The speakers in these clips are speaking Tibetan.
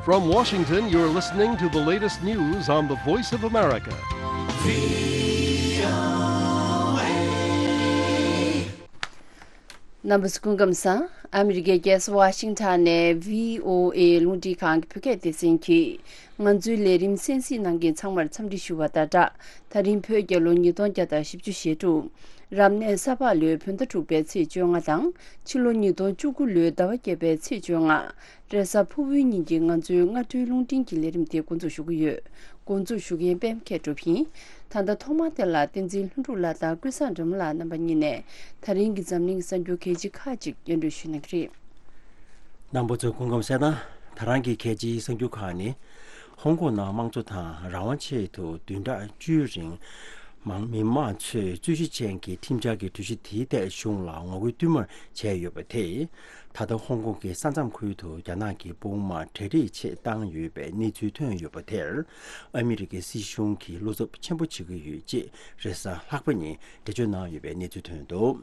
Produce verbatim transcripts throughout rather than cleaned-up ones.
From Washington, you're listening to the latest news on the Voice of America. རྣམ་པ་ཚོ་སྐུ་ཁམས་བཟང་། ཨ་མི་རི་ཀའི་རྒྱལ་ས་ཝ་ཤིང་ཊོན་ནས་བྷི་ཨོ་ཨེ་རླུང་འཕྲིན་ཁང་གི་བོད་སྐད་སྡེ་ཚན་གྱིས་ང་ཚོའི་ལས་རིམ་གསན་གཟིགས་གནང་མཁན་ཚང་མར་འཚམས་འདྲི་ཞུ་བ་དང་སྦྲགས། ད་རིང་བོད་རྒྱལ་ལོ་ཉིས་སྟོང་བརྒྱ་དང་བཞི་བཅུ་ཞེ་དྲུག་རབ་གནས་ས་ཕག་ལོའི་བོད་ཟླ་དྲུག་པའི་ཚེས་བཅོ་ལྔ་དང་ཕྱི་ལོ་ཉིས་སྟོང་བཅུ་དགུ་ལོའི་ཟླ་བ་བརྒྱད་པའི་ཚེས་བཅོ་ལྔ། རེས་གཟའ་ཕུར་བུའི་ཉིན་གྱི་ང་ཚོའི་སྔ་དྲོའི་རླུང་འཕྲིན་གྱི་ལས་རིམ་དེ་འགོ་འཛུགས་ཞུ་གི་ཡོད། འགོ་འཛུགས་ཞུ་མཁན་པད་མ་མཁས་གྲུབ་ཡིན། ད་ལྟ་ཐོག་མར་དེ་ལ་བསྟན་འཛིན་ལྷུན་གྲུབ་ལགས་དང་ཀུན་བཟང་སྒྲོལ་མ་ལགས་རྣམ་པ་གཉིས་ནས་ད་རིང་གི་འཛམ་གླིང་གསར་འགྱུར་གལ་ཆེ་ཁག་ཅིག་སྙན་སྒྲོན་ཞུ་གནང་གི་རེད། རྣམ་པ་ཚོ་སྐུ་ཁམས་བཟང་། ད་རང་གི་གལ་ཆེའི་གསར་འགྱུར་ཁག་ནི། ཧོང་ཀོང་ནང་དམངས་གཙོ་དང་རང་དབང་ཆེད་དུ་བདུན་ཕྲག་བཅུའི་རིང་། མང་མི་མང་ཚོས་རྩོད་གཞི་ཅན་གྱི་ཁྲིམས་འཆར་གྱི་གྲོས་གཞི་དེའི་ཐད་གཞུང་ལ་ངོ་རྒོལ་བསྟུད་མར་བྱས་ཡོད་པ་དེས། ད་ལྟ་ཧོང་ཀོང་གི་ས་མཚམས་ཁུལ་དུ་རྒྱ་ནག་གི་དཔུང་དམག་གྲ་སྒྲིག་ཆེད་བཏང་ཡོད་པའི་གནས་ཚུལ་ཐོན་ཡོད་པ་དེར། ཨ་མི་རི་ཀའི་སྲིད་གཞུང་གིས་བློ་འཚབ་ཆེན་པོ་བྱེད་ཀྱི་ཡོད་ཅེས་རེས་གཟའ་ལྷག་པ་ཉིན་འགྲེལ་བརྗོད་གནང་ཡོད་པའི་གནས་ཚུལ་ཐོན་འདུག་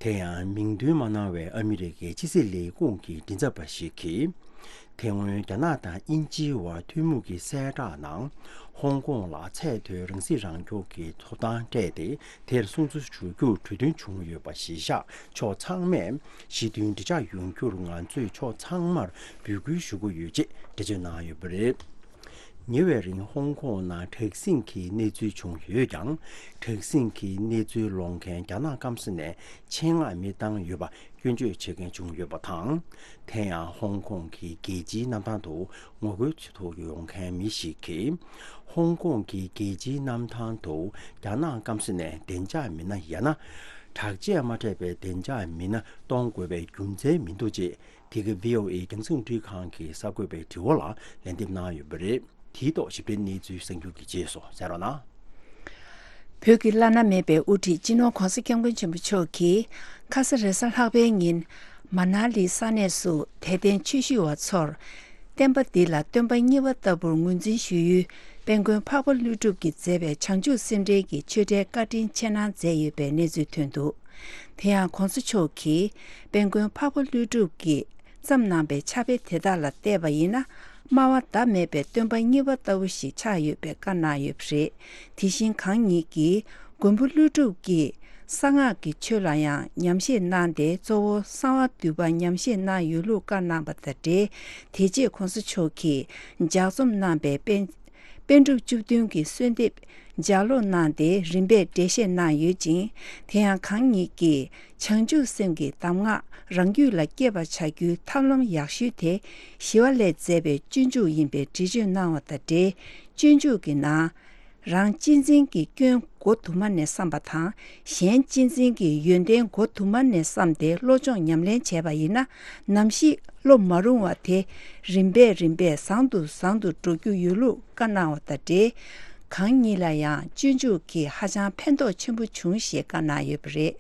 དེ་ཡང་མིང་འདོན་མ་གནང་བའི་ཨ་མི་རི་ཀའི་ཕྱི་སྲིད་ལས་ཁུངས་ཀྱི་མགྲིན་ཚབ་པ་ཞིག་གིས། དེ་སྔོན་རྒྱ་ནག་དང་དབྱིན་ཇིའི་བར་ཐུན་མོང་གི་གསལ་བསྒྲགས་ནང་། ཧོང་ཀོང་ལ་ཚད་མཐོའི་རང་སྲིད་རང་སྐྱོང་གི་ཐོབ་ཐང་སྤྲད་དེ། དེར་སྲུང་བརྩི་ཞུ་རྒྱུར་གྲོས་མཐུན་བྱུང་ཡོད་པ་གཞིར་བཞག་ཕྱོགས་ཚང་མས་ཞི་མཐུན་འགྲིག་འཇགས་ཡོང་རྒྱུར་ང་ཚོས་ཕྱོགས་ཚང་མར་འབོད་སྐུལ་ཞུ་གི་ཡོད་ཅེས་འགྲེལ་བརྗོད་གནང་ཡོད་པ་རེད། ཉེ་བའི་རིང་ཧོང་ཀོང་ནང་དྲག་ཟིང་གི་གནས་ཚུལ་བྱུང་ཡོད་ཀྱང་། དྲག་ཟིང་གི་གནས་ཚུལ་སློང་མཁན་རྒྱ་ནག་སྐམ་ས་ནས་ཆེད་མངགས་མི་བཏང་ཡོད་པ་སྐྱོན་བརྗོད་བྱེད་མཁན་བྱུང་ཡོད་པ་དང་། དེ་ཡང་ཧོང་ཀོང་གི་རྒྱལ་སྤྱིའི་གནམ་ཐང་དུ་ངོ་རྒོལ་བྱེད་དུ་ཡོང་མཁན་མི་ཞིག་གིས། ཧོང་ཀོང་གི་རྒྱལ་སྤྱིའི་གནམ་ཐང་དུ་རྒྱ་ནག་སྐམ་ས་ནས་བདེ་འཇགས་མི་སྣ་ཡང་ན། དྲག་ཆས་མ་སྤྲས་པའི་བདེ་འཇགས་མི་སྣ་གཏོང་དགོས་པའི་རྒྱུ་མཚན་མི་འདུག་ཅེས། དེ་ག་བྷི་ཨོ་ཨེ་རྒྱང་སྲིང་རླུང་འཕྲིན་ཁང་གི་གསར་འགོད་པའི་དྲི་བ་ལ་ལན་འདེབས་གནང་ཡོད་པ་རེད། དེའི་ཐོག་ཞིབ་ཕྲའི་གནས་ཚུལ་གསར་འགྱུར་གྱི་རྗེས་སུ་གསན་རོགས་གནང་། བོད་ཀྱི་བླ་ན་མེད་པའི་དབུ་ཁྲིད་སྤྱི་ནོར་༧གོང་ས་༧སྐྱབས་མགོན་ཆེན་པོ་མཆོག་གིས་ཁ་ས་རེས་གཟའ་ལྷག་པའི་ཉིན་མ་ན་ལི་ས་གནས་སུ་དད་ལྡན་ཆོས་ཞུ་བ་ཚོར། བསྟན་པ་འདི་ལ་སྟོན་པ་གཉིས་པ་ལྟ་བུར་ངོས་འཛིན་ཞུ་ཡུལ་དཔལ་མགོན་འཕགས་པ་ཀླུ་སྒྲུབ་ཀྱིས་མཛད་པའི་བྱང་ཆུབ་སེམས་འགྲེལ་གྱི་ཆོས་འབྲེལ་བཀའ་དྲིན་ཆེ་གནང་མཛད་ཡོད་པའི་གནས་ཚུལ་ཐོན་འདུག་དེ་ཡང་༧གོང་ས་མཆོག་གིས་དཔལ་མགོན་འཕགས་པ་ཀླུ་སྒྲུབ་ཀྱིས་བརྩམས་གནང་པའི་ཕྱག་དཔེ་དེ་དག་ལ་བལྟས་པ་ཡིན་ན། སྨྲ་བ་ཟླ་མེད་པའི་སྟོན་པ་གཉིས་པ་ལྟ་བུ་ཞིག་ཆགས་ཡོད་པའི་བཀའ་གནང་ཡོད་པ་རེད། དེ་བཞིན་གང་ཉིད་ཀྱིས་མགོན་པོ་ཀླུ་སྒྲུབ་ཀྱིས་གསང་སྔགས་ཀྱི་ཆོས་ལ་ཡང་ཉམས་བཞེས་གནང་སྟེ། གཙོ་བོ་གསང་བ་འདུས་པ་ཉམས་བཞེས་གནང་ཡོད་ལུགས་བཀའ་གནང་པ་དང་འབྲེལ། དེ་རྗེས་༧གོང་ས་མཆོག་གིས་ལྗགས་རྩོམ་གནང་པའི་པཎ་པཎ་གྲུབ་བཅུ་བདུན་གྱི་གསོལ་འདེབས་ལྗགས་ཀློག་གནང་སྟེ་རིམ་པས་འགྲེལ་བཤད་གནང་ཡོད་ཅིང་། དེ་ཡང་གང་ཉིད་ཀྱིས་བྱང་ཆུབ་སེམས་ཀྱི་གདམས་ངག་རང་རྒྱུད་ལ་སྐྱེས་པར་བྱ་རྒྱུའི་ཐབས་ལམ་ཡག་ཤོས་དེ། ཞི་བ་ལྷས་མཛད་པའི་སྤྱོད་འཇུག་ཡིན་པའི་འགྲེལ་བརྗོད་གནང་བ་དང་འབྲེལ། སྤྱོད་འཇུག་གི་ནང་། རང་གཅེས་འཛིན་གྱི་སྐྱོན་མགོ་དུ་མ་ནས་བསམ་པ་དང་། གཞན་གཅེས་འཛིན་གྱི་ཡོན་ཏན་མགོ་དུ་མ་ནས་བསམ་སྟེ་བློ་སྦྱོང་ཉམས་ལེན་བྱས་པ་ཡིན་ན། ནམ་ཞིག་བློ་མ་རུང་བ་དེ་རིམ་པས་རིམ་པས་བཟང་དུ་བཟང་དུ་འགྲོ་རྒྱུ་ཡོད་ལུགས་བཀའ་གནང་བ་དང་འབྲེལ། གང་ཉིད་ལ་ཡང་སྤྱོད་འཇུག་གིས་ཧ་ཅང་ཕན་ཐོགས་ཆེན་པོ་བྱུང་ཞེས་བཀའ་གནང་ཡོད་པ་རེད།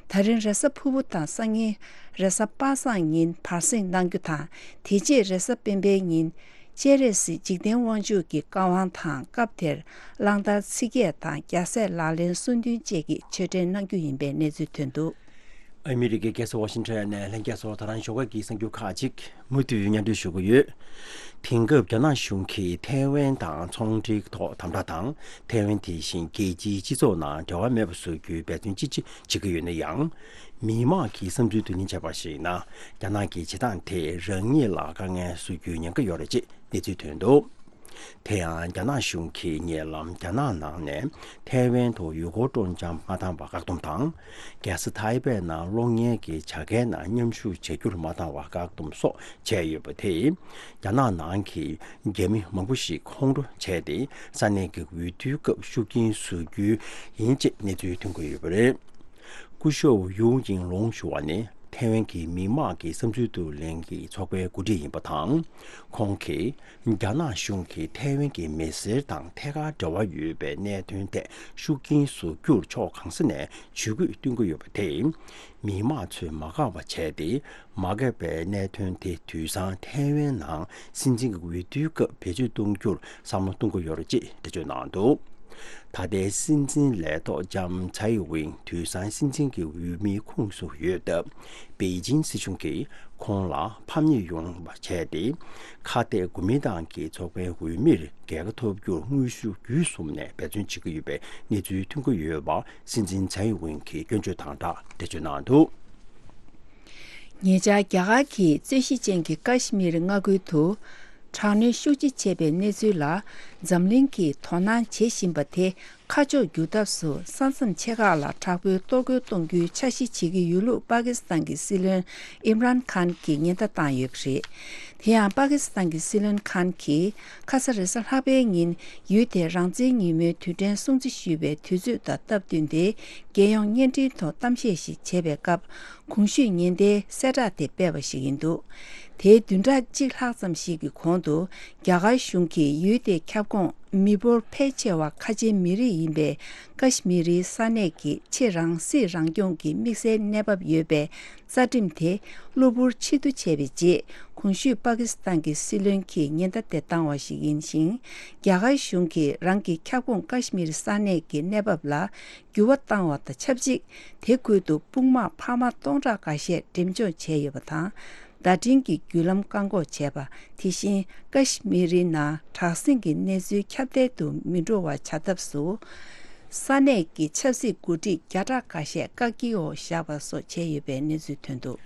ད་རིང་རེས་གཟའ་ཕུར་བུ་དང་སང་ཉིན་རེས་གཟའ་པ་སངས་ཉིན་བར་གསེང་གནང་རྒྱུ་དང་། དེ་རྗེས་རེས་གཟའ་སྤེན་པའི་ཉིན་སྤྱན་རས་གཟིགས་འཇིག་རྟེན་དབང་ཕྱུག་གི་བཀའ་དབང་དང་། སྐབས་དེར་གླང་དར་ཚིག་བརྒྱད་དང་རྒྱལ་སྲས་ལག་ལེན་གསུམ་བདུན་བཅས་ཀྱི་ཆོས་འབྲེལ་གནང་རྒྱུ་ཡིན་པའི་གནས་ཚུལ་ཐོན་འདུག་ཨ་མི་རི་ཀའི་རྒྱལ་ས་ཝ་ཤིང་ཊོན་ནས་ལྷན་རྒྱས་ཚོར་ད་རང་ཞོགས་ཀ་གི་གསར་འགྱུར་ཁག་ཅིག་མུ་མཐུད་སྙན་སྒྲོན་ཞུ་གི་ཡོད། དེང་སྐབས་རྒྱ་ནག་གཞུང་གིས་ཐའེ་ཝན་དང་ཚོང་འབྲེལ་ཐོག་དམ་དྲག་དང་། ཐའེ་ཝན་དེ་བཞིན་རྒྱལ་སྤྱིའི་སྤྱི་ཚོགས་ནང་འབྲེལ་བ་མེད་པ་བཟོ་རྒྱུའི་འབད་བརྩོན་ཅི་ཆེ་བྱེད་ཀྱི་ཡོད་ན་ཡང་། མི་མང་གི་བསམ་ཚུལ་བསྡུ་ལེན་བྱས་པར་གཞིགས་ན། རྒྱ་ནག་གི་བྱེད་སྟངས་དེས་རང་ཉིད་ལ་དཀའ་ངལ་བཟོ་རྒྱུའི་ཉེན་ཁ་ཡོད་རེད་ཅེས་གནས་ཚུལ་ཐོན་འདུག་དེ་ཡང་རྒྱ་ནག་གཞུང་གིས་ཉེ་ལམ་རྒྱ་ནག་ནང་ནས་ཐའེ་ཝན་དུ་ཡུལ་སྐོར་སྤྲོ་འཆམ་མ་བཏང་བར་བཀག་སྡོམ་དང་། རྒྱལ་ས་ཐའེ་པེ་ནང་གློག་བརྙན་གྱི་བྱ་དགའི་ནང་མཉམ་ཞུགས་བྱ་རྒྱུར་མ་བཏང་བར་བཀག་སྡོམ་སོགས་བྱས་ཡོད་པ་དེས། རྒྱ་ནག་ནང་གི་རྒྱ་མི་མང་པོ་ཞིག་ཁོང་ཁྲོ་བྱས་ཏེ། ས་གནས་ཀྱི་འོས་བསྡུའི་སྐབས་ཤུགས་རྐྱེན་བཟོ་རྒྱུ་ཡིན་ཅེས་གནས་ཚུལ་ཐོན་གྱི་ཡོད་པ་རེད། སྐུ་ཞབས་ཡུའུ་ཡིང་ལུང་ཞུ་བ་ནི་ཐའེ་ཝན་གྱི་མི་དམངས་ཀྱི་བསམ་ཚུལ་བསྡུ་ལེན་གྱི་ཚོགས་པའི་འགོ་ཁྲིད་ཡིན་པ་དང་། ཁོང་གིས་རྒྱ་ནག་གཞུང་གིས་ཐའེ་ཝན་གྱི་མི་སེར་དང་ཐད་ཀར་འབྲེལ་བ་ཡོད་པའི་གནད་དོན་ཐད་ཤུགས་རྐྱེན་བཟོ་རྒྱུར་ཕྱོགས་གང་ས་ནས་ཇུས་འགོད་བཏོན་གྱི་ཡོད་པ་དེས། མི་དམངས་ཚོས་མ་དགའ་བ་བྱས་ཏེ། མ་དགའ་བའི་གནད་དོན་དེ་དུས་སང་ཐའེ་ཝན་ནང་སྲིད་འཛིན་གྱི་འོས་བསྡུའི་སྐབས་བེད་སྤྱོད་གཏོང་རྒྱུར་བསམ་བློ་གཏོང་གི་ཡོད་རེད་ཅེས་འགྲེལ་བརྗོད་གནང་འདུག་ད་ལྟའི་སྲིད་འཛིན་ལས་ཐོག་ལྕམ་ཚའེ་ཝིན་དུས་སང་སྲིད་འཛིན་གྱི་འོས་མིའི་ཁོངས་སུ་ཡོད་སྟབས། པེ་ཅིན་སྲིད་གཞུང་གིས་ཁོང་ལ་ཕམ་ཉེས་ཡོང་བ་བྱས་ཏེ། ཁ་གཏད་གོ་མིན་ཏང་གི་ཚོགས་པའི་འོས་མིར་རྒྱལ་ཁ་ཐོབ་རྒྱུར་དངོས་ཤུགས་བརྒྱུད་གསུམ་ནས་འབད་བརྩོན་བྱེད་ཀྱི་ཡོད་པའི་གནས་ཚུལ་ཐོན་གྱི་ཡོད་པ། སྲིད་འཛིན་ཚའེ་ཝིན་གྱིས་སྐྱོན་བརྗོད་དང་སྦྲགས་འགྲེལ་བརྗོད་གནང་འདུག། ཉེ་ཆར་རྒྱ་གར་གྱི་རྩོད་གཞི་ཅན་གྱི་ཀ་ཤི་མིར་མངའ་ཁུལ་དུ་དྲག་གནོན་ཤུགས་ཆེ་བྱས་པའི་གནས་ཚུལ་ལ། འཛམ་གླིང་གིས་དོ་སྣང་བྱེད་བཞིན་པ་དེ་ཁ་ཕྱོགས་བསྒྱུར་ཐབས་སུ། ས་མཚམས་ཆེ་ཁག་ལ་དྲག་པོའི་གཏོར་རྒོལ་གཏོང་རྒྱུའི་འཆར་གཞི་བྱེད་ཀྱི་ཡོད་ལུགས་པ་ཀི་སི་ཐན་གྱི་སྲིད་བློན་ཨིམ་རཱན་ཁཱན་གྱིས་ཉེན་བརྡ་བཏང་ཡོད་པ་རེད། དེ་ཡང་པ་ཀི་སི་ཐན་གྱི་སྲིད་བློན་ཁཱན་གྱིས་ཁ་ས་རེས་གཟའ་ལྷག་པའི་ཉིན་ཡུལ་དེར་རང་བཙན་ཉིན་མོའི་དུས་དྲན་སྲུང་བརྩི་ཞུས་པའི་དུས་ཚོད་དང་སྟབས་བསྟུན་ཏེ། རྒྱལ་ཡོངས་བརྙན་འཕྲིན་ཐོག་གཏམ་བཤད་ཞིག་བྱས་པའི་སྐབས། གོང་ཞུས་ཉེན་བརྡའི་གསལ་བསྒྲགས་དེ་སྤེལ་བ་ཞིག་ཡིན་འདུག། དེའི་བདུན་ཕྲག་གཅིག་ལྷག་ཙམ་ཞིག་གི་གོང་དུ། རྒྱ་གར་གཞུང་གིས་ཡུལ་དེའི་ཁྱབ་ཁོངས་མི་འབོར་ཕལ་ཆེ་བ་ཁ་ཆེའི་མི་རིགས་ཡིན་པའི་ཀ་ཤི་མི་རིའི་ས་གནས་ཀྱི་ཆེས་རང་སྲིད་རང་སྐྱོང་གི་དམིགས་བསལ་གནས་བབ་ཡོད་པའི་རྩ་ཁྲིམས་དེ་གློ་བུར་ཕྱིར་བསྡུ་བྱས་པའི་རྗེས། གོང་ཞུས་པ་ཀི་སི་ཐན་གྱི་སྲིད་བློན་གྱིས་ཉེན་བརྡ་དེ་བཏང་བ་ཞིག་ཡིན་ཞིང་། རྒྱ་གར་གཞུང་གིས་རང་གི་ཁྱབ་ཁོངས་ཀ་ཤི་མིར་ས་གནས་ཀྱི་གནས་བབ་ལ་འགྱུར་བ་བཏང་བ་དང་ཆབས་ཅིག། དེ་ཁུལ་དུ་དཔུང་དམག་འཕར་མ་སྟོང་ཕྲག་འགའ་ཤས་འགྲེམས་འཇོག་བྱས་ཡོད་པ་དང་། བརྡ་འཕྲིན་གྱི་བརྒྱུད་ལམ་བཀག་འགོག་བྱས་པ། དེ་བཞིན་ཀ་ཤི་མིར་ནང་དྲག་ཟིང་གི་གནས་ཚུལ་ཁྱབ་གདལ་དུ་མི་འགྲོ་བ་བྱ་ཐབས་སུ། ས་གནས་ཀྱི་ཆབ་སྲིད་འགོ་ཁྲིད་བརྒྱ་ཕྲག་འགའ་ཤས་བཀག་སྐྱིལ་འོག་བཞག་པ་སོགས་བྱས་ཡོད་པའི་གནས་ཚུལ་ཐོན་འདུག།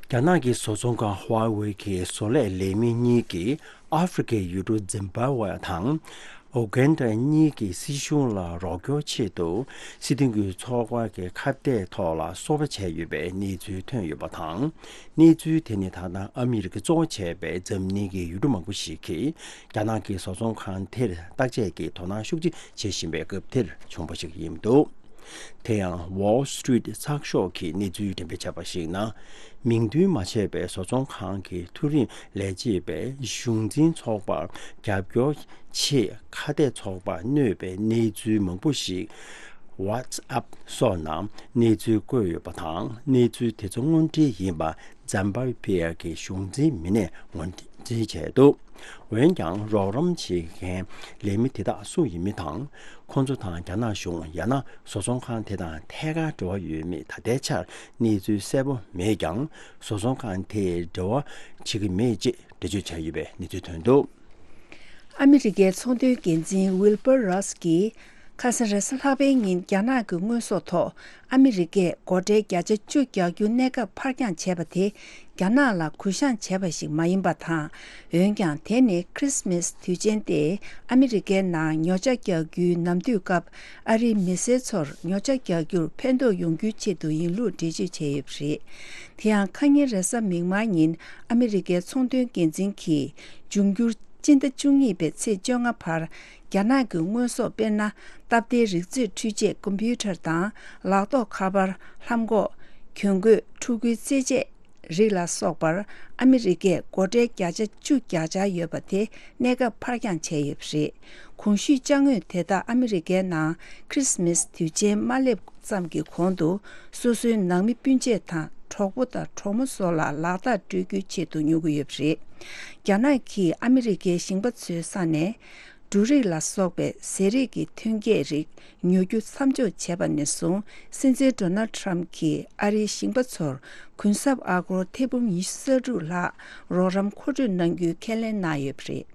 རྒྱ་ནག་གི་བཟོ་ཚོང་ཁང་ཧྭ་ཝེ་གིས་བཟོ་ལས་ལས་མི་གཉིས་ཀྱིས་ཨ་ཧྥེ་རི་ཁའི་ཡུལ་གྲུ་ཛིམ་བྷ་ཝེ་དང་། ཨུ་གན་ཌ་གཉིས་ཀྱི་སྲིད་གཞུང་ལ་རོགས་སྐྱོར་ཆེད་དུ། སྲིད་དོན་གྱི་ཚོགས་པ་གི་ཁ་གཏད་ཐོག་ལ་སོ་པ་བྱས་ཡོད་པའི་གནས་ཚུལ་ཐོན་ཡོད་པ་དང་། གནས་ཚུལ་དེ་ནི་ད་ལྟ་ཨ་མི་རི་ཀ་གཙོ་བོ་བྱས་པའི་འཛམ་གླིང་གི་ཡུལ་གྲུ་མང་པོ་ཞིག་གིས་རྒྱ་ནག་གི་བཟོ་ཚོང་ཁང་དེར་བརྟག་དཔྱད་ཀྱིས་དོ་སྣང་ཤུགས་ཆེ་བྱེད་བཞིན་པའི་སྐབས་དེར་བྱུང་བ་ཞིག་ཡིན་འདུག། དེ་ཡང་Wall Street་ཚགས་ཤོག་གིས་གནས་ཚུལ་འགྲེམས་སྤེལ་བྱས་པར་གཞིགས་ན། མིང་འདོན་མ་བྱས་པའི་བཟོ་ཚོང་ཁང་གི་མཐོ་རིམ་ལས་བྱེད་པས་གཞུང་འཛིན་ཚོགས་པར་རྒྱབ་སྐྱོར་ཆེད་ཁ་གཏད་ཚོགས་པར་གནོད་པའི་གནས་ཚུལ་མང་པོ་ཞིག་WhatsApp་སོགས་ནང་གནས་ཚུལ་བཀོད་ཡོད་པ་དང་། གནས་ཚུལ་དེ་ཚོ་དངོས་འབྲེལ་ཡིན་པ་ཛམ་བྷ་ཝེ་གི་གཞུང་འཛིན་མི་སྣས་ངོས་འཛིན་བྱས་འདུག། འོན་ཀྱང་། རོགས་རམ་བྱེད་མཁན་ལས་མི་དེ་དག་སུ་ཡིན་མིན་དང་། ཁོང་ཚོ་དང་རྒྱ་ནག་གཞུང་ཡང་ན་བཟོ་ཚོང་ཁང་དེ་དང་ཐད་ཀར་འབྲེལ་བ་ཡོད་མེད་ད་ལྟའི་ཆར་གནས་ཚུལ་གསལ་པོ་མེད་ཀྱང་། བཟོ་ཚོང་ཁང་དེས་འབྲེལ་བ་བྱེད་ཀྱི་མེད་ཅེས་འགྲེལ་བརྗོད་བྱས་ཡོད་པའི་གནས་ཚུལ་ཐོན་འདུག། ཨ་མི་རི་ཀའི་ཚོང་དོན་འགན་འཛིན་ཝིལ་པར་རོས་ཀྱིས། ཁ་སང་རེས་གཟའ་ལྷག་པའི་ཉིན་རྒྱ་ནག་གི་དངོས་ཟོག་ཐོག་ཨ་མི་རི་ཀས་སྒོ་ཁྲལ་བརྒྱ་ཆ་བཅུ་རྒྱག་རྒྱུ་གནས་སྐབས་ཕར་འགྱངས་བྱས་པ་དེ་རྒྱ་ནག་ལ་གུ་བཤངས་བྱས་པ་ཞིག་མ་ཡིན་པ་དང་། འོན་ཀྱང་དེ་ནི་ཁྲིས་མིས་དུས་ཆེན་ཏེ་ཨ་མི་རི་ཀའི་ནང་ཉོ་ཆ་རྒྱག་རྒྱུའི་ནམ་དུས་སྐབས་ཨ་རིའི་མི་སེར་ཚོར་ཉོ་ཆ་རྒྱག་རྒྱུར་ཕན་ཐོགས་ཡོང་རྒྱུའི་ཆེད་དུ་ཡིན་ལུགས་འགྲེལ་བརྗོད་བྱས་ཡོད་པ་རེད། དེ་ཡང་ཁ་ཉིན་རེས་གཟའ་མིག་དམར་ཉིན་ཨ་མི་རི་ཀའི་ཚོང་དོན་འགན་འཛིན་གྱིས་འབྱུང་འགྱུར། སྤྱི་ཟླ་བཅུ་གཉིས་པའི་ཚེས་བཅོ་ལྔ་བར། རྒྱ་ནག་གི་དངོས་ཟོག་དཔེར་ན། སྟབས་བདེའི་རིག་མཛོད་འཕྲུལ་ཆས་ཀམ་པུ་ཊར་དང་། ལག་ཐོགས་ཁ་པར། ལྷམ་གོག་གྱོན་གོས། ཕྲུ་གུའི་རྩེད་ཆས་རིགས་ལ་སོགས་པར། ཨ་མི་རི་ཀས་སྒོ་ཁྲལ་བརྒྱ་ཆ་བཅུ་རྒྱག་འཆར་ཡོད་པ་དེ་གནས་སྐབས་ཕར་འགྱངས་བྱས་ཡོད་པ་རེད། གོང་ཞུས་ཅ་དངོས་དེ་དག་ཨ་མི་རི་ཀའི་ནང་ཁྲིས་མིས་དུས་ཆེན་མ་སླེབས། ཙམ་གྱི་གོང་དུ་སོ་སོའི་ནང་མི་སྤུན་མཆེད་དང་གྲོགས་པོ་དང་གྲོགས་མོ་སོགས་ལ་ལག་རྟགས་སྤྲོད་རྒྱུའི་ཆེད་དུ་ཉོ་གི་ཡོད་པ་རེད། རྒྱ་ནག་གིས་ཨ་མི་རི་ཀའི་ཞིང་པ་ཚོའི་ས་ནས་འབྲུ་རིགས་ལ་སོགས་པའི་ཟས་རིགས་ཀྱི་ཐོན་སྐྱེད་རིགས་ཉོ་རྒྱུ་མཚམས་འཇོག་བྱས་པ་ནས་བཟུང་། སྲིད་འཛིན་ཌོ་ནལ་ཌི་ཊརམ་གྱིས་ཨ་རིའི་ཞིང་པ་ཚོར་གུན་གསབ་ཨ་སྒོར་ཐེར་འབུམ་ཉི་ཤུ་རྩ་དྲུག་ལྷག་རོགས་རམ་མཁོ་སྤྲོད་གནང་རྒྱུའི་ཁས་ལེན་གནང་ཡོད་པ་རེད།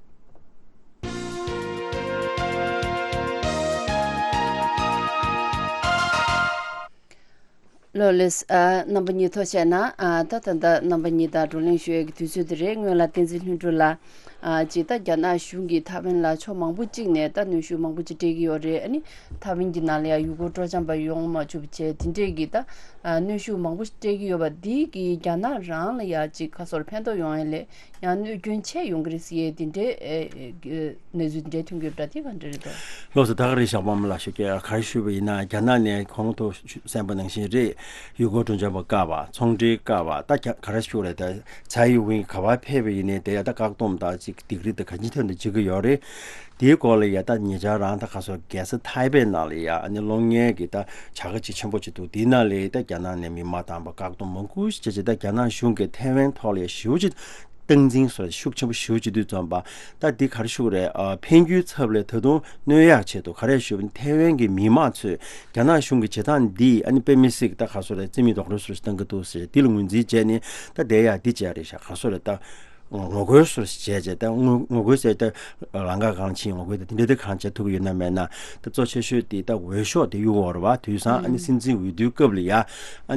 ལགས་ལགས། ཨ། རྣམ་པ་གཉིས་ཐུགས་རྗེ་གནང་། ཨ། ད་ད་ལྟ་རྣམ་པ་གཉིས་དང་བགྲོ་གླེང་ཞུ་ཡས་ཀྱི་དུས་ཚོད་དེ་རེད། སྔོན་ལ་བསྟན་འཛིན་ལྷུན་གྲུབ་ལགས། ཨ། ཅིག་ད་རྒྱ་ནག་གཞུང་གིས་ཐའེ་ཝན་ལ་ཕྱོགས་མང་པོ་གཅིག་ནས་ད་གནོན་ཤུགས་མང་པོ་ཅིག་སྤྲད་ཀྱི་ཡོད་རེད། ཨ་ནི་ཐའེ་ཝན་གྱི་ནང་ལ་ཡང་ཡུལ་སྐོར་སྤྲོ་འཆམ་པ་ཡོང་མ་ཆོག་པ་བྱས། དེ་འདྲས་ཀྱི་ད། ཨ། གནོན་ཤུགས་མང་པོ་སྤྲད་ཀྱི་ཡོད་པ་འདི་གིས་རྒྱ་ནག་རང་ལ་ཡང་ཅིག་ཁ་སོར་ཕན་ཐོགས་ཡོང་ཡས་ལས། ཡང་གནོད་སྐྱོན་ཆེ་ཡོང་གི་རེད་ཟེར་ཡས་དེ་འདྲའི་ཨེ་ཨེ་གནས་ཚུལ་དེ་འདྲའི་ཐོན་གྱི་ཡོད་པ་འདྲ། དེ་ག་འདྲ་རེད་དོ། ལགས་སོ། ད་ག་རེད། ཞགས་པ་མ་ལགས། ཞུ་གི་ག་རེ་ཞུས་པ་ཡིན་ན། རྒྱ་ནག་ནས་གོང་དུ་གསན་པ་ནང་བཞིན་རེད། ཡུལ་སྐོར་སྤྲོ་འཆམ་པ་བཀག་པ། ཚོང་འབྲེལ་བཀག་པ། ད་རྒྱ་ག་རེ་ཞུ་རེད། ད་ཚའེ་ཝིན་ག་པར་ཕེབས་པ་ཡིན་ནའི་དེ་ཡ་ད་བཀག་སྡོམ་དང་ཅིག་སྡིགས་ར་ད་ག་ཅི་ཐོན་དུ་བྱེད་ཀྱི་ཡོད་རེད། དེའི་སྐོར་ལ་ཡ་ད་ཉེ་ཆར་རང་ད་ག་སོ་རྒྱལ་ས་ཐའེ་པེ་ནང་ལ་ཡ་ཨ་ནི་གློག་བརྙན་གྱི་ད་བྱ་དགའ་ཅིག་ཆེན་པོ་ཅིག་འདུག། དེའི་ནང་ལ་ད་རྒྱ་ནག་ནས་མི་མ་འདང་པ་བཀག་སྡོམ་མང་པོ་ཞིག་བྱས་བྱས། ད་རྒྱ་ནག་གཞུང་གིས་ཐའེ་ཝན་ཐོག་ལ་ཡ་ཞེ་པོ་ཅིག་ སྟངས་འཛིན་སོགས་ཤུགས་ཆེན་པོ་ཞེ་པོ་ཅིག་འདུག་བརྩམས་པ། ད་འདི་ག་རེ་ཞུ་དགོས་རེད། ཨ། འཕེན་རྒྱུའི་ཚབ་ལ་ད་དུང་གནོད་ཡག་ཆེད་དུ་ག་རེ་ཞུ་བ་ཡིན། ཐའེ་ཝན་གྱི་མི་མང་ཚོས་རྒྱ་ནག་གཞུང་གི་བྱེད་སྟངས་འདི་ཨ་ནི་དཔེ་མི་སྲིད་ཀྱི་ད་ག་རེ་ཟེར་རེད། རྩིས་མེད་རྡོག་རོལ་སོགས་བཏང་གི་འདུག་ཟེར། འདི་ལ་ངོས་འཛིན་བྱས་ནས་ད་བསྡད་ཡག་འདི་བྱས་རེད་ཤག་ག་རེ་ཟེར་རེད། ད་ངོ་རྒོལ་སོགས་བྱས་བྱས། ད་ངོ་ངོ་རྒོལ་ཟེར་ད་ལམ་ཁ་སྒང་ཕྱིན་ངོ་རྒོལ། ད་འདི་འདྲ་དེ་གང་བྱེད་ཐུབ་ཀྱི་ཡོད་ན་མེད་ན། ད་གཙོ་ཆེ་ཤོས་དེ་ད་འོས་ཤོག་དེ་གཡུག་དགོས་རེད་བ། དུས་སང་ཨ་ནི་སྲིད་འཛིན་འོས་བསྡུའི་སྐབས་ལ་ཡ་ཨ་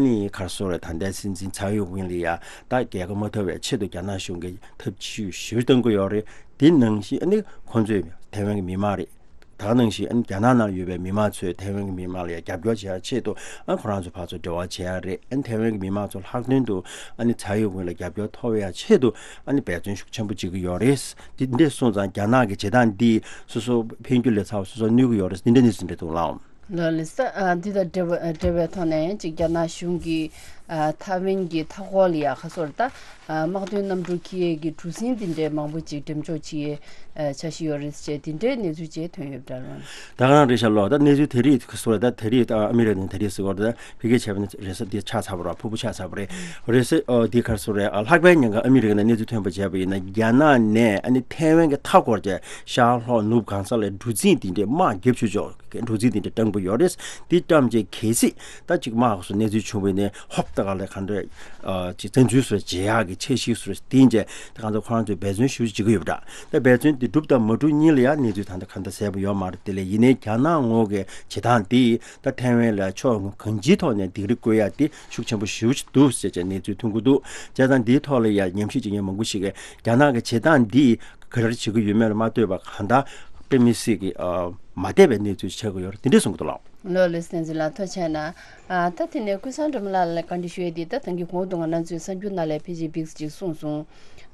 ནི་ག་རེ་ཟེར་རེད། ད་ལྟའི་སྲིད་འཛིན་ཚའེ་ཡོ་ཝེན་ལ་ཡ་ད་རྒྱལ་ཁ་མ་ཐོབ་པའི་ཆེད་དུ་རྒྱ་ནག་གཞུང་གིས་ཐབས་ཇུས་ཞེ་པོ་བཏང་གི་ཡོད་རེད། དེ་ནང་བཞིན་ཨ་ནི་ཁོང་ཚོས་ཐའེ་ཝན་གྱི་མི་མང་རེད། ད་ག་ནང་བཞིན་ཨ་ནི་རྒྱ་ནག་ནང་ཡོད་པའི་མི་མང་ཚོས་ཐའེ་ཝན་གྱི་མི་མང་ལ་ཡང་རྒྱབ་སྐྱོར་བྱེད་ཡ་ཆེད་དུ་ཨ་ནི་ཁོ་རང་ཚོ་ཕར་ཚུར་འབྲེལ་བ་བྱེད་ཡ་རེད། ཨ་ནི་ཐའེ་ཝན་གྱི་མི་མང་ཚོ་ལྷག་དོན་དུ་ཨ་ནི་ཚའེ་ཡོ་ཝེན་ལ་རྒྱབ་སྐྱོར་ཐོབ་ཡ་ཆེད་དུ་ཨ་ནི་འབད་བརྩོན་ཤུགས་ཆེན་པོ་བྱེད་ཀྱི་ཡོད་རེད། དེ་འདྲ་སོང་ཙང་རྒྱ་ནག་གི་བྱེད་སྟངས་འདིས་སོ་སོ་འཕེན་རྒྱུ་ལས་ཚ་བ་སོ་སོར་གནོད་ཀྱི་ཡོད་རེད། འདི་འདྲ་གནས་ཚུལ་འདྲ་འདུག་ལགས། ལགས་ལགས་སོ། ཨ། འདི་དང་འབྲེལ་བ་འབྲེལ་བའི་ཐོག་ནས་ཡང་ཅིག་རྒྱ་ནག་གཞུང་གིས་ཨ་ཐའེ་ཝན་གྱི་མཐའ་འཁོར་ལ་ཡ་ག་རེ་ཟེར་རེད། ད་ཨ་དམག་དོན་གནམ་གྲུ་འཁྱེར་ཡས་ཀྱི་གྲུ་གཟིངས་དེ་འདྲའི་མང་པོ་ཅིག་འགྲེམས་འཇོག་བྱེད་ཡས་ཨ་འཆར་གཞི་ཡོད་རེད་ཟེར་བྱས་དེ་འདྲའི་གནས་ཚུལ་ཅིག་ཐོན་ཡོད་པ་འདྲ་རེད། ད་ག་རང་རེད་ཤག་ལགས། ད་གནས་ཚུལ་དེ་རིགས་ག་རེ་ཟེར་རེད། ད་དེ་རིང་ཨ་ཨ་མི་རི་ཀ་ནས་དེ་རིང་ཟེར་བ་རེད། ད་ཕ་གིར་བྱས་པ་ན་རེས་གཟའ་འདི་ཆགས་ཚར་བ་རེད། ཕུར་བུ་ཆགས་ཚར་བ་རེད། རེས་གཟའ་ཨ་འདི་ག་རེ་ཟེར་རེད། ཨ་ལྷག་པའི་ཉིན་ག་ཨ་མི་རི་ཀ་ནས་གནས་ཚུལ་ཐོན་པ་བྱས་པ་ཡིན་ན། རྒྱ་ནག་ནས་ཨ་ནི་ཐའེ་ཝན་གྱི་མཐའ་འཁོར་གྱི་ཤར་ལྷོ་ནུབ་གང་ས་ལ་གྲུ་གཟིངས་དེ་འདྲའི་དམག་རྒྱབ་ཆོག་ཆོག་གྲུ་གཟིངས་དེ་འདྲ་བཀྲམ་གྱི་ཡོད་རེད། དེ་བཀྲམ་རྗེས་གལ་སྲིད་ད་ཅིག་དམག་སོགས་གནས་ཚུལ་བྱུང་བ་ཡིན་ན་ཧོབ་ཏེ་ག་ལ་ག་འདྲ་ཨ་ཅིག་བཙན་འཛུལ་སོགས་བྱེད་ཡག་གི་འཆར་གཞི་སོགས་བཏིང་རྗེས་ད་གང་ལྟར་ཁོ་རང་ཚོས་འབད་བརྩོན་ཞེ་པོ་ཅིག་བྱེད་ཀྱི་ཡོད་པ་འདྲ། ད་འབད་བརྩོན་དེ་འགྲུབ་དང་མ་འགྲུབ་གཉིས་ལ་ཡང་གནས་ཚུལ་ད་ལྟ་གང་ལྟར་གསལ་པོ་ཡོད་མ་རེད། དེ་ལས་ཡིན་ནའི་རྒྱ་ནག་ངོས་ཀྱི་བྱེད་སྟངས་དེ་ད་ཐའེ་ཝན་ལ་ཕྱོགས་གང་ཅིའི་ཐོག་ནས་སྡིགས་ར་བསྐུལ་ཡག་དེ་ཤུགས་ཆེན་པོ་ཞེ་པོ་ཅིག་འདུག་ཟེར་བྱས་གནས་ཚུལ་ཐོན་གྱི་འདུག། བྱས་ཙང་འདིའི་ཐོག་ལ་ཡང་ཉམས་ཞིབ་བྱེད་མཁན་མང་པོ་ཞིག་གིས་རྒྱ་ནག་གི་བྱེད་སྟངས་འདིས་ག་རེ་བྱེད་ཀྱི་ཡོད་མེད་ལ་མ་ལྟོས་པར་གང་ལྟར་དཔེ་མི་སྲིད་ཀྱི་ཨ་མ་བདེ་བའི་གནས་ཚུལ་ཆགས་ཀྱི་ཡོད་རེད། དེ་འདྲས་གསུང་གི་འདུག་ལགས། ལགས་ལགས་སོ། བསྟན་འཛིན་ལགས་ཐུགས་རྗེ་གནང་། ཨ་ད་དེ་ནས་ཀུན་བཟང་སྒྲོལ་མ་ལགས་ལ་བཀའ་འདྲི་ཞུ་ཡས་དེ། ད་ཐེངས་ཀྱི་གོང་དུ་ང་རང་ཚོའི་གསར་འགྱུར་ནང་ལ་ཕལ་ཆེར་འདི་ཅིག་གསུངས་སོང་།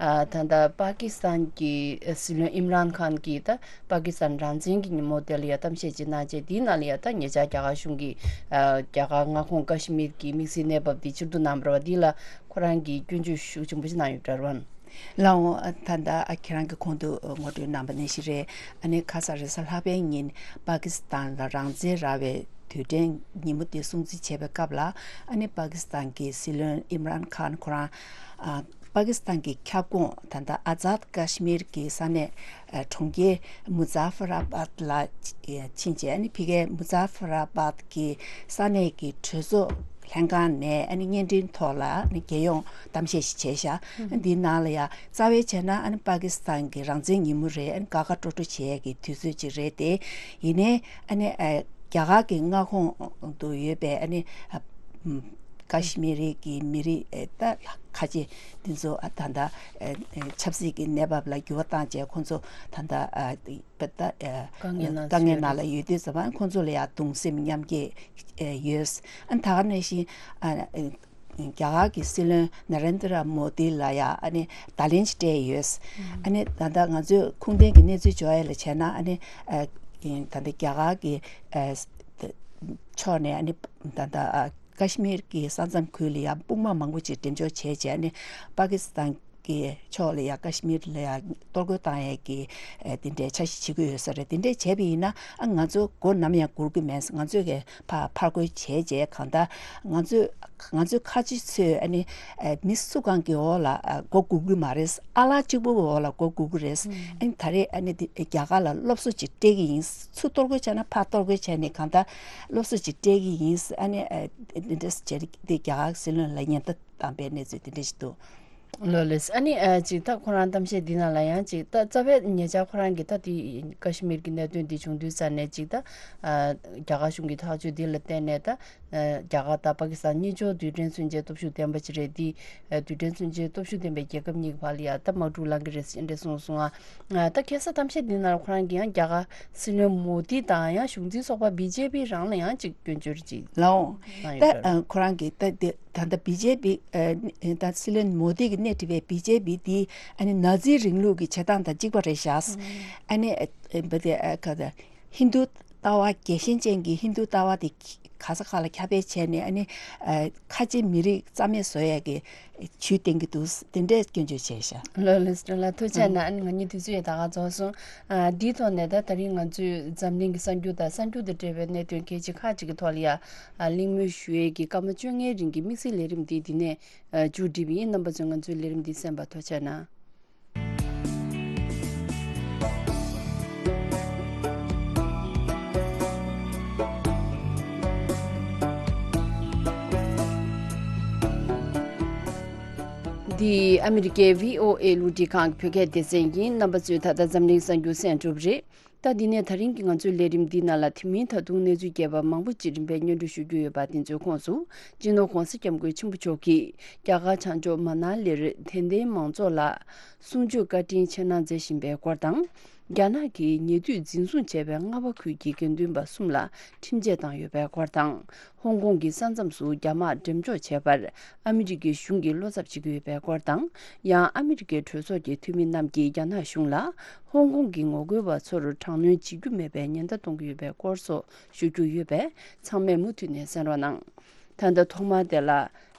ཨ་ད་ལྟ་པ་ཀི་སི་ཐན་གྱི་སྲིད་བློན་ཨིམ་རཱན་ཁཱན་གྱིས་ད་པ་ཀི་སི་ཐན་རང་བཙན་གྱི་ཉིན་མོ་དེ་ལ་ཡ་གཏམ་བཤད་ཅིག་གནང་རྗེས། དེའི་ནང་ལ་ཡ་ད་ཉེ་ཆར་རྒྱ་གར་གཞུང་གིས་ཨ་རྒྱ་གར་མངའ་ཁོངས་ཀ་ཤི་མིར་གྱི་དམིགས་བསལ་གནས་བབ་དེ་ཕྱིར་བསྡུ་གནང་བ་རེད་བ། དེ་ལ་ཁོ་རང་གིས་སྐྱོན་བརྗོད་ཤུགས་ཆེན་པོ་ཞིག་གནང་ཡོད་པ་འདྲ་བ། ལགས་འོང་། ཨ་ད་ལྟ་ཨ་ཁྱེད་རང་གིས་གོང་དུ་ངོ་སྤྲོད་གནང་པ་ནང་བཞིན་རེད། ཨ་ནི་ཁ་སང་རེས་གཟའ་ལྷག་པའི་ཉིན་པ་ཀི་སི་ཐན་ལ་རང་བཙན་རག་པའི་དུས་དྲན་ཉིན་མོ་དེ་སྲུང་བརྩི་བྱེད་པའི་སྐབས་ལ། ཨ་ནི་པ་ཀི་སི་ཐན་གྱི་སྲིད་བློན་ཨིམ་རཱན་ཁཱན་ཁོ་རང་ཨ་པ་ཀི་སི་ཐན་གྱི་ཁྱབ་ཁོངས་ད་ལྟ་ཨ་ཛཱད་ཀ་ཤི་མིར་གྱི་ས་གནས་ཨ་གྲོང་ཁྱེར་མུ་ཛ་ཧྥར་ཨ་བཱད་ལ་ཕྱིན་རྗེས། ཨ་ནི་ཕ་གིའི་མུ་ཛ་ཧྥར་ཨ་བཱད་ཀྱི་ས་གནས་ཀྱི་གྲོས་ཚོགས་ལྷན་ཁང་ནས་ཨ་ནི་བརྙན་འཕྲིན་ཐོག་ལ་ཨ་ནི་རྒྱལ་ཡོངས་གཏམ་བཤད་ཞིག་བྱས་ཤག། ཨ་འདིའི་ནང་ལ་ཡ་རྩ་བའི་བྱས་ན་ཨ་ནི་པ་ཀི་སི་ཐན་གྱི་རང་བཙན་ཉིན་མོ་རེད། ཨ་ནི་དགའ་དགའ་སྤྲོ་སྤྲོ་བྱེད་ཡས་ཀྱི་དུས་ཚོད་ཅིག་རེད་དེ། ཡིན་ནའི་ཨ་ནི་ཨ་རྒྱ་གར་གྱི་མངའ་ཁོངས་དུ་ཡོད་པའི་ཨ་ནི་ཨ་ཀ་ཤི་མིར་གྱི་མི་རིགས་ཨ་ད་ཁ་ཆེ་འདི་ཚོ་ཨ་ད་ལྟ་ཨ་ཆབ་སྲིད་ཀྱི་གནས་བབ་ལ་འགྱུར་བ་བཏང་རྗེས་ཁོང་ཚོ་ད་ལྟ་ཨ་པ་ད་ཨ་དཀའ་ངལ་ནང་དཀའ་ངལ་ནང་ལ་ཡོད་དུས་ཙམ་པ་ཁོང་ཚོ་ལ་ཡ་གདུང་སེམས་མཉམ་སྐྱེད་ཨ་ཡོད། ཨ་ད་ག་ནང་བཞིན་ཨ་རྒྱ་གར་གྱི་སྲིད་བློན་ན་རེན་དྲ་མོ་དི་ལ་ཡ་ཨ་ནི་བརྡ་ལན་ཅིག་སྤྲད་ཡོད། ཨ་ནི་ད་ལྟ་ང་ཚོས་ཁུངས་ལྡན་གྱི་གནས་ཚུལ་འབྱོར་ཡ་ལ་བྱས་ན། ཨ་ནི་ཨ་ད་ལྟ་རྒྱ་གར་གྱི་ཨ་ཕྱོགས་ནས་ཨ་ནི་ད་ལྟ་ཨ་ཀ་ཤི་མིར་གྱི་ས་མཚམས་ཁུལ་ལ་ཡ་དཔུང་དམག་མང་པོ་ཅིག་འགྲེམས་འཇོག་བྱས་རྗེས། ཨ་ནི་པ་ཀི་སི་ཐན་གྱི་ཕྱོགས་ལ་ཡ་ཀ་ཤི་མིར་ལ་ཡ་གཏོར་རྒོལ་བཏང་ཡས་ཀྱི་ཨ་དེ་འདྲའི་འཆར་གཞི་བྱེད་ཀྱི་ཡོད་ས་རེད། དེ་འདྲས་བྱས་པ་ཡིན་ན་ཨ་ང་ཚོ་མགོ་ནམ་ཡང་སྒུར་གྱི་མེད། ང་ཚོས་གི་ཕར་ཕར་རྒོལ་བྱས་རྗེས་གང་ལྟར་ང་ཚོས་ང་ཚོའི་ཁ་ཆེ་ཚོས་ཨ་ནི་ཨ་མི་སུ་གང་གི་འོག་ལ་ཨ་མགོ་སྒུར་གྱི་མ་རེད། ཨ་ལགས་གཅིག་པུ་གི་འོག་ལ་མགོ་སྒུར་གྱི་རེད། ཨ་ནི་ད་རེས་ཨ་ནི་དེ་རྒྱ་གར་ལ་སློབ་གསོ་ཅིག་སྤྲད་ཀྱི་ཡིན། ཚུར་གཏོར་རྒོལ་བྱས་ན་ཕར་གཏོར་རྒོལ་བྱས་ནས་གང་ལྟར་སློབ་གསོ་ཅིག་སྤྲད་ཀྱི་ཡིན། ཨ་ནི་ཨ་དེ་འདྲས་བྱས་ཏེ་རྒྱ་གར་སྲིད་བློན་ལ་ཉེན་བརྡ་བཏང་པའི་གནས་ཚུལ་དེ་འདྲ་ཞིག་འདུག། ལགས་ལགས། ཨ་ནི་ཨ་ཅིག་ད་ཁོ་རང་གཏམ་བཤད་འདི་ནང་ལ་ཡང་ཅིག་ད་རྩ་བའི་ཉེ་ཆར་ཁོ་རང་གིས་ད་དེ་ཀ་ཤི་མིར་གྱི་གནད་དོན་འདི་བྱུང་དུས་ཙ་ནས་ཅིག་ད་ཨ་རྒྱ་གར་གཞུང་གི་ཐག་གཅོད་འདི་ལ་བརྟེན་ནས་ད་ཨ་རྒྱ་གར་དང་པ་ཀི་སི་ཐན་གཉིས་ཆོག་རྡུལ་ཕྲན་མཚོན་ཆའི་སྟོབས་ཤུགས་ལྡན་པ་ཅིག་རེད། འདི་ཨ་རྡུལ་ཕྲན་མཚོན་ཆའི་སྟོབས་ཤུགས་ལྡན་པའི་རྒྱལ་ཁབ་གཉིས་ཀྱི་བར་ལ་ཡ་ད་དམག་འཁྲུག་ལངས་ཀྱི་རེད་ཟེར་འདྲ་གསུངས་སོང་ང་། ཨ་ད་ཁ་སང་གཏམ་བཤད་འདི་ནང་ལ་ཁོ་རང་གིས་ཡང་རྒྱ་གར་སྲིད་བློན་མོ་དི་དང་ཡང་གཞུང་འཛིན་ཚོགས་པ་བི་ཇེ་པི་རང་ལ་ཡང་ཅིག་སྐྱོན་བརྗོད་ཅིག་ལགས་འོང་། གནང་ད་ཡོད་པ་རེད། ཨ་ཁོ་རང་གིས་ད་དེ་ད་ལྟ་བི་ཇེ་པི་ཨ་ད་སྲིད་བློན་མོ་དི་གིས་སྣེ་ཁྲིད་པའི་བི་ཇེ་པི་དེ་ཨ་ནི་ན་ཛི་རིང་ལུགས་ཀྱི་བྱེད་སྟངས་དང་གཅིག་པ་རེད་ཤག། ཨ་ནི་ཨ་འབའ་དེ་ཨ་ཁ་ད་ཧིན་རྡུ་ལྟ་བ་རྒྱལ་ཞེན་ཅན་གྱི་ཧིན་རྡུ་ལྟ་བ་དེ་ག་ས་ག་ལ་ཁྱབ་སྤེལ་བྱས་ནས། ཨ་ནི་ཨ་ཁ་ཆེ་མི་རིགས་རྩ་མེད་བཟོ་ཡས་ཀྱི་ཇུས་བསྟན་གྱི་འདུག། དེ་འདྲས་སྐྱོན་བརྗོད་བྱས་ཤག། ལགས་ལགས་སོ། ལགས་ཐུགས་རྗེ་གནང་། ཨ་ནི་ང་གཉིས་དུས་ཚོད་ཡང་ད་ག་རྫོགས་སོང་། ཨ་འདིའི་ཐོག་ནས་ད་ད་རིང་ང་ཚོས་འཛམ་གླིང་གི་གསར་འགྱུར་དང་གསར་འགྱུར་དང་འབྲེལ་བའི་གནད་དོན་གལ་ཆེ་ཁག་ཅིག་གི་ཐོག་ལ་ཡ་ཨ་གླེང་མོལ་ཞུ་ཡས་ཀྱི་སྐར་མ་བཅོ་ལྔའི་རིང་གི་དམིགས་བསལ་ལས་རིམ་འདི་འདི་ནས་ཨ་མཇུག་སྒྲིལ་བ་ཡིན། རྣམ་པ་ཚོས་ང་ཚོའི་ལས་རིམ་འདི་གསན་པར་ཐུགས་རྗེ་གནང་། འདི་ཨ་མི་རི་ཀའི་བྷི་ཨོ་ཨེ་རླུང་འཕྲིན་ཁང་གི་བོད་སྐད་སྡེ་ཚན་ཡིན། རྣམ་པ་ཚོས་ད་ལྟ་འཛམ་གླིང་གསར་འགྱུར་གསན་གྲུབ་རེད། ད་འདི་ནས་ད་རིང་གི་ང་ཚོའི་ལས་རིམ་འདིའི་ནང་ལ་དེ་མིན་ད་དུང་གནས་ཚུལ་རྒྱས་པ་མང་པོ་ཅིག་རིམ་པས་སྙན་སྒྲོན་ཞུ་རྒྱུ་ཡོད་པ། དེ་ཚོའི་ཁོངས་སུ་སྤྱི་ནོར་༧གོང་ས་༧སྐྱབས་མགོན་ཆེན་པོ་མཆོག་གིས་རྒྱ་གར་བྱང་ཕྱོགས་མ་ན་ལིར་དད་ལྡན་མང་ཚོགས་ལ་གསུང་ཆོས་བཀའ་དྲིན་ཆེ་གནང་མཛད་བཞིན་པའི་སྐོར་དང་། རྒྱ་ནག་གིས་ཉེ་དུས་འཛིན་བཟུང་བྱས་པའི་རྔ་བ་ཁུལ་གྱི་དགེ་འདུན་པ་གསུམ་ལ་ཁྲིམས་ཆད་བཏང་ཡོད་པའི་སྐོར་དང་། ཧོང་ཀོང་གི་ས་མཚམས་སུ་རྒྱ་དམག་འགྲེམས་འཇོག་བྱས་པར་ཨ་མི་རི་ཀའི་གཞུང་གིས་བློ་འཚབ་བྱེད་ཀྱི་ཡོད་པའི་སྐོར་དང་། ཡང་ཨ་མི་རི་ཀའི་གྲོས་ཚོགས་ཀྱི་འཐུས་མི་རྣམས་ཀྱིས་རྒྱ་ནག་གཞུང་ལ་ཧོང་ཀོང་གི་ངོ་རྒོལ་བ་ཚོར་དྲག་གནོན་བྱེད་རྒྱུ་མེད་པའི་ཉེན་བརྡ་གཏོང་གི་ཡོད་པའི་སྐོར་སོགས་ཞུ་རྒྱུ་ཡོད་པས། ཚང་མས་མུ་མཐུད་ནས་གསན་རོགས་གནང་། ད་ལྟ་ཐོག་མར་དེ་ལ།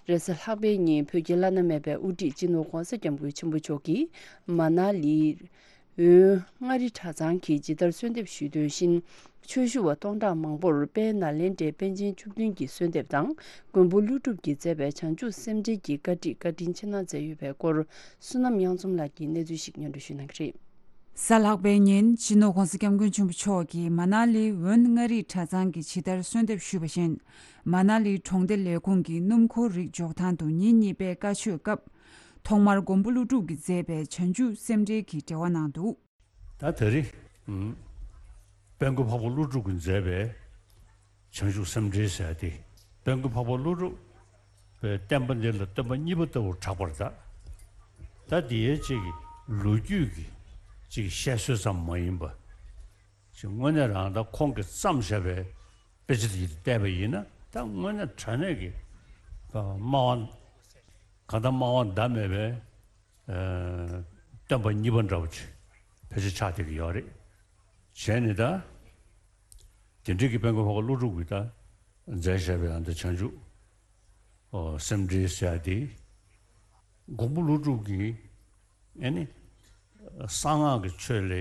རེས་གཟའ་ལྷག་པའི་ཉིན་བོད་ཀྱི་བླ་ན་མེད་པའི་དབུ་ཁྲིད་སྤྱི་ནོར་༧གོང་ས་༧སྐྱབས་མགོན་ཆེན་པོ་མཆོག་གིས་མ་ན་ལི། འོན་མངའ་རིས་གྲྭ་ཚང་གིས་ཇི་ལྟར་གསོལ་འདེབས་ཞུས་དོན་བཞིན། ཆོས་ཞུ་བ་སྟོང་ཕྲག་མང་པོར་དཔལ་ནཱ་ལེནྡྲའི་པཎ་ཆེན་བཅུ་བདུན་གྱི་གསོལ་འདེབས་དང་། མགོན་པོ་ཀླུ་སྒྲུབ་ཀྱིས་མཛད་པའི་བྱང་ཆུབ་སེམས་འགྲེལ་གྱི་བཀའ་ཁྲིད་བཀའ་དྲིན་ཆེ་གནང་མཛད་ཡོད་པའི་སྐོར། བསོད་ནམས་དབྱངས་འཛོམས་ལགས་ཀྱིས་གནས་ཚུལ་ཞིག་སྙན་སྒྲོན་ཞུ་གནང་གི་རེད། གཟའ་ལྷག་པའི་ཉིན་སྤྱི་ནོར་༧གོང་ས་༧སྐྱབས་མགོན་ཆེན་པོ་མཆོག་གིས་མ་ན་ལི་འོན་མངའ་རིས་གྲྭ་ཚང་གིས་ཇི་ལྟར་གསོལ་འདེབས་ཞུས་པ་བཞིན། མ་ན་ལི་གྲོང་སྡེ་ལས་ཁུངས་ཀྱི་སྣུམ་འཁོར་རིགས་འཇོག་ཐང་དུ་ཉིན་གཉིས་པའི་བཀའ་ཆོས་སྐབས། ཐོག་མར་མགོན་པོ་ཀླུ་སྒྲུབ་ཀྱིས་མཛད་པའི་བྱང་ཆུབ་སེམས་འགྲེལ་གྱི་འགྲེལ་བ་གནང་འདུག། ད་དེ་རིང་། ཨུམ། དཔལ་མགོན་འཕགས་པ་ཀླུ་སྒྲུབ་ཀྱིས་མཛད་པའི་བྱང་ཆུབ་སེམས་འགྲེལ་ཟེར་ཏེ། དཔལ་མགོན་འཕགས་པ་ཀླུ་སྒྲུབ་པའི་བསྟན་པ་འདི་ལ་སྟོན་པ་གཉིས་པ་ལྟ་བུར་གྲགས་པར་གདའ། ད་འདི་ཡའི་གཅིག་གི་ལོ་རྒྱུས་ཀྱི་གཅིག་གི་བཤད་སྲོལ་ཙམ་མ་ཡིན་པ། ཅིག་དངོས་གནས་རང་ད་ཁོང་གིས་བརྩམས་བཞག་པའི་དཔེ་ཆ་དེ་བལྟས་པ་ཡིན་ན། ད་དངོས་གནས་དྲང་གནས་ཀྱི་སྨྲ་བ། གང་ལྟར་སྨྲ་བ་ཟླ་མེད་པའི་ཨ། སྟོན་པ་གཉིས་པ་འདྲ་བོ་ཅིག་ཕལ་ཆེར་ཆགས་བསྡད་ཀྱི་ཡོད་རེད། བྱས་ནས་ད། དེ་འདྲའི་གི་དཔལ་མགོན་འཕགས་པ་ཀླུ་སྒྲུབ་ཀྱིས་ད་མཛད་བཞག་པའི་ཨ་ནི་བྱང་ཆུབ། ཨོ། སེམས་འགྲེལ་ཟེར་ཡ་དེ། མགོན་པོ་ཀླུ་སྒྲུབ་ཀྱིས་ཨ་ནི་གསང་སྔགས་ཀྱི་ཆོས་ལ་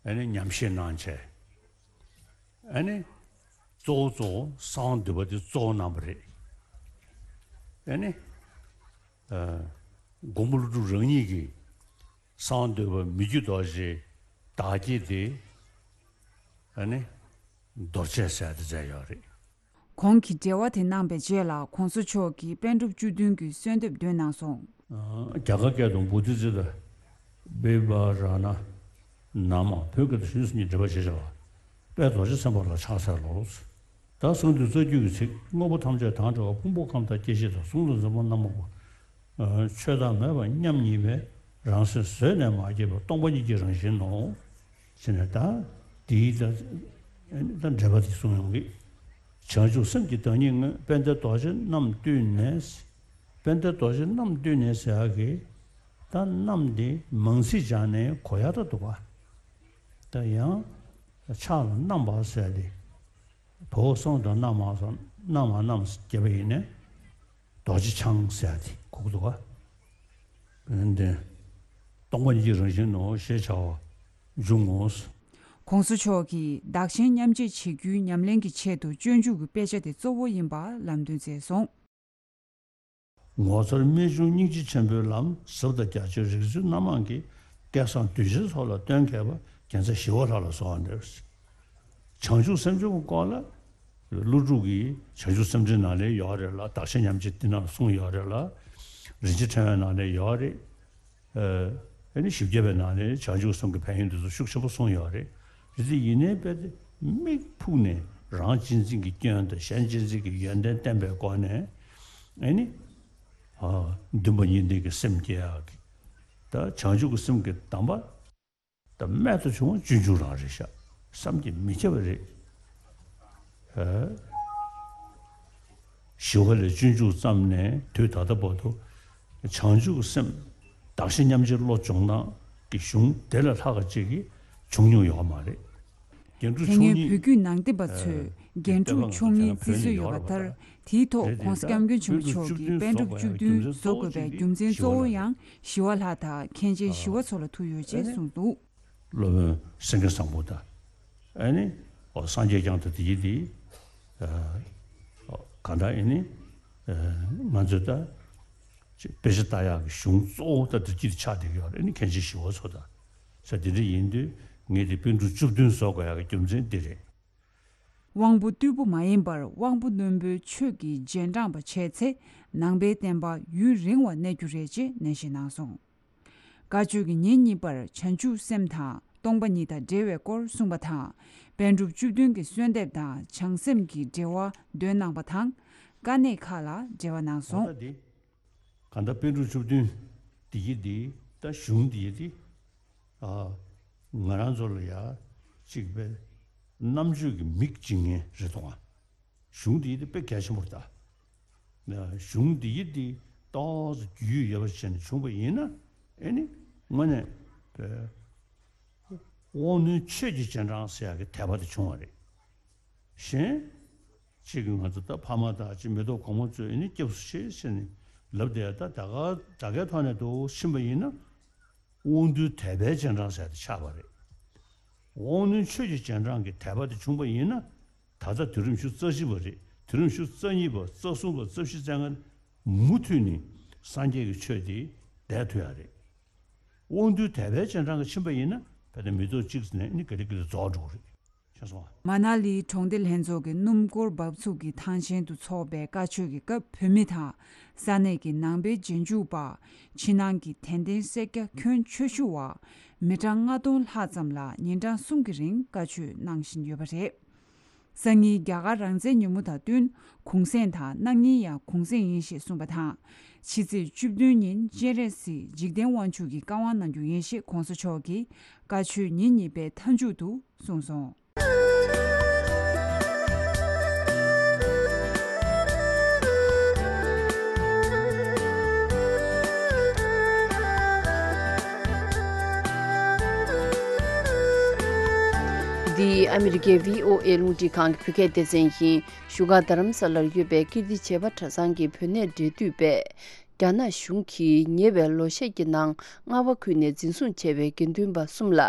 ཨ་ནི་ཉམས་བཞེས་གནང་བྱས། ཨ་ནི་གཙོ་བོ་གཙོ་བོ་གསང་བ་འདུས་པ་དེ་གཙོ་བོ་གནང་བ་རེད། ཨ་ནི། ཨ། མགོན་པོ་ཀླུ་སྒྲུབ་རང་ཉིད་ཀྱིས་གསང་བ་འདུས་པ་མི་བསྐྱོད་རྡོ་རྗེ་བདག་བསྐྱེད་དེ། ཨ་ནི་རྡོ་རྗེ་ཟེར་དེ་མཛད་ཡོད་རེད། གོང་གི་འགྲེལ་བ་དེ་གནང་པའི་རྗེས་ལ་༧གོང་ས་མཆོག་གིས་པཎ་གྲུབ་བཅུ་བདུན་གྱི་གསོལ་འདེབས་འདོན་གནང་སོང་། ཨ། རྒྱ་གར་སྐད་དུ། བོ་དྷི་ཙིཏྟ་བི་བྷ་ར་ཎ་ན་མ། བོད་སྐད་དུ། ཞེས་སོགས་ཀྱི་འགྲེལ་པ་བྱས་བཞག་པ། དཔལ་རྡོ་རྗེ་སེམས་དཔའ་ལ་ཕྱག་འཚལ་ལོ། ད་གསང་འདུས་རྩ་རྒྱུད་ཀྱི་ཚིག། དངོས་པོ་ཐམས་ཅད་དང་བྲལ་བ། ཕུང་པོ་ཁམས་དང་སྐྱེ་མཆེད་དང་། གཟུགས་ལ་འཛིན་པ་རྣམ་རྟོག་པ། ཆོས་བདག་མེད་པ་མཉམ་ཉིད་པའི། རང་སེམས་བཟོད་ནས་མ་སྐྱེས་པ། སྟོང་པ་ཉིད་ཀྱི་རང་བཞིན་ནོ། ཟེར་ནས་ད་དེའི་ད་ད་འགྲེལ་པ་དེ་གསུངས་ཡོང་གི། བྱང་ཆུབ་སེམས་ཀྱི་བདག་ཉིད་དངོས། དཔལ་ལྡན་རྡོ་རྗེ་རྣམས་བཏུད་ནས། དཔལ་ལྡན་རྡོ་རྗེ་རྣམས་བཏུད་ནས་ཟེར་ཡག་གི། ད་རྣམས་དེ་མང་ཚིག་སྦྱར་ནས་གོ་ཡག་ད་འདུག་ག། ད་ཡང་ཕྱག་ལ་བསྣམས་པ་ཟེར་ཏེ། བའོ་གསང་དུ་བསྣམས་པ་སོགས། བསྣམས་པ་རྣམས་རྒྱས་པ་ཡིན་ནས། རྡོ་རྗེ་འཆང་ཟེར་ཏེ་གོ་གི་འདུག་ག། འོན་ཏེ། སྟོང་པ་ཉིད་ཀྱི་རང་བཞིན་ནོ་ཞེས་བྱ་བ་འབྱུང་ངོ་། ༸གོང་ས་མཆོག་གིས་བདག་གཞན་མཉམ་བརྗེ་བྱེད་རྒྱུའི་ཉམས་ལེན་གྱི་ཆེད་དུ་སྤྱོད་འཇུག་གི་དཔེ་ཆ་དེ་གཙོ་བོ་ཡིན་པ་ལམ་སྟོན་མཛད་སོང་། ངོ་མཚར་རྨད་བྱུང་སྙིང་རྗེ་ཆེན་པོའི་ལམ། ཟབ་དང་རྒྱ་ཆེའི་རིག་འཛིན་རྣམ་མང་གི། སྐལ་བཟང་གདུལ་བྱའི་ཚོགས་ལ་སྟོན་མཁས་པ། རྒྱལ་མཚན་ཞི་བ་ལྷ་ལ་གསོལ་བ་འདེབས། བྱང་ཆུབ་སེམས་སྦྱོང་གི་སྐོར་ལ། ཀླུ་སྒྲུབ་ཀྱིས་བྱང་ཆུབ་སེམས་འགྲེལ་ནང་ལ་ཡོད་རེད་ལ། བདག་གཞན་མཉམ་བརྗེ་འདི་ནང་ལ་གསུངས་ཡོད་རེད་ལ། རིན་ཆེན་ཕྲེང་བའི་ནང་ལ་ཡོད་རེད། ཨ་ནི་བཞི་བརྒྱ་པའི་ནང་ནས་བྱང་ཆུབ་སེམས་ཀྱི་ཕན་ཡོན་འདི་ཚོ་ཤུགས་ཆེན་པོ་གསུངས་ཡོད་རེད། རེད་དེ་ཡིན་ནའི་དཔེ་དེ་མིག་ཕུག་ནས་རང་གཅེས་འཛིན་གྱི་སྐྱོན་དང་གཞན་གཅེས་འཛིན་གྱི་ཡོན་ཏན་བསྟན་པའི་སྒོ་ནས། ཨ་ནི། ཨ། འདུན་པ་གཉིས་ལྡན་གྱི་སེམས་སྐྱེ་ཡག་གི། ད་བྱང་ཆུབ་ཀྱི་སེམས་ཀྱི་གདམས་པ། ད་རྨད་དུ་བྱུང་བ་སྤྱོད་འཇུག་རང་རེད་ཤག། བསམ་གྱིས་མི་ཁྱབ་པ་རེད། ཨ། ཞི་བ་ལྷས་སྤྱོད་འཇུག་བརྩམས་ནས་དུས་ད་ལྟ་བར་དུ་བྱང་ཆུབ་ཀྱི་སེམས་བདག་གཞན་མཉམ་བརྗེའི་བློ་སྦྱོང་སྟངས་ཀྱི་གཞུང་དེ་ལས་ལྷག་པ་ཅིག་གི་བྱུང་མྱོང་ཡོད་མ་རེད། རྒྱན་དྲུག་དེ་སྔོན་མཆོག་གཉིས། བོད་བརྒྱུད་ནང་བསྟན་པ་ཚོས་ཨ། རྒྱན་དྲུག་མཆོག་གཉིས་བརྩི་སྲོལ་ཡོད་པ་ལྟར། དེའི་ཐོག་༸གོང་ས་༸སྐྱབས་མགོན་ཆེན་པོ་མཆོག་གིས་པཎ་གྲུབ་བཅུ་བདུན་བཟོ་དགོས་པའི་རྒྱུ་མཚན་གཙོ་བོ་ཡང་ཞི་བ་ལྷ་དང་མཁན་ཆེན་ཞི་བ་འཚོ་ལ་ཐུག་ཡོད་ཅེས་གསུངས་འདུག། སློབ་དཔོན་སེང་གེ་བཟང་པོ་དང་། ཨ་ནི། ཨོ། སངས་རྒྱས་བསྐྱངས་ཏེ་དེ་ཡིན་ཏེ། ཨ། གང་ལྟར་ཨ་ནི། ཨ། ང་ཚོས་ད་དཔེ་ཆ་ལྟ་ཡག་གི་གཞུང་གཙོ་བོ་ད་འདི་གཅིག་ཆགས་བསྡད་ཀྱི་ཡོད་རེད། ཨ་ནི་མཁན་ཆེན་ཞི་བ་འཚོ་དང་། ས་དེ་འདྲ་ཡིན་དུས་ངས་དེ་པཎ་གྲུབ་བཅུ་བདུན་བཟོ་དགོས་ཡག་གི་རྒྱུ་མཚན་འདི་རེད། དབང་པོ་རྟུལ་པོ་མ་ཡིན་པར་དབང་པོ་རྣོན་པོའི་ཆོས་ཀྱི་རྗེས་འབྲངས་པ་བྱས་ཚེ་ནང་པའི་བསྟན་པ་ཡུན་རིང་བ་གནས་རྒྱུ་རེད་ཅེས་ནན་བཤད་གནང་སོང་། བཀའ་ཆོས་ཀྱི་ཉིན་གཉིས་པར་བྱང་ཆུབ་སེམས་དང་སྟོང་པ་ཉིད་དང་འབྲེལ་བའི་སྐོར་གསུངས་པ་དང་། པཎ་གྲུབ་བཅུ་བདུན་གྱི་གསོལ་འདེབས་དང་བྱང་སེམས་ཀྱི་འགྲེལ་བ་འདོན་གནང་པ་དང་། དཀའ་གནད་ཁག་ལ་འགྲེལ་བ་གནང་སོང་། ད་དེ། གང་ལྟར་པཎ་གྲུབ་བཅུ་བདུན་འདི་ཡི་འདི་ད་གཞུང་འདི་ཡི་འདི། ཨ། ང་རང་ཚོ་ལ་ཡ་གཅིག་པའི་རྣམ་དཔྱོད་ཀྱི་མིག་འབྱིན་མཁན་རེད་དོ། གཞུང་འདི་ཡི་འདི་དཔེ་གལ་ཆེན་པོ་རེད་ད། གཞུང་འདི་ཡི་འདི་ཏོག་ཙམ་རྒྱུས་ཡོད་པ་བྱས་ནས་བྱུང་པ་ཡིན་ན། ཨེ་ནི་དངོས་གནས་པའི་དབང་རྣོན་ཆོས་ཀྱི་རྗེས་འབྲང་ཟེར་ཡག་གི་དད་པ་དེ་བྱུང་བ་རེད། གཞན། གཅིག་གིས་ང་ཚོ་ད་ཕ་མ་དང་གཅིག་མེ་ཏོག་གོང་མ་ཚོས་ཨེ་ནི་སྐྱབས་སུ་མཆི་ཟེར་ནས་ལབ་བསྡད་ད་ད་ག་ད་གའི་ཐོག་ནས་འདུག་ཕྱིན་པ་ཡིན་ན། དབང་རྟུལ་དད་པའི་རྗེས་འབྲང་ཟེར་དེ་ཆགས་པ་རེད། དབང་རྣོན་ཆོས་ཀྱི་རྗེས་འབྲང་གི་དད་པ་དེ་བྱུང་པ་ཡིན་ན། ད་ལྟ་དུས་རིམ་བཅུ་རྩ་བཞི་པ་རེད། དུས་རིམ་བཅུ་རྩ་གཉིས་པ་རྩ་གསུམ་པ་རྩ་བཞི་རྩ་ལྔ་མུ་མཐུད་ནས་སངས་རྒྱས་ཀྱི་ཆོས་དེ་བསྡད་ཐུབ་ཡ་རེད། དབང་རྟུལ་དད་པའི་རྗེས་འབྲང་གི་ཕྱིན་པ་ཡིན་ན་ཕལ་ཆེར་མི་ཐོག་གཅིག་ནས་ནི་ག་ལེ་ག་ལེ་རྫོགས་འགྲོ་གི་རེད། ཤེས་སོང་ང་། མ་ན་ལི་གྲོང་སྡེ་ལྷན་ཚོགས་ཀྱི་སྣུམ་འཁོར་འབབ་ཚུགས་ཀྱི་ཐང་ཆེན་དུ་འཚོགས་པའི་བཀའ་ཆོས་ཀྱི་སྐབས་བོད་མི་དང་ས་གནས་ཀྱི་ནང་པའི་རྗེས་འཇུག་པ། ཕྱི་ནང་གི་དད་ལྡན་སེར་སྐྱ་ཁྱོན་ཆེ་ཤོས་བ། མི་གྲངས་ལྔ་སྟོང་ལྷག་ཙམ་ལ་ཉིན་གྲངས་གསུམ་གྱི་རིང་བཀའ་ཆོས་གནང་བཞིན་ཡོད་པ་རེད། སང་ཉིན་རྒྱ་གར་རང་བཙན་ཉིན་མོ་དང་བསྟུན་གུང་སེང་དང་གནངས་ཉིན་ཡང་གུང་སེང་ཡིན་ཞེས་གསུངས་པ་དང་། ཕྱི་ཚེས་བཅུ་བདུན་ཉིན་སྤྱན་རས་གཟིགས་འཇིག་རྟེན་དབང་ཕྱུག་གི་བཀའ་དབང་གནང་རྒྱུ་ཡིན་ཞེས་གོང་ས་མཆོག་གིས་བཀའ་ཆོས་ཉིན་གཉིས་པའི་མཐའ་མཇུག་ཏུ་གསུངས་སོང་། འདི་ཨ་མི་རི་ཀའི་བྷི་ཨོ་ཨེ་རླུང་འཕྲིན་ཁང་གི་བོད་སྐད་སྡེ་ཚན་ཡིན། བཞུགས་སྒར་རྡ་རམ་ས་ལར་ཡོད་པའི་ཀིརྟི་བྱེས་པ་གྲྭ་ཚང་གི་བུད་གནས་འབྲེལ་མཐུད་པས། རྒྱ་ནག་གཞུང་གིས་ཉེ་བའི་ལོ་ཤས་ཀྱི་ནང་རྔ་བ་ཁུལ་ནས་འཛིན་བཟུང་བྱས་པའི་དགེ་འདུན་པ་གསུམ་ལ་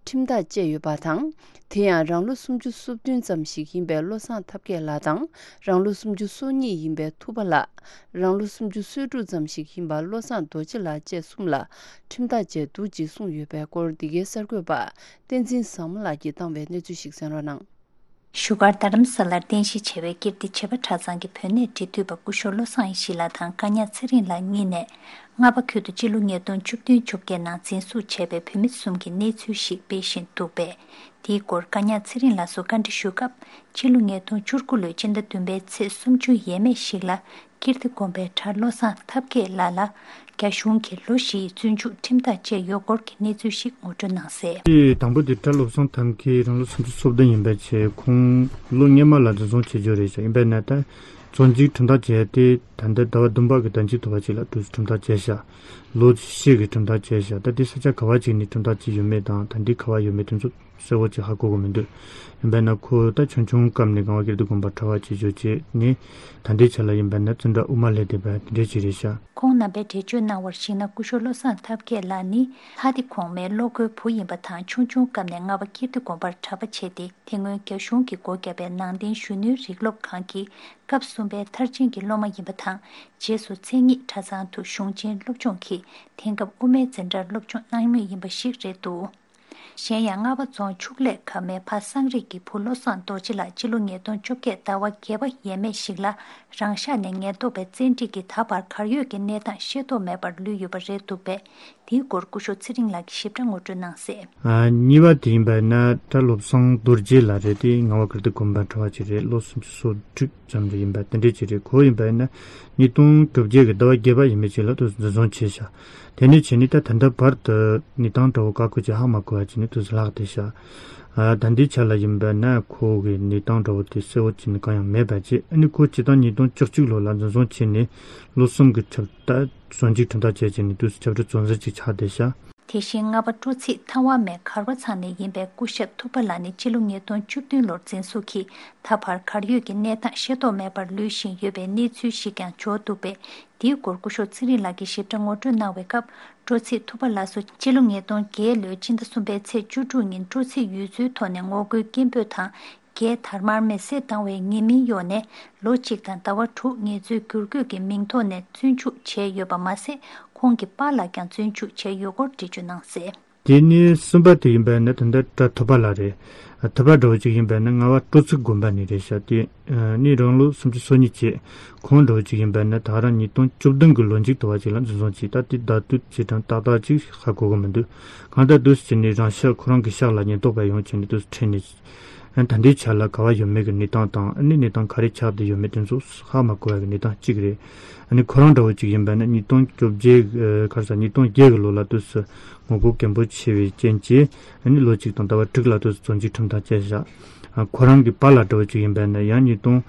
ཁྲིམས་ཐག་བཅད་ཡོད་པ་དང་། དེ་ཡང་རང་ལོ་སུམ་ཅུ་སོ་བདུན་ཙམ་ཞིག་ཡིན་པའི་བློ་བཟང་ཐབས་མཁས་ལགས་དང་། རང་ལོ་སུམ་ཅུ་སོ་གཉིས་ཡིན་པའི་ཐུབ་པ་ལགས། རང་ལོ་སུམ་ཅུ་སོ་དྲུག་ཙམ་ཞིག་ཡིན་པ་བློ་བཟང་རྡོ་རྗེ་ལགས་བཅས་གསུམ་ལ་ཁྲིམས་ཐག་བཅད་འདུག་ཅེས་གསུངས་ཡོད་པའི་སྐོར། འདི་གའི་གསར་འགོད་པ་བསྟན་འཛིན་བཟང་མོ་ལགས་ཀྱིས་བཏང་བའི་གནས་ཚུལ་ཞིག་གསན་རོགས་གནང་། བཞུགས་སྒར་རྡ་རམ་ས་ལར་རྟེན་གཞི་བྱས་པའི་ཀིརྟི་བྱེས་པ་གྲྭ་ཚང་གི་བུད་གནས་འབྲེལ་མཐུད་པ་སྐུ་ཞབས་བློ་བཟང་ཡེ་ཤེས་ལགས་དང་བཀའ་ཉག་ཚེ་རིང་ལགས་གཉིས་ནས་རྔ་པ་ཁུལ་དུ་སྤྱི་ལོ་ཉིས་སྟོང་བཅུ་བདུན་བཅོ་བརྒྱད་ནང་འཛིན་བཟུང་བྱས་པའི་བུད་མེད་གསུམ་གྱི་གནས་ཚུལ་ཞིག་སྤེལ་བཞིན་འདུག་པས། དེའི་སྐོར་བཀའ་ཉག་ཚེ་རིང་ལགས་སུ་བཀའ་འདྲི་ཞུ་སྐབས། སྤྱི་ལོ་ཉིས་སྟོང་བཅུ་དགུ་ལོའི་སྤྱི་ཟླ་བདུན་པའི་ཚེས་སུམ་ཅུ་ཡས་མས་ཤིག་ལ་ཀིརྟི་དགོན་པའི་གྲྭ་བློ་བཟང་ཐབས་མཁས་ལགས་ལ་རྒྱ་གཞུང་གིས་ལོ་བཞིའི་བཙོན་འཇུག་ཁྲིམས་ཐག་བཅད་ཡོད་སྐོར་གྱི་གནས་ཚུལ་ཞིག་ངོ་སྤྲོད་གནང་གསལ། དེ་དང་པོ་དེ་གྲྭ་བློ་བཟང་ཐབས་མཁས་རང་ལོ་སུམ་ཅུ་སོ་བདུན་ཡིན་པའི་ཆེད་ཁོང་ལོ་སྔོན་མ་ལ་འཛིན་བཟུང་བྱེད་རྒྱུ་རེད་ཤག་ཡིན་པས་ན་ད་བཙོན་འཇུག་ཁྲིམས་ཐག་བཅད་དེ་ད་ལྟ་ཟླ་བ་བདུན་པ་གི་ཟླ་མཇུག་ཐོ་བ་ཅིག་ལ་དུས་ཁྲིམས་ཐག་བཅད་ཤག་ལོ་བཞི་གི་ཁྲིམས་ཐག་བཅད་ཤག་ད་དེ་ས་ཆ་ག་བ་ཅིག་ནས་ཁྲིམས་ཐག་བཅད་ཡོད་མེད་དང་ད་འདི་ག་བ་ཡོད་མེད་དེ་ཚོ་གསལ་བོ་ཅིག་ཧ་གོ་གི་མི་འདུག་ཡིན་པས་ན་ཁོ་ད་ཆུང་ཆུང་སྐབས་ནས་གངས་དབང་ཀིརྟི་དགོན་པར་གྲྭ་པ་བྱེད་རྒྱུ་བྱས་ནས་ད་ལྟའི་ཆ་ལ་ཡིན་པས་ན་བཙོན་ཁྲལ་དབུ་མ་ལྷས་བསྡད་པ་དེ་འདྲས་ཅིག་རེད་ཤག་ཁོང་རྣམ་པས་འགྲེལ་བརྗོད་གནང་བར་གཞིགས་ན། སྐུ་ཞབས་བློ་བཟང་ཐབས་མཁས་ལགས་ནི་ལྷ་སྡེ་གོང་མའི་བློ་དགོས་བུ་ཡིན་པ་དང་། ཆུང་ཆུང་སྐབས་ནས་རྔ་པ་ཀིརྟི་དགོན་པར་གྲྭ་པ་བྱས་ཏེ། དེ་སྔོན་རྒྱ་གཞུང་གིས་སྒོ་བརྒྱབ་པའི་ནང་བསྟན་གཞོན་ནུའི་རིག་སློབ་ཁང་གི་སྐབས་གསུམ་པའི་མཐར་ཕྱིན་གྱི་སློབ་མ་ཡིན་པ་དང་། རྗེས་སུ་མཚན་ཉིད་གྲྭ་ཚང་དུ་གཞུང་ཆེན་སློབ་སྦྱོང་གིས་དེང་སྐབས་དབུ་མའི་འཛིན་གྲྭར་སློབ་སྦྱོང་གནང་མུས་ཡིན་པ་ཞིག་རེད་འདུག་གཞན་ཡང་རྔ་པ་རྫོང་ཕྱུགས་ལས་ཁ་མའི་ཕ་སངས་རིས་ཀྱི་བུ་བློ་བཟང་རྡོ་རྗེ་ལགས་སྤྱི་ལོ་ཉིས་སྟོང་བཅོ་བརྒྱད་ཟླ་བ་བརྒྱད་པ་ཡས་མས་ཤིག་ལ་རང་ཤག་ནས་ཉེན་རྟོག་པའི་བཙན་ཁྲིད་ཀྱིས་ད་བར་གར་ཡོད་ཀྱི་གནས་སྟངས་ཤེས་རྟོགས་མེད་པར་ལུས་ཡོད་པ་རེད་འདུག་པས། དེའི་སྐོར་སྐུ་ཞབས་ཚེ་རིང་ལགས་ཀྱིས་ཞིབ་ཕྲ་ངོ་སྤྲོད་གནང་གསལ། ཨ། གཉིས་པ་དེ་ཡིན་པ་ན་གྲྭ་བློ་བཟང་རྡོ་རྗེ་ལགས་རེད། དེ་རྔ་བ་ཀིརྟི་དགོན་པའི་གྲྭ་པ་ཅིག་རེད། ལོ་སུམ་ཅུ་སོ་དྲུག་ཙམ་རེ་ཡིན་པ་དེ་འདྲས་ཅིག་རེད། ཁོ་ཡིན་པ་ཡིན་ན་ཉིས་སྟོང་དྲུག་བརྒྱད་ཀྱི་ཟླ་བ་བརྒྱད་པ་ཡིན་པའི་རྗེས་ལ་དུ་འཛིན་བཟུང་བྱས་ཤག་དེ་ནས་བྱས་ནས་ད་ད་ལྟ་བར་དུ་གནས་སྟངས་འདྲ་བོ་ཀ་ཁོ་ཅིག་ཧ་མ་གོ་བ་བྱས་ནས་དུ་ལྷག་བསྡད་ཤག་ཨ། ད་ལྟའི་ཆ་ལ་ཡིན་པ་ན་ཁོ་གི་གནས་སྟངས་འདྲ་བོ་དེ་གསལ་བོ་བྱས་ནས་གང་ཡང་མེད་པ་བྱས། ཨ་ནི་ཁོ་སྤྱིར་བཏང་ཉིས་སྟོང་བཅུ་གཅིག་ལོ་ལ་འཛིན་བཟུང་བྱས་ནས་ལོ་གསུམ་གྱི་ཆབ་ད་བཙོན་འཇུག་ཁྲིམས་ཐག་བཅད་བྱས་ནས་དུས་སུ་ཆབ་སྲིད་བཙོན་ཟུར་ཅིག་ཆགས་བསྡད་ཤག་དེ་བཞིན་རྔ་པ་སྤྲོ་ཚིགས་ཐང་བ་མའི་གར་བ་ཚང་ནས་ཡིན་པའི་སྐུ་ཞབས་ཐུབ་པ་ལགས་ནི་སྤྱི་ལོ་ཉིས་སྟོང་བཅུ་བདུན་ལོར་འཛིན་བཟུང་གིས་ད་བར་གར་ཡོད་ཀྱི་གནས་སྟངས་ཤེས་རྟོགས་མེད་པར་ལུས་བཞིན་ཡོད་པའི་གནས་ཚུལ་ཞིག་ཀྱང་འབྱོར་འདུག་པས། དེའི་སྐོར་སྐུ་ཞབས་ཚེ་རིང་ལགས་ཀྱིས་ཞིབ་ཕྲ་ངོ་སྤྲོད་གནང་བའི་སྐབས། སྤྲོ་ཚིགས་ཐུབ་པ་ལགས་སུ་སྤྱི་ལོ་ཉིས་སྟོང་བརྒྱད་ལོའི་སྤྱི་ཟླ་གསུམ་པའི་ཚེས་བཅུ་དྲུག་ཉིན་སྤྲོ་ཚིགས་ཡུལ་ཚོའི་ཐོག་ནས་ངོ་རྒོལ་སྐད་འབོད་དང་། རྒྱའི་དར་དམར་མེ་བསྲེགས་བཏང་བའི་ཉེས་མིང་གཡོགས་ནས་ལོ་གཅིག་དང་ཟླ་བ་དྲུག་ངལ་རྩོལ་བསྒྱུར་བཀོད་ཀྱི་མིང་ཐོག་ནས་བཙོན་འཇུག་བྱས་ཡོད་པ་མ་ཟད། ཁོང་གི་པཱ་ལགས་ཀྱང་བཙོན་འཇུག་བྱས་ཡོད་སྐོར་འགྲེལ་བརྗོད་གནང་གསལ། དེ་ནས་གསུམ་པ་དེ་ཡིན་པ་ནི་ད་ལྟ་གྲྭ་ཐོབ་པ་ལགས་རེད། ཐོབ་པ་འདྲ་བོ་ཅིག་ཡིན་པ་ནི་རྔ་བ་སྤྲོ་ཚིགས་དགོན་པ་ནས་རེད་ཤག་དེ་ནས་རང་ལོ་སུམ་ཅུ་སོ་གཉིས་བྱས། ཁོང་འདྲ་བོ་ཅིག་ཡིན་པ་ནི་ད་རང་ཉིས་སྟོང་བཅུ་བདུན་གྱི་ལོ་མཇུག་ཏུ་བ་ཅིག་ལ་འཛིན་བཟུང་བྱས། ད་དེ་ཟླ་དུས་བྱས་གྲངས་ཏག་ཏག་ཅིག་ཧ་གོ་གི་མི་འདུག་གང་ལྟར་དུས་སུ་བྱས་ནས་རང་ཤག་ཁོ་རང་གི་ཤག་ལ་ཉེན་རྟོག་པ་ཡོང་བྱས་ནས་དུས་སུ་ཁྲིད་ནས། ད་ལྟའི་ཆ་ལ་ག་བ་ཡོད་མེད་ཀྱི་གནས་སྟངས་དང་། ཨ་ནི་གནས་སྟངས་ག་རེ་ཆགས་བསྡད་ཡོད་མེད་དེ་ཚོ་ཧ་མ་གོ་བ་གི་གནས་སྟངས་གཅིག་རེད། ཨ་ནི་ཁོ་རང་འདྲ་བོ་གཅིག་ཡིན་པ་ནི་ཉིས་སྟོང་བཅོ་བརྒྱད་ག་རེ་ཟ་ཉིས་སྟོང་བརྒྱད་ཀྱི་ལོ་ལ་དུས་སུ་ངོ་རྒོལ་གན་པོ་ཆེ་བའི་རྐྱེན་གྱིས། ཨ་ནི་ལོ་གཅིག་དང་ཟླ་བ་དྲུག་ལ་དུས་སུ་བཙོན་འཇུག་ཁྲིམས་ཐག་བཅད་བཞག་ཁོ་རང་གི་པཱ་ལགས་འདྲ་བོ་གཅིག་ཡིན་པ་ནི་ཡང་ཉིས་སྟོང་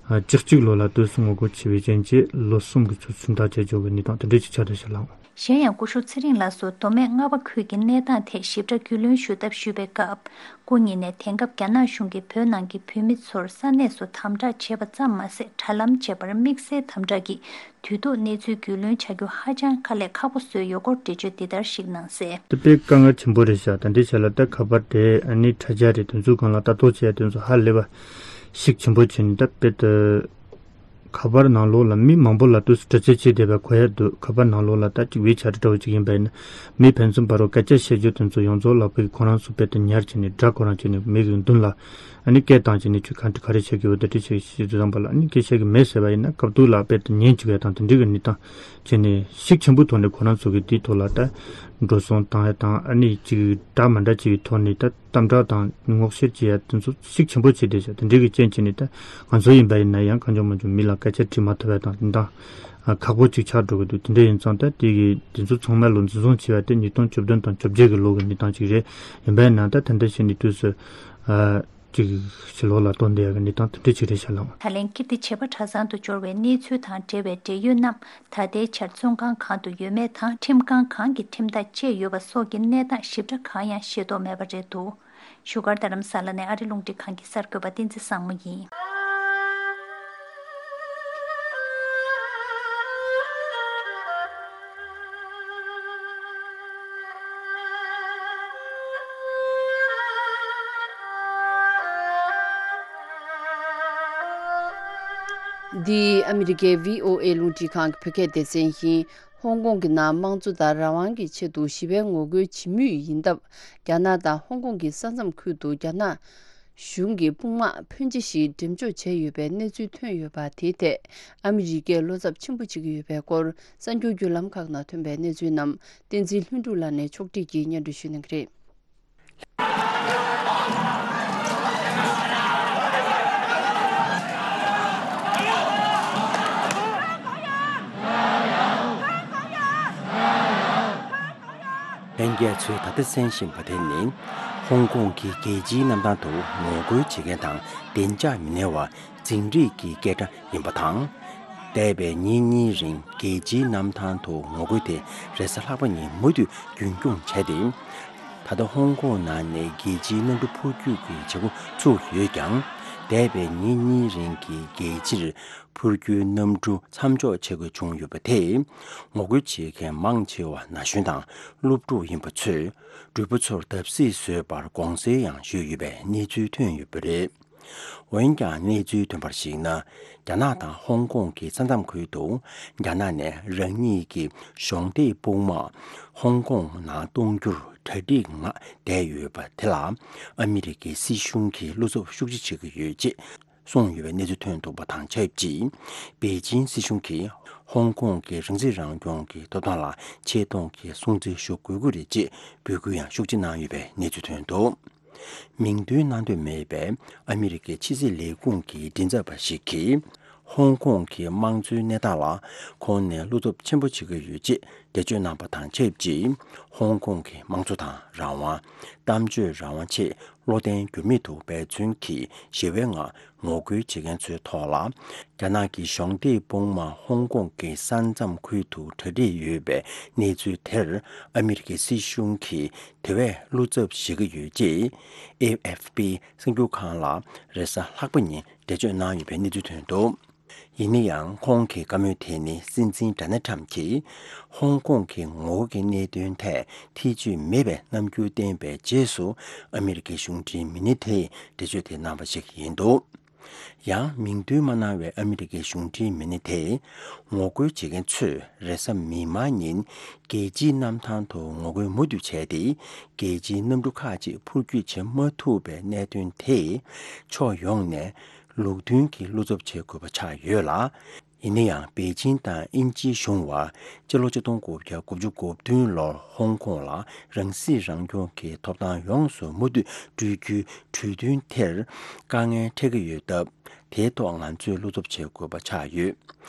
བཅུ་གཅིག་ལོ་ལ་དུས་སུ་ངོ་རྒོལ་ཆེ་བའི་རྐྱེན་གྱིས་ལོ་གསུམ་གྱི་ཚུལ་ཁྲིམས་ཐག་བཅད་འཇོག་གི་གནས་སྟངས་དེ་འདྲ་ཅིག་ཆགས་བསྡད་ཤག་ལགས། གཞན་ཡང་སྐུ་ཞབས་ཚེ་རིང་ལགས་སུ་མདོ་སྨད་རྔ་བ་ཁུལ་གྱི་གནས་སྟངས་ཐད་ཞིབ་ཕྲ་རྒྱུས་ལོན་ཞུ་ཐབས་ཞུས་པའི་སྐབས། སྐུ་ཉིད་ནས་དེང་སྐབས་རྒྱ་ནག་གཞུང་གིས་བོད་ནང་གི་བོད་མི་ཚོར་ས་གནས་སུ་དམ་དྲག་བྱས་པ་ཙམ་མ་ཟད། དྲ་ལམ་བྱས་པར་དམིགས་བསལ་དམ་དྲག་གིས་དུས་ཐོག་གནས་ཚུལ་རྒྱུས་ལོན་བྱ་རྒྱུ་ཧ་ཅང་དཀའ་ལས་ཁག་པོ་བཟོས་ཡོད་སྐོར་འགྲེལ་བརྗོད་འདི་ལྟར་ཞིག་གནང་གསལ། དེ་དཔེ་དཀའ་ངལ་ཆེན་པོ་རེད་ཤག་ད་འདི་བྱས་ལ་ད་ཁ་པར་དེ་ཨ་ནི་དྲ་རྒྱ་རེད། དེ་ཚོའི་སྒང་ལ་ལྟ་རྟོག་བྱེད་ཡ་དེ་ཚོ་ཧ་ལས་པ་ཤུགས་ཆེན་པོ་བྱས་ནས་ད་དཔེ་དེ། ཁ་པར་ནང་ལོགས་ལ་མི་མང་པོ་ལ་དུས་སུ་དྲི་རྩད་བྱེད་བསྡད་པ་གོ་ཡ་འདུག་ཁ་པར་ནང་ལོགས་ལ་ད་ཅིག་བེད་སྤྱད་འདྲ་བོ་ཅིག་ཡིན་པ་ཡིན་ན། མི་ཕན་ཚུན་བར་རུ་སྐད་ཆ་བཤད་རྒྱུ་དེ་ཚོ་ཡོངས་རྫོགས་ལ་བོད་ཀྱི་ཁོ་རང་ཚོ་དཔེ་དེ་ཉར་བྱས་ནས་སྒྲ་ཁོ་རང་བྱས་ནས་མི་གི་མདུན་ལ་ཨ་ནི་སྐད་བཏང་བྱས་ནས་ཁྱོད་གང་དྲི་ག་རེ་བྱེད་ཀྱི་ཡོད་ད་དྲི་བྱེད་ཀྱི་ཤེས་ཚོད་བཏང་པ་ལ་ཨ་ནི་སྐད་བཤད་ཀྱི་མེད་ཟེར་བ་ཡིན་ན་སྐབས་ཐོག་ལ་དཔེ་དེ་ཉན་བཅུག་ཡ་དང་དེ་འདྲའི་གི་གནས་སྟངས་བྱས་ནས་ཤུགས་ཆེན་པོའི་ཐོག་ནས་ཁོ་རང་ཚོ་གི་དེའི་ཐོག་ལ་ད་འགྲོ་སོང་བཏང་ཡ་དང་ཨ་ནི་ཅིག་འདྲ་མི་འདྲ་ཅིག་གི་ཐོག་ནས་ད། དམ་དྲག་དང་ངོ་ཤེས་བྱེད་ཡ་དེ་ཚོ་ཤུགས་ཆེན་པོ་བྱས་ཏེ་བྱ་དེ་འདྲའི་གི་རྐྱེན་བྱས་ནས་ད་ང་ཚོ་ཡིན་པ་ཡིན་ན་ཡང་གང་བྱུང་མང་བྱུང་མི་ལ་སྐད་ཆ་དྲིས་མ་ཐུབ་པ་དང་དེ་འདྲ་ཁག་པོ་ཅིག་ཆགས་འགྲོ་གི་འདུག་དེ་འདྲ་ཡིན་ཙང་ད་དེ་གི་དེ་ཚོ་ཚང་མ་ལོ་འཛིན་བཟུང་བྱས་པ་དེ་ཉིས་སྟོང་བཅུ་བདུན་དང་བཅོ་བརྒྱད་གི་ལོ་གི་གནས་སྟངས་ཅིག་རེད། ཡིན་པ་ཡིན་ན་ད་དེ་འདྲ་བྱས་ནས་དུས་སུ་ཅིག་ཕྱི་ལོགས་ལ་གཏོང་བསྡད་ཡ་གི་གནས་སྟངས་དེ་འདྲ་ཅིག་རེད་ཤག་ལགས། ད་ལན་ཀིརྟི་བྱེས་པ་གྲྭ་ཚང་དུ་འབྱོར་བའི་གནས་ཚུལ་དང་འབྲེལ་བའི་འབྲེལ་ཡོད་རྣམས་ད་ལྟའི་ཆར་བཙོན་ཁང་གང་དུ་ཡོད་མེད་དང་ཁྲིམས་ཁང་གང་གི་ཁྲིམས་ཐག་བཅད་ཡོད་པ་སོགས་ཀྱི་གནས་སྟངས་ཞིབ་ཕྲ་གང་ཡང་ཤེས་རྟོགས་མེད་པ་རེད་འདུག་བཞུགས་སྒར་རྡ་རམ་ས་ལ་ནས་ཨ་རི་རླུང་འཕྲིན་ཁང་གི་གསར་འགོད་པ་བསྟན་འཛིན་བཟང་མོ་ཡིན། འདི་ཨ་མི་རི་ཀའི་བྷི་ཨོ་ཨེ་རླུང་འཕྲིན་ཁང་གི་བོད་སྐད་སྡེ་ཚན་ཡིན། ཧོང་ཀོང་གི་ནང་དམངས་གཙོ་དང་རང་དབང་གི་ཆེད་དུ་ཞི་བའི་ངོ་རྒོལ་བྱེད་མུས་ཡིན་སྟབས། རྒྱ་ནག་དང་ཧོང་ཀོང་གི་ས་མཚམས་ཁུལ་དུ་རྒྱ་ནག་གཞུང་གི་དཔུང་དམག་ཕོན་ཆེ་ཞིག་འགྲེམས་འཇོག་བྱས་ཡོད་པའི་གནས་ཚུལ་ཐོན་ཡོད་པ། དེའི་ཐད་ཨ་མི་རི་ཀས་བློ་འཚབ་ཆེན་པོ་བྱེད་ཀྱི་ཡོད་པའི་སྐོར་གསར་འགྱུར་བརྒྱུད་ལམ་ཁག་ནང་ཐོན་པའི་གནས་ཚུལ་རྣམས་བསྟན་འཛིན་ལྷུན་གྲུབ་ལགས་ནས་ཕྱོགས་སྒྲིག་གིས་སྙན་སྒྲོན་ཞུ་གནང་གི་རེད། ལྷན་རྒྱས་ཚོས་ད་ལྟ་གསན་བཞིན་པ་དེ་ནི། ཧོང་ཀོང་གི་རྒྱལ་སྤྱིའི་གནམ་ཐང་དུ་ངོ་རྒོལ་བྱེད་མཁན་དང་བདེ་འཇགས་མི་སྣང་བ་འཛིང་རེས་ཀྱི་སྐད་སྒྲ་ཡིན་པ་དང་། འདས་པའི་ཉིན་གཉིས་རིང་རྒྱལ་སྤྱིའི་གནམ་ཐང་དུ་ངོ་རྒོལ་དེ་རེས་གཟའ་ལྷག་པ་ཉིན་མུ་མཐུད་རྒྱུན་སྐྱོང་བྱས་ཏེ། ད་ལྟ་ཧོང་ཀོང་ནང་ནས་རྒྱལ་སྤྱིའི་གནམ་གྲུ་འཕུར་སྐྱོད་ཀྱི་བྱེད་སྒོ་ཚུགས་ཡོད་ཀྱང་། འདས་པའི་ཉིན་གཉིས་རིང་གི་རྒྱལ་སྤྱིར་འཕུར་སྐྱོད་གནམ་གྲུ་མཚམས་འཇོག་བྱེད་དགོས་བྱུང་ཡོད་པ་དེས། ངོ་རྒོལ་བྱེད་མཁན་མང་ཆེ་བ་ན་གཞོན་དང་སློབ་ཕྲུག་ཡིན་པ་ཚོས་འགྲུལ་པ་ཚོར་བརྡབ་གསིག་བཟོས་པར་དགོངས་སེལ་ཡང་ཞུས་ཡོད་པའི་གནས་ཚུལ་ཐོན་ཡོད་པ་རེད། འོན་ཀྱང་གནས་ཚུལ་ཐོན་པར་གཞིགས་ན། རྒྱ་ནག་དང་ཧོང་ཀོང་གི་ས་མཚམས་ཁུལ་དུ་རྒྱ་ནག་ནས་རང་ཉིད་ཀྱི་གཞོགས་འདེགས་དཔུང་དམག་ཧོང་ཀོང་ནང་གཏོང་རྒྱུར་གྲ་སྒྲིག་ངང་བསྡད་ཡོད་པ་དེ་ལ་ཨ་མི་རི་ཀའི་སྲིད་གཞུང་གིས་བློ་འཚབ་ཤུགས་ཆེ་བྱེད་ཀྱི་ཡོད་ཅེས་གསུངས་ཡོད་པའི་གནས་ཚུལ་ཐོན་འདུག་པ་དང་ཆབས་ཅིག་པེ་ཅིན་སྲིད་གཞུང་གིས་ཧོང་ཀོང་གི་རང་སྲིད་རང་སྐྱོང་གི་ཐོབ་ཐང་ལ་ཆེ་མཐོང་གི་སྲུང་བརྩི་ཞུ་དགོས་ཀྱི་རེད་ཅེས་འབོད་སྐུལ་ཡང་ཤུགས་ཆེ་གནང་ཡོད་པའི་གནས་ཚུལ་ཐོན་འདུག་མིང་འདོན་གནང་འདོད་མེད་པའི་ཨ་མི་རི་ཀའི་ཕྱི་སྲིད་ལས་ཁུངས་ཀྱི་མགྲིན་ཚབ་པ་ཞིག་གིས། ཧོང་ཀོང་གི་དམངས་གཙོའི་གནས་སྟངས་ལ་ཁོང་ནས་བློ་འཚབ་ཆེན་པོ་བྱེད་ཀྱི་ཡོད་ཅེས་འགྲེལ་བརྗོད་གནང་པ་དང་ཆབས་ཅིག་ཧོང་ཀོང་གི་དམངས་གཙོ་དང་རང་དབང་། གཏམ་བརྗོད་རང་དབང་ཆེད་བློ་བརྟན་འགྱུར་མེད་དུ་འབད་བརྩོན་གྱིས་ཞི་བའི་ངང་ངོ་རྒོལ་བྱེད་མཁན་ཚོའི་ཐོག་ལ། རྒྱ་ནག་གི་གཞོགས་འདེགས་དཔུང་དམག་ཧོང་ཀོང་གི་ས་མཚམས་ཁུལ་དུ་གྲ་སྒྲིག་ཡོད་པའི་གནས་ཚུལ་དེར་ཨ་མི་རི་ཀའི་སྲིད་གཞུང་གིས་དེ་བས་བློ་འཚབ་བྱེད་ཀྱི་ཡོད་ཅེས་ཨེ་ཨེཕ་པི་གསར་འགྱུར་ཁང་ལ་རེས་གཟའ་ལྷག་པ་ཉིན་འགྲེལ་བརྗོད་གནང་ཡོད་པའི་གནས་ཚུལ་ཐོན་འདུག་ཡིན་ན་ཡང་ཁོང་གི་བཀའ་མོལ་དེ་ནི་སྲིད་འཛིན་ཌོ་ནལ་ཁྲམ་གྱིས་ཧོང་ཀོང་གི་ངོ་རྒོལ་གྱི་གནད་དོན་ཐད་ཐེ་བྱུས་མེད་པའི་རྣམ་འགྱུར་བསྟན་པའི་རྗེས་སུ་ཨ་མི་རི་ཀའི་གཞུང་འབྲེལ་མི་སྣ་དེས་འགྲེལ་བརྗོད་དེ་གནང་བ་ཞིག་ཡིན་འདུག་ཡང་མིང་འདོན་མ་གནང་བའི་ཨ་མི་རི་ཀའི་གཞུང་འབྲེལ་མི་སྣ་དེས། ངོ་རྒོལ་བྱེད་མཁན་ཚོས་རེས་གཟའ་མིག་དམར་ཉིན་རྒྱལ་སྤྱིའི་གནམ་ཐང་དུ་ངོ་རྒོལ་མུ་མཐུད་བྱས་ཏེ། རྒྱལ་སྤྱིའི་གནམ་གྲུ་ཁག་ཅིག་འཕུར་སྐྱོད་བྱེད་མ་ཐུབ་པའི་གནད་དོན་དེས། ཕྱོགས་ཡོངས་ནས་ལུགས་མཐུན་གྱི་བློ་འཚབ་བྱེད་དགོས་པ་ཆགས་ཡོད་ལ། ཡིན་ན་ཡང་པེ་ཅིང་དང་དབྱིན་ཇིའི་གཞུང་བར་སྤྱི་ལོ་ཆིག་སྟོང་དགུ་བརྒྱ་དགུ་བཅུ་གོ་བདུན་ལོར་ཧོང་ཀོང་ལ་རང་སྲིད་རང་སྐྱོང་གི་ཐོབ་ཐང་ཡོངས་སུ་མུ་མཐུད་སྤྲོད་རྒྱུའི་གྲོས་མཐུན་དེར་དཀའ་ངལ་འཕྲད་ཀྱི་ཡོད་སྟབས། དེའི་ཐོག་ང་ཚོས་བློ་འཚབ་བྱེད་དགོས་པ་ཆགས་ཡོད།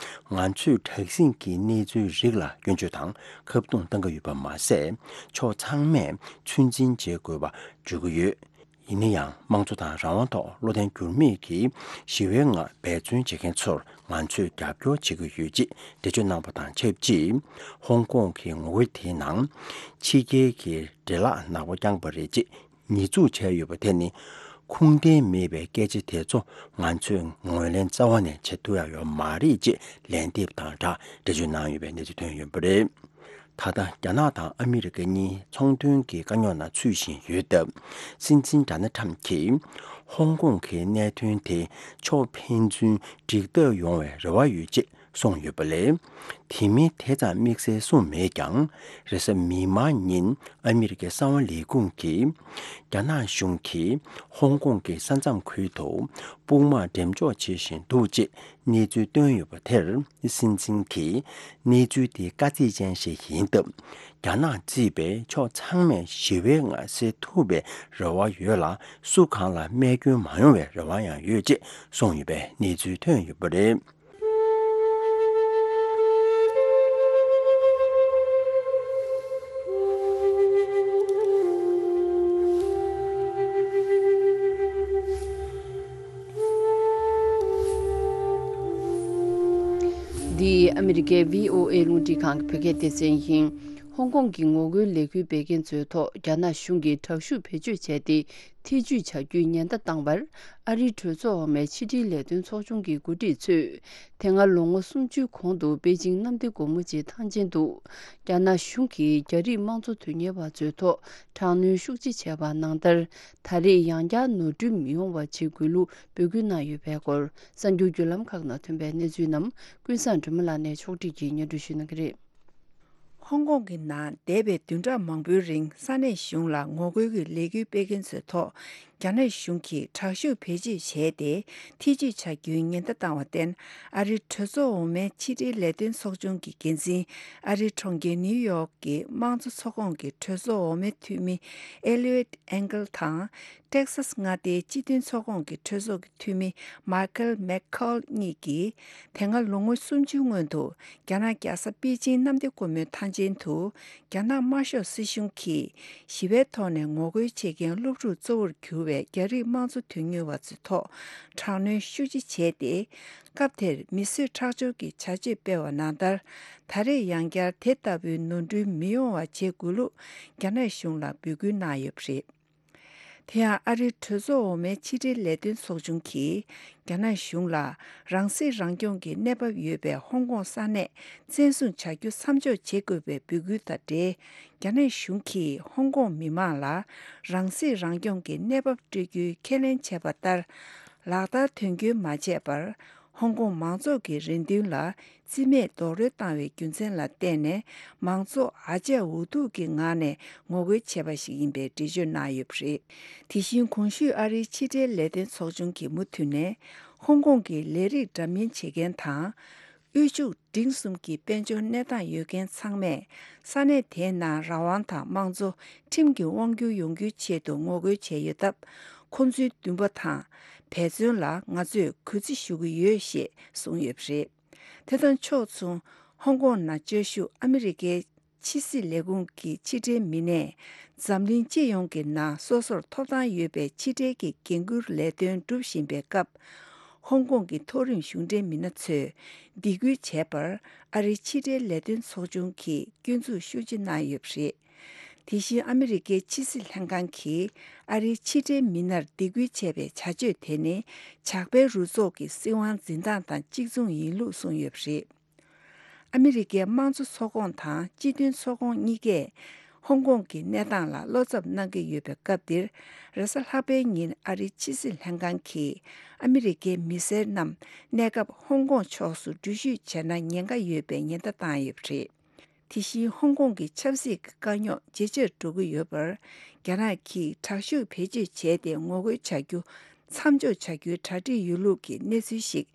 ང་ཚོས་དྲག་ཟིང་གི་གནས་ཚུལ་རིགས་ལ་སྐྱོན་བརྗོད་དང་ཁ་རྡུང་གཏང་གི་ཡོད་པ་མ་ཟད། ཕྱོགས་ཚང་མས་ཚོད་འཛིན་བྱེད་དགོས་པ་བརྗོད་ཀྱི་ཡོད། ཡིན་ན་ཡང་། དམངས་གཙོ་དང་རང་དབང་ཐོག་བློ་བརྟན་འགྱུར་མེད་ཀྱིས་ཞི་བའི་ངང་འབད་བརྩོན་བྱེད་མཁན་ཚོར་ང་ཚོས་རྒྱབ་སྐྱོར་བྱེད་ཀྱི་ཡོད་ཅེས་འགྲེལ་བརྗོད་གནང་བ་དང་ཆབས་ཅིག་ཧོང་ཀོང་གི་ངོ་རྒོལ་དེའི་ནང་ཕྱི་རྒྱལ་གྱི་འདྲེ་ལག་ནག་པོ་བརྐྱངས་པ་རེད་ཅེས་ཉེས་འཛུགས་བྱས་ཡོད་པ་དེ་ནི་ཁུངས་ལྡན་མེད་པའི་སྐད་ཆ་དེ་ཚོ་ང་ཚོས་ངོས་ལེན་རྩ་བ་ནས་བྱེད་ཐུབ་ཡ་ཡོད་མ་རེད་ཅེས་ལན་འདེབས་དང་སྦྲགས་འགྲེལ་བརྗོད་གནང་ཡོད་པའི་གནས་ཚུལ་ཐོན་ཡོད་པ་རེད། ད་ལྟ་རྒྱ་ནག་དང་ཨ་མི་རི་ཀ་གཉིས་ཚོང་དོན་གྱི་དཀའ་རྙོག་ནང་ཚུད་བཞིན་ཡོད་སྟབས། སྲིད་འཛིན་ཌོ་ནལ་ཁྲམ་གྱིས་ཧོང་ཀོང་གི་གནད་དོན་དེ་ཕྱོགས་ཕན་ཚུན་འགྲིག་ཐབས་ཡོང་བའི་རེ་བ་ཡོད་ཅེས་གསུངས་ཡོད་པ་ལས། དེ་མིན་དེ་ཙམ་དམིགས་བསལ་གསུངས་མེད་ཀྱང་། རེས་གཟའ་མིག་དམར་ཉིན་ཨ་མི་རི་ཀའི་གསང་བ་ལས་ཁུངས་ཀྱིས། རྒྱ་ནག་གཞུང་གིས་ཧོང་ཀོང་གི་ས་མཚམས་ཁུལ་དུ་དཔུང་དམག་འགྲེམས་འཇོག་བྱེད་བཞིན་འདུག་ཅེས། གནས་ཚུལ་བཏོན་ཡོད་པ་དེར། སྲིད་འཛིན་གྱིས་གནས་ཚུལ་དེ་དཀའ་ཚེགས་ཅན་ཞིག་ཡིན་སྟབས། རྒྱ་ནག་གཙོས་པའི་ཕྱོགས་ཚང་མས་ཞི་བའི་ངང་སེལ་ཐུབ་པའི་རེ་བ་ཡོད་ལ། སུ་གང་ལ་རྨས་སྐྱོན་མ་ཡོང་བའི་རེ་བ་ཡང་ཡོད་ཅེས་གསུངས་ཡོད་པའི་གནས་ཚུལ་ཐོན་ཡོད་པ་རེད། འདི་ཨ་མི་རི་ཀའི་བྷི་ཨོ་ཨེ་རླུང་འཕྲིན་ཁང་གི་བོད་སྐད་སྡེ་ཚན་ཡིན། ཧོང་ཀོང་གི་ངོ་རྒོལ་ལས་འགུལ་སྤེལ་མཁན་ཚོའི་ཐོག་རྒྱ་ནག་གཞུང་གིས་དྲག་ཤུགས་བེད་སྤྱོད་བྱས་ཏེ། ཐེ་ཇུས་བྱ་རྒྱུའི་ཉེན་བརྡ་བཏང་བར། ཨ་རིའི་གྲོས་ཚོགས་འོག་མའི་ཕྱི་འབྲེལ་ལས་དོན་ཚོགས་ཆུང་གི་འགོ་ཁྲིད་ཚོས། དེ་སྔ་ལོ་ངོ་སུམ་ཅུའི་གོང་དུ་པེ་ཅིང་གནམ་བདེ་སྒོ་མོ་ཆེའི་ཐང་ཆེན་དུ། རྒྱ་ནག་གཞུང་གིས་རྒྱ་རིགས་དམངས་གཙོ་དོན་གཉེར་བ་ཚོའི་ཐོག་དྲག་གནོན་ཤུགས་ཆེ་བྱས་པ་ནང་ལྟར། ད་རེས་ཡང་བསྐྱར་ནོར་འཁྲུལ་མི་ཡོང་བ་བྱེད་དགོས་ལུགས་འབོད་སྐུལ་གནང་ཡོད་པའི་སྐོར། གསར་འགྱུར་བརྒྱུད་ལམ་ཁག་ནང་ཐོན་པའི་གནས་ཚུལ་རྣམས་ཀུན་བཟང་སྒྲོལ་མ་ལགས་ནས་ཕྱོགས་སྒྲིག་གིས་སྙན་སྒྲོན་ཞུ་གནང་གི་རེད། ཧོང་ཀོང་གི་ནང་འདས་པའི་བདུན་ཕྲག་མང་པོའི་རིང་ས་གནས་གཞུང་ལ་ངོ་རྒོལ་གྱི་ལས་འགུལ་སྤེལ་མཁན་ཚོའི་ཐོག་རྒྱ་ནག་གཞུང་གིས་དྲག་ཤུགས་བེད་སྤྱོད་བྱས་ཏེ། ཐེ་ཇུས་བྱ་རྒྱུའི་ཉེན་བརྡ་བཏང་བར་བརྟེན། ཨ་རིའི་གྲོས་ཚོགས་འོག་མའི་ཕྱི་འབྲེལ་ལས་དོན་ཚོགས་ཆུང་གི་འགན་འཛིན། ཨ་རིའི་གྲོང་ཁྱེར་ནིའུ་ཡོག་གི་དམངས་གཙོ་ཚོགས་ཁོངས་ཀྱི་གྲོས་ཚོགས་འོག་མའི་འཐུས་མི་ཨེ་ལི་ཨོད་ཨེང་གལ་དང་། ཏེག་སཱས་མངའ་སྡེའི་སྤྱི་མཐུན་ཚོགས་ཁོངས་ཀྱི་གྲོས་ཚོགས་ཀྱི་འཐུས་མི་མཱི་ཁལ་མེག་ཁོལ་གཉིས་ཀྱིས། དེ་སྔ་ལོ་ངོ་སུམ་ཅུའི་སྔོན་དུ། རྒྱ་ནག་རྒྱལ་ས་པེ་ཅིང་གནམ་བདེ་སྒོ་མོའི་ཐང་ཆེན་དུ། རྒྱ་ནག་དམར་ཤོག་སྲིད་གཞུང་གིས་ཞི་བའི་ཐོག་ནས་ངོ་རྒོལ་བྱེད་མཁན་སློབ་ཕྲུག་གཙོ་བོར་གྱུར་བའི་རྒྱ་རིགས་དམངས་གཙོ་དོན་གཉེར་བ་ཚོའི་ཐོག་དྲག་གནོན་ཤུགས་ཆེ་བྱས་ཏེ། སྐབས་དེར་མི་གསོད་ཁྲག་སྦྱོར་གྱི་བྱ་སྤྱོད་སྤེལ་བ་ནང་ལྟར། ད་རེས་ཡང་བསྐྱར་དེ་ལྟ་བུའི་ནོར་འཁྲུལ་མི་ཡོང་བ་བྱེད་དགོས་ལུགས་རྒྱ་ནག་གཞུང་ལ་འབོད་སྐུལ་གནང་ཡོད་པ་རེད། དེ་ཡང་ཨ་རིའི་གྲོས་ཚོགས་འོག་མའི་ཕྱི་འབྲེལ་ལས་དོན་ཚོགས་ཆུང་གིས། རྒྱ་ནག་གཞུང་ལ་རང་སྲིད་རང་སྐྱོང་གི་གནས་བབ་ཡོད་པའི་ཧོང་ཀོང་ས་གནས་བཙན་བཟུང་བྱ་རྒྱུ་མཚམས་འཇོག་བྱེད་དགོས་པའི་འབོད་སྐུལ་དང་འབྲེལ། རྒྱ་ནག་གཞུང་གིས་ཧོང་ཀོང་མི་མང་ལ་རང་སྲིད་རང་སྐྱོང་གི་གནས་བབ་སྤྲོད་རྒྱུའི་ཁས་ལེན་བྱས་པ་ལྟར། ལག་བསྟར་དོན་འཁྱོལ་མ་བྱས་པར། ཧོང་ཀོང་མང་ཚོགས་ཀྱི་རེ་འདུན་ལ་རྩིས་མེད་རྡོག་རོལ་བཏང་བའི་རྒྱུ་མཚན་ལ་བརྟེན་ནས། མང་ཚོགས་ཨ་ཅག་འུ་ཐུག་གི་ངང་ནས་ངོ་རྒོལ་བྱས་པ་ཞིག་ཡིན་པའི་འགྲེལ་བརྗོད་གནང་ཡོད་པ་རེད། དེ་བཞིན་གོང་ཞུས་ཨ་རིའི་ཕྱི་འབྲེལ་ལས་དོན་ཚོགས་ཆུང་གིས་མུ་མཐུད་ནས། ཧོང་ཀོང་གི་ལས་རིགས་འདྲ་མིན་བྱེད་མཁན་དང་། དབུལ་ཕྱུག་འབྲིང་གསུམ་གྱི་དཔལ་འབྱོར་གནས་སྟངས་ཡོད་མཁན་ཚང་མས། ས་གནས་དེའི་ནང་རང་དབང་དང་དམངས་གཙོ་ཁྲིམས་ཀྱིས་དབང་བསྒྱུར་ཡོང་རྒྱུའི་ཆེད་དུ་ངོ་རྒོལ་བྱས་ཡོད་སྟབས། ཁོང་ཚོའི་འདུན་པ་དང་འབད་བརྩོན་ལ་ང་ཚོས་གུས་བརྩི་ཞུ་གི་ཡོད་ཞེས་གསུངས་ཡོད་པ་རེད། དེ་དང་ཕྱོགས་མཚུངས། ཧོང་ཀོང་ནང་བཅའ་བཞུགས་ཨ་མི་རི་ཀའི་ཕྱི་སྲིད་ལས་ཁུངས་ཀྱི་ཕྱི་འབྲེལ་མི་སྣས། འཛམ་གླིང་སྤྱི་ཡོངས་ཀྱི་ནང་སོ་སོར་ཐོབ་ཐང་ཡོད་པའི་ཕྱི་འབྲེལ་གྱི་འགན་འཁུར་ལས་དོན་སྒྲུབ་བཞིན་པའི་སྐབས། ཧོང་ཀོང་གི་མཐོ་རིམ་གཞུང་འབྲེལ་མི་སྣ་ཚོས་སྡིགས་སྐུལ་བྱས་པར། ཨ་རིའི་ཕྱི་འབྲེལ་ལས་དོན་ཚོགས་ཆུང་གིས་སྐྱོན་འཛུགས་ཤུགས་ཆེ་གནང་ཡོད་པ་རེད། དེ་བཞིན་ཨ་མི་རི་ཀའི་ཕྱི་སྲིད་ལྷན་ཁང་གིས་ཨ་རིའི་ཕྱི་འབྲེལ་མི་སྣར་སྡིགས་སྐུལ་བྱས་པའི་བྱ་སྤྱོད་དེ་ནི། ཇག་པའི་རུ་ཚོགས་ཀྱི་སྲིད་དབང་འཛིན་སྟངས་དང་གཅིག་མཚུངས་ཡིན་ལུགས་གསུངས་ཡོད་པ་རེད། ཨ་མི་རི་ཀའི་དམངས་གཙོ་ཚོགས་ཁོངས་དང་སྤྱི་མཐུན་ཚོགས་ཁོངས་གཉིས་ཀས། ཧོང་ཀོང་གི་གནས་སྟངས་ལ་བློ་འཚབ་གནང་གི་ཡོད་པའི་སྐབས་འདིར། རེས་གཟའ་ལྷག་པའི་ཉིན་ཨ་རིའི་ཕྱི་སྲིད་ལྷན་ཁང་གིས་ཨ་མི་རི་ཀའི་མི་སེར་རྣམས་གནས་སྐབས་ཧོང་ཀོང་ཕྱོགས་སུ་འགྲུལ་བཞུད་བྱས་ན་ཉེན་ཁ་ཡོད་པའི་ཉེན་བརྡ་བཏང་ཡོད་པ་རེད། དེ་བཞིན་ཧོང་ཀོང་གི་ཆབ་སྲིད་ཀྱི་དཀའ་རྙོག་ཇེ་ཆེར་འགྲོ་གི་ཡོད་པར། རྒྱ་ནག་གིས་དྲག་ཤུགས་བེད་སྤྱོད་བྱས་ཏེ་ངོ་རྒོལ་བྱ་རྒྱུ་མཚམས་འཇོག་བྱ་རྒྱུའི་གྲ་སྒྲིག་ཡོད་ལུགས་ཀྱི་གནས་ཚུལ་ཞིག་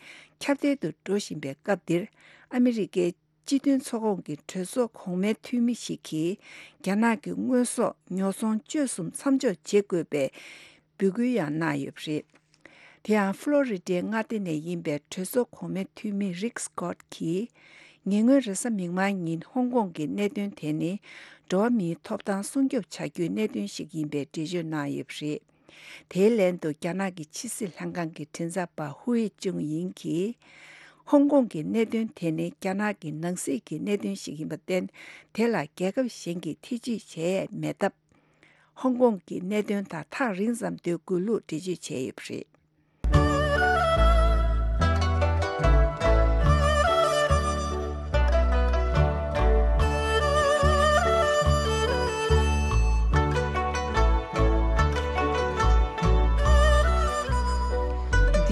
ཁྱབ་གདལ་དུ་འགྲོ་བཞིན་པའི་སྐབས་འདིར། ཨ་མི་རི་ཀའི་སྤྱི་མཐུན་ཚོགས་ཁོངས་ཀྱི་གྲོས་ཚོགས་གོང་མའི་འཐུས་མི་ཞིག་གིས། རྒྱ་ནག་གི་དངོས་ཟོག་ཉོ་ཚོང་སྤྱོད་གསུམ་མཚམས་འཇོག་བྱེད་དགོས་པའི་འབོད་སྐུལ་ཡང་གནང་ཡོད་པ་རེད། དེ་ཡང་ཕློ་རི་ཌའི་མངའ་སྡེ་ནས་ཡིན་པའི་གྲོས་ཚོགས་གོང་མའི་འཐུས་མི་རིག་སི་ཀོཊ་གྱིས། ཉེ་སྔོན་རེས་གཟའ་མིག་དམར་ཉིན་ཧོང་ཀོང་གི་གནད་དོན་དེ་ནི། འགྲོ་བ་མིའི་ཐོབ་ཐང་སྲུང་སྐྱོབ་བྱ་རྒྱུའི་གནད་དོན་ཞིག་ཡིན་པའི་འགྲེལ་བརྗོད་གནང་ཡོད་པ་རེད། དེའི་ལན་དུ། རྒྱ་ནག་གི་ཕྱི་སྲིད་ལྷན་ཁང་གི་མགྲིན་ཚབ་པ་ཧུའེ་ཅུང་ཡིང་གིས། ཧོང་ཀོང་གི་གནད་དོན་དེ་ནི་རྒྱ་ནག་གི་ནང་སྲིད་ཀྱི་གནད་དོན་ཞིག་ཡིན་པར་བརྟེན། དེ་ལ་རྒྱལ་ཁབ་གཞན་གྱིས་ཐེ་ཇུས་བྱས་མེད་སྟབས། ཧོང་ཀོང་གི་གནད་དོན་དང་ཐག་རིང་ཙམ་སྡོད་དགོས་ལུགས་འགྲེལ་བརྗོད་བྱས་ཡོད་པ་རེད།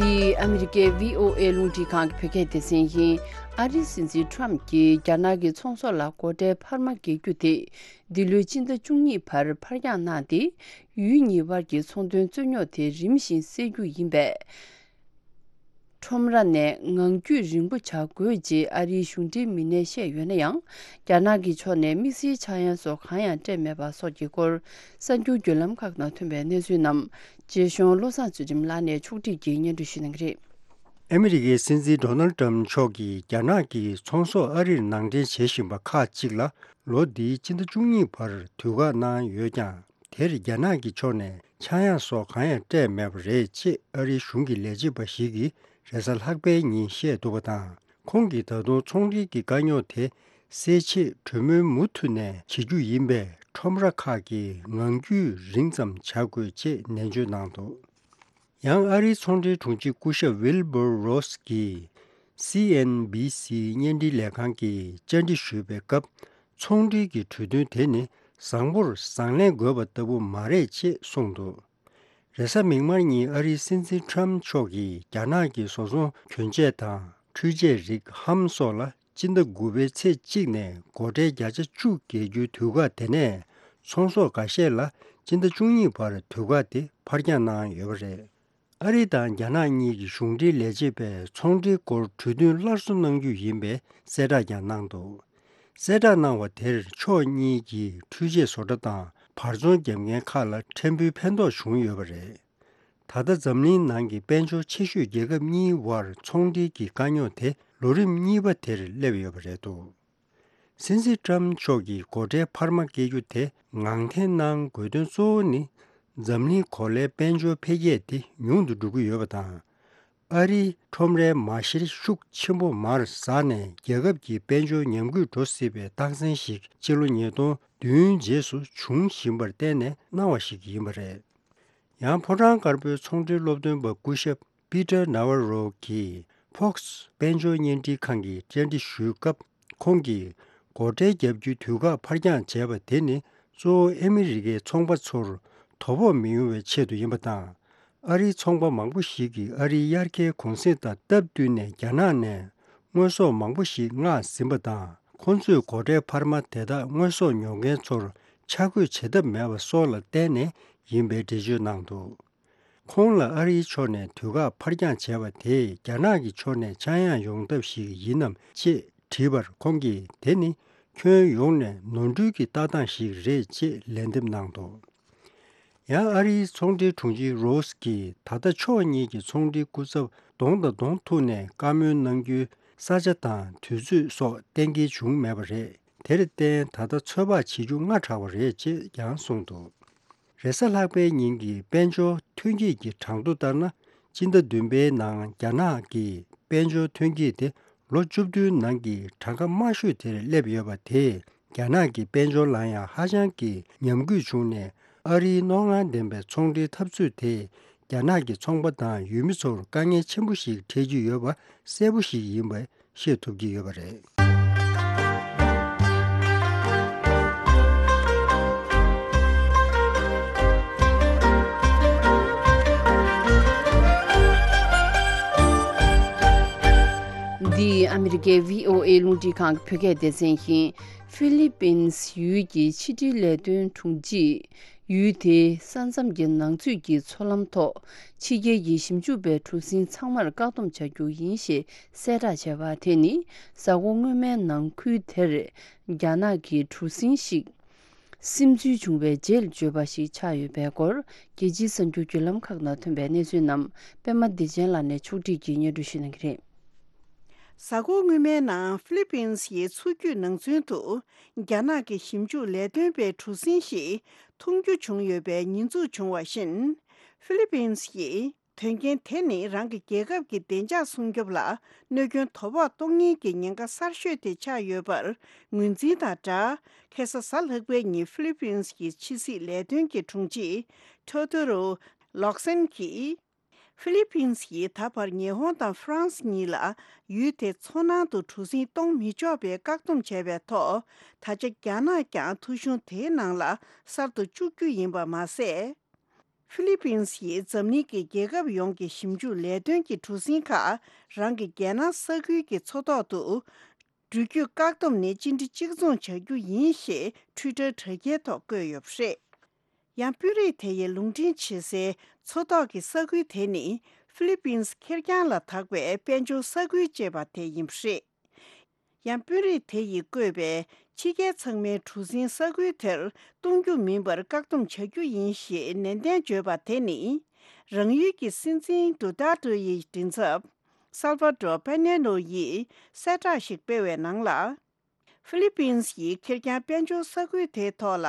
འདི་ཨ་མི་རི་ཀའི་བྷི་ཨོ་ཨེ་རླུང་འཕྲིན་ཁང་གི་བོད་སྐད་སྡེ་ཚན་ཡིན། ཨ་རིའི་སྲིད་འཛིན་ཊམ་གྱིས་རྒྱ་ནག་གི་ཚོང་ཟོག་ལ་སྒོ་ཁྲལ་འཕར་མ་འགེལ་རྒྱུ་དེ། འདི་ལོའི་སྤྱི་ཟླ་བཅུ་གཉིས་བར་ཕར་འགྱངས་གནང་སྟེ། ཡུལ་གཉིས་དབར་གྱི་ཚོང་དོན་རྩོད་རྙོག་དེ་རིམ་བཞིན་སེལ་རྒྱུ་ཡིན་པས། ཁྲོམ་ར་ནས་ངང་རྒྱུད་རིང་པོ་བྱ་དགོས་ཅེས་ཨ་རིའི་གཞུང་འབྲེལ་མི་སྣས་བཤད་ཡོད་ན་ཡང་། རྒྱ་ནག་གི་ཕྱོགས་ནས་དམིགས་བསལ་ཆག་ཡང་སོགས་གང་ཡང་སྤྲད་མེད་པ་སོགས་ཀྱི་སྐོར། གསར་འགྱུར་བརྒྱུད་ལམ་ཁག་ནང་ཐོན་པའི་གནས་ཚུལ་རྣམས། རྗེ་གཞུང་བློ་བཟང་ཚུལ་ཁྲིམས་ལགས་ནས་ཕྱོགས་སྒྲིག་གིས་སྙན་སྒྲོན་ཞུ་གནང་གི་རེད། ཨ་མི་རི་ཀའི་སྲིད་འཛིན་ཌོ་ནལ་ཊམ་མཆོག་གིས་རྒྱ་ནག་གིས་ཚོང་ཟོག་ཨ་རིར་ནང་འདྲེན་བྱེད་བཞིན་པ་ཁག་ཅིག་ལ། ལོ་འདིའི་སྤྱི་ཟླ་བཅུ་གཉིས་བར་དུས་བཀག་གནང་ཡོད་ཀྱང་། དེར་རྒྱ་ནག་གི་ཕྱོགས་ནས་ཆག་ཡང་སོགས་གང་ཡང་སྤྲད་མེད་པ་རེད་ཅེས་ཨ་རིའི་གཞུང་གི་ལས་བྱེད་པ་ཞིག་གིས་རེས་གཟའ་ལྷག་པའི་ཉིན་བཤད་འདུག་པ་དང་། ཁོང་གིས་ད་དུང་ཚོང་འབྲེལ་གྱི་དཀའ་རྙོག་དེ་སེལ་ཆེད་གྲོས་མོལ་མུ་མཐུད་ནས་བྱེད་རྒྱུ་ཡིན་པས། ཁྲོམ་ར་ཁག་གིས་ངང་རྒྱུད་རིང་ཙམ་བྱ་དགོས་ཅེས་ནན་བརྗོད་གནང་འདུག། ཡང་ཨ་རིའི་ཚོང་འབྲེལ་དྲུང་ཆེ་སྐུ་ཞབས་ཝིལ་བྷར་རོས་ཀྱིས་སི་ཨེན་བྷི་སི་བརྙན་འཕྲིན་ལས་ཁང་གི་བཅར་འདྲི་ཞུས་པའི་སྐབས། ཚོང་འབྲེལ་གྱི་གྲོས་མཐུན་དེ་ནི་བཟང་པོར་བཟང་ལན་དགོས་པ་ལྟ་བུ་མ་རེད་ཅེས་གསུངས་འདུག། རེས་གཟའ་མིག་དམར་ཉིན་ཨ་རིའི་སྲིད་འཛིན་ཊམ་མཆོག་གིས་རྒྱ་ནག་གི་བཟོ་ཚོང་གྱོན་ཆས་དང་འཕྲུལ་ཆས་རིགས་ཧམ་སོགས་ལ། སྤྱི་ཟླ་དགུ་པའི་ཚེས་གཅིག་ནས་སྒོ་ཁྲལ་བརྒྱ་ཆ་བཅུ་འགེལ་རྒྱུའི་དུས་བཀག་དེ་ནས། ཚོང་ཟོག་འགའ་ཤས་ལ་སྤྱི་ཟླ་བཅུ་གཉིས་བར་དུས་བཀག་དེ་ཕར་འགྱངས་གནང་ཡོད་པ་རེད། ཨ་རི་དང་རྒྱ་ནག་གཉིས་ཀྱི་གཞུང་འབྲེལ་ལས་བྱེད་པས་ཚོང་འབྲེལ་སྐོར་གྲོས་མཐུན་སླར་གསོ་གནང་རྒྱུ་ཡིན་པའི་གསལ་བསྒྲགས་ཀྱང་གནང་འདུག། གསལ་བསྒྲགས་གནང་བ་དེར་ཕྱོགས་གཉིས་ཀྱིས་འཕྲུལ་ཆས་བཟོ་གྲྭ་དང་བར་ཚོང་བརྒྱབ་མཁན་ཁག་ལ་ཕྲན་བུའི་ཕན་ཐོགས་བྱུང་ཡོད་པ་རེད། ད་ལྟ་འཛམ་གླིང་ནང་གི་དཔལ་འབྱོར་ཆེ་ཤོས་རྒྱལ་ཁབ་གཉིས་དབར་ཚོང་འབྲེལ་གྱི་དཀའ་རྙོག་དེ་ལོ་རིམ་གཉིས་པ་དེར་སླེབས་ཡོད་པ་རེད་འདུག། སྲིད་འཛིན་ཊམ་མཆོག་གིས་སྒོ་ཁྲལ་འཕར་མ་བཀལ་རྒྱུ་དེ་ངང་འཐེན་གནང་དགོས་དོན་གཙོ་བོ་ནི། འཛམ་གླིང་གོ་ལའི་དཔལ་འབྱོར་འཕེལ་རྒྱས་དེ་ཉུང་དུ་འགྲོ་གི་ཡོད་པ་དང་། ཨ་རིའི་ཁྲོམ་རའི་མ་ཤེར་ཤུགས་ཆེན་པོ་མར་ཟགས་ནས་རྒྱལ་ཁབ་ཀྱི་དཔལ་འབྱོར་ཉམས་རྒུད་འགྲོ་སྲིད་པའི་རྟགས་མཚན་ཞིག་སྤྱི་ལོ་ཉིས་སྟོང་བདུན་རྗེས་སུ་འབྱུང་བཞིན་པར་བརྟེན་ནས་གནང་བ་ཞིག་ཡིན་པ་རེད། ཡང་ཕོ་བྲང་དཀར་པོའི་ཚོང་འབྲེལ་སློབ་སྟོན་པ་སྐུ་ཞབས་པི་ཏར་ནཱ་ཝ་རོ་གིས་ཕོགས་དཔལ་འབྱོར་བརྙན་འཕྲིན་ཁང་གི་བཅར་འདྲི་ཞུས་སྐབས། ཁོང་གིས་སྒོ་ཁྲལ་བརྒྱབ་རྒྱུའི་དུས་བཀག་ཕར་འགྱངས་བྱས་པ་དེ་ནི་གཙོ་བོ་ཨ་མི་རི་ཀའི་ཚོང་པ་ཚོར་དོ་ཕོག་མི་ཡོང་བའི་ཆེད་དུ་ཡིན་པ་དང་། ཨ་རིའི་ཚོང་པ་མང་པོ་ཞིག་གིས་ཨ་རིའི་དབྱར་ཁའི་གུང་གསེང་དང་སྟབས་བསྟུན་ནས་རྒྱ་ནག་ནས་དངོས་ཟོག་མང་པོ་ཞིག་མངགས་ཟིན་པ་དང་། ཁོང་ཚོས་སྒོ་ཁྲལ་འཕར་མ་དེ་དག་དངོས་ཟོག་ཉོ་མཁན་ཚོར་ཆ་བགོས་བྱེད་ཐབས་མེད་པ་སོགས་ལ་བརྟེན་ནས་ཡིན་པའི་འགྲེལ་བརྗོད་གནང་འདུག། ཁོང་ལ་ཨ་རིའི་ཕྱོགས་ནས་དུས་བཀག་ཕར་འགྱངས་བྱས་པ་དེས་རྒྱ་ནག་གི་ཕྱོགས་ནས་ཆག་ཡང་ཡོང་ཐབས་ཤིག་ཡིན་ནམ་ཅེས་དྲིས་པར། ཁོང་གིས་དེ་ནི་ཁྱོན་ཡོངས་ནས་ནོར་འཁྲུལ་གྱི་ལྟ་སྟངས་ཤིག་རེད་ཅེས་ལན་འདེབས་གནང་འདུག། ཡང་ཨ་རིའི་ཚོང་འབྲེལ་དྲུང་ཆེ་རོས་ཀྱིས་ད་ལྟ་ཕྱོགས་གཉིས་ཀྱི་ཚོང་འབྲེལ་སྐུ་ཚབ་གདོང་དང་གདོང་ཐུག་ནས་བཀའ་མོལ་གནང་རྒྱུའི་ས་ཆ་དང་དུས་ཚོད་སོགས་གཏན་འཁེལ་བྱུང་མེད་པ་རེད། དེར་བརྟེན་ད་ལྟ་ཚོད་དཔག་བྱེད་རྒྱུ་སྔ་དྲགས་པ་རེད་ཅེས་ཀྱང་གསུངས་འདུག། རེས་གཟའ་ལྷག་པའི་ཉིན་གྱི་དཔལ་འབྱོར་ཐོན་སྐྱེད་ཀྱི་གྲངས་ཐོ་ལྟར་ན། སྤྱི་ཟླ་བདུན་པའི་ནང་རྒྱ་ནག་གི་དཔལ་འབྱོར་ཐོན་སྐྱེད་དེ་ལོ་བཅུ་བདུན་ནང་གི་གྲངས་ཀ་དམའ་ཤོས་དེར་སླེབས་ཡོད་པ་དེས་རྒྱ་ནག་གི་དཔལ་འབྱོར་ལ་ཡང་ཧ་ཅང་གི་ཉམས་རྒུད་བྱུང་ནས། ཨ་རིའི་རྣོ་ངར་ལྡན་པའི་ཚོང་འབྲེལ་འཐབ་རྩོད་དེས་རྒྱ་ནག་གི་ཚོང་པ་དང་ཡུལ་མི་ཚོར་དཀའ་ངལ་ཆེན་པོ་ཞིག་འཕྲད་ཀྱི་ཡོད་པ་གསལ་པོ་ཞིག་ཡིན་པ་ཤེས་ཐུབ་ཀྱི་ཡོད་པ་རེད། རྒྱལ་བྷི་ཨོ་ཨེ་རླུང་འཕྲིན་ཁང་གི་བོད་སྐད་སྡེ་ཚན་བཞིན། ཧྥི་ལི་པིན་ཡུལ་གྱི་ཕྱི་འབྲེལ་ལས་དོན་དྲུང་ཆེས་ཡུལ་དེའི་ས་མཚམས་ཀྱི་ནང་ཚུད་ཀྱི་མཚོ་ལམ་ཐོག་ཕྱི་རྒྱལ་གྱི་ཞིབ་འཇུག་པའི་གྲུ་གཟིངས་ཚང་མར་བཀག་སྡོམ་བྱ་རྒྱུ་ཡིན་ཞེས་གསལ་བསྒྲགས་བྱས་པ་དེ་ནི། གཟའ་འཁོར་སྔོན་མའི་ནང་ཁུལ་དེར་རྒྱ་ནག་གི་གྲུ་གཟིངས་ཤིག་སིམ་འཛུལ་བྱུང་བའི་རྗེས་བརྗོད་པ་ཞིག་ཆགས་ཡོད་པའི་སྐོར། རྒྱལ་སྤྱིའི་གསར་འགྱུར་བརྒྱུད་ལམ་ཁག་ནང་ཐོན་པའི་གནས་ཚུལ་རྣམས་པད་མ་བདེ་ཆེན་ལགས་ནས་ཕྱོགས་སྒྲིག་གིས་སྙན་སྒྲོན་ཞུ་གནང་གི་རེད། གཟའ་འཁོར་སྔོན་མའི་ནང་ཧྥི་ལི་པིན་ཡི་མཚོ་རྒྱུད་ནང་ཚུན་དུ་རྒྱ་ནག་གི་ཞིབ་འཇུག་ལས་དོན་པའི་གྲུ་གཟིངས་ཤིག་མཐོང་རྒྱུ་བྱུང་ཡོད་པའི་ཉེས་འཛུགས་བྱུང་བ་བཞིན། ཧྥི་ལི་པིན་ཡིས་དོན་རྐྱེན་དེ་ནི་རང་གི་རྒྱལ་ཁབ་ཀྱི་བདེ་འཇགས་སྲུང་སྐྱོབ་ལ་གནོད་སྐྱོན་དོ་ཕོག་གཏོང་ཉེན་གྱི་ཉེན་ཁ་གསར་ཤོས་དེ་ཆགས་ཡོད་པར་ངོས་འཛིན་དང་སྦྲགས། ཁ་སང་གཟའ་ལྷག་པའི་ཉིན་ཧྥི་ལི་པིན་གྱི་ཕྱི་སྲིད་ལས་དོན་གྱི་དྲུང་ཆེ་ཐོ་ཐོ་རོ་ལོག་སན་གྱིས། ཧྥི་ལི་པིན་ཡིས་ད་བར་ཉི་ཧོང་དང་ཧྥ་རན་སི་གཉིས་ལ་ཡུལ་དེའི་མཚོ་ནང་དུ་གྲུ་གཟིངས་གཏོང་མི་ཆོག་པའི་བཀག་སྡོམ་བྱས་པའི་ཐོག། ད་ཆ་རྒྱ་ནག་ཀྱང་ཐོ་གཞུང་དེའི་ནང་ལ་གསར་དུ་བཅུག་རྒྱུ་ཡིན་པ་མ་ཟད། ཧྥི་ལི་པིན་ཡིས་འཛམ་གླིང་གི་རྒྱལ་ཁབ་ཡོངས་ཀྱི་ཞིབ་འཇུག་ལས་དོན་གྱི་གྲུ་གཟིངས་ཁག་རང་གི་རྒྱལ་ནང་ས་ཁུལ་གྱི་མཚོ་ཐོག་ཏུ་འགྲུལ་སྐྱོད་བཀག་སྡོམ་ནི་གཅིག་སྒྲིལ་གཅིག་མཚུངས་བྱ་རྒྱུ་ཡིན་ཞེས་ཊུའི་ཊར་དྲ་རྒྱའི་ཐོག་བཀོད་ཡོད་པ་རེད། ཡང་དཔོན་རིགས་དེ་ཡིས་ལུང་འདྲེན་བྱེད་སའི་མཚོ་ཐོག་གི་ས་ཁུལ་དེ་ནི་ཧྥི་ལི་པིན་ཁེར་རྐྱང་ལ་དྭགས་པའི་དཔལ་འབྱོར་ས་ཁུལ་ཅེས་པ་དེ་ཡིན་པ་རེད། ཡང་དཔོན་རིགས་དེ་ཡིས་བཀོད་པའི་ཕྱི་རྒྱལ་ཚང་མའི་གྲུ་གཟིངས་ས་ཁུལ་དེར་གཏོང་རྒྱུ་མིན་པར་བཀག་སྡོམ་བྱ་རྒྱུ་ཡིན་ཞེས་ནན་ཏན་བརྗོད་པ་དེ་ནི། རང་ཡུལ་གྱི་སྲིད་འཛིན་ཌུ་ཏར་ཏྲེ་ཡི་མགྲིན་ཚབ་སལ་བ་ཏྲོ་པེ་ནེ་ནོ་ཡིས་གསལ་བསྒྲགས་ཤིག་སྤེལ་བའི་ནང་ལ། ཧྥི་ལི་པིན་ཡིས་ཁེར་རྐྱང་དཔལ་འབྱོར་ས་ཁུལ་དེའི་ཐོག་ལ་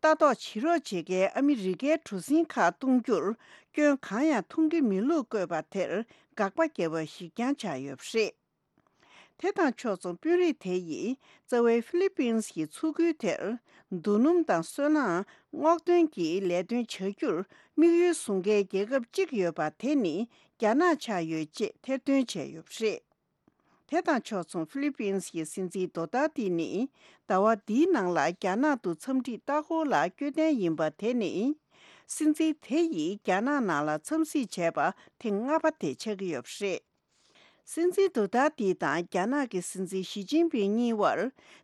ལྟ་རྟོག་བྱེད་རོགས་བྱེད་མཁན་ཨ་མི་རི་ཀའི་གྲུ་གཟིངས་ཁག་གཏོང་རྒྱུར་སྐྱོན་གང་ཡང་མཐོང་གི་མེད་ལུགས་བཀོད་པ་དེར་དགག་པ་བརྒྱབ་པ་ཞིག་ཀྱང་ཆགས་ཡོད་པ་རེད། དེ་དང་ཕྱོགས་མཚུངས་དཔོན་རིགས་དེ་ཡིས་རྩ་བའི་ཧྥི་ལི་པིན་གྱི་མཚོ་ཁུལ་དེར་རྡོ་སྣུམ་དང་སོལ་རླངས་སྔོག་འདོན་གྱི་ལས་དོན་བྱ་རྒྱུར་དམིགས་ཡུལ་བཟུང་མཁན་རྒྱལ་ཁབ་གཅིག་ཡོད་པ་དེ་ནི་རྒྱ་ནག་ཆགས་ཡོད་ཅེས་ཐེར་འདོན་བྱས་ཡོད་པ་རེད། དེ་དང་ཕྱོགས་མཚུངས་ཧྥི་ལི་པིན་གྱི་སྲིད་འཛིན་རྡོ་ཏར་ཏི་ནི་ཟླ་བ་འདིའི་ནང་ལ་རྒྱ་ནག་ཏུ་འཚམས་འདྲིའི་ལྟ་སྐོར་ལ་བསྐྱོད་གཏན་ཡིན་པ་དེ་ནི། སྲིད་འཛིན་དེ་ཡིས་རྒྱ་ནག་ནང་ལ་འཚམས་གཟིགས་བྱས་པ་ཐེངས་ལྔ་པ་དེ་ཆགས་ཀྱི་ཡོད་པ་རེད། སྲིད་འཛིན་རྡོ་ཏར་ཏི་དང་རྒྱ་ནག་གི་སྲིད་འཛིན་ཞི་ཅིན་ཕིང་གཉིས་བར་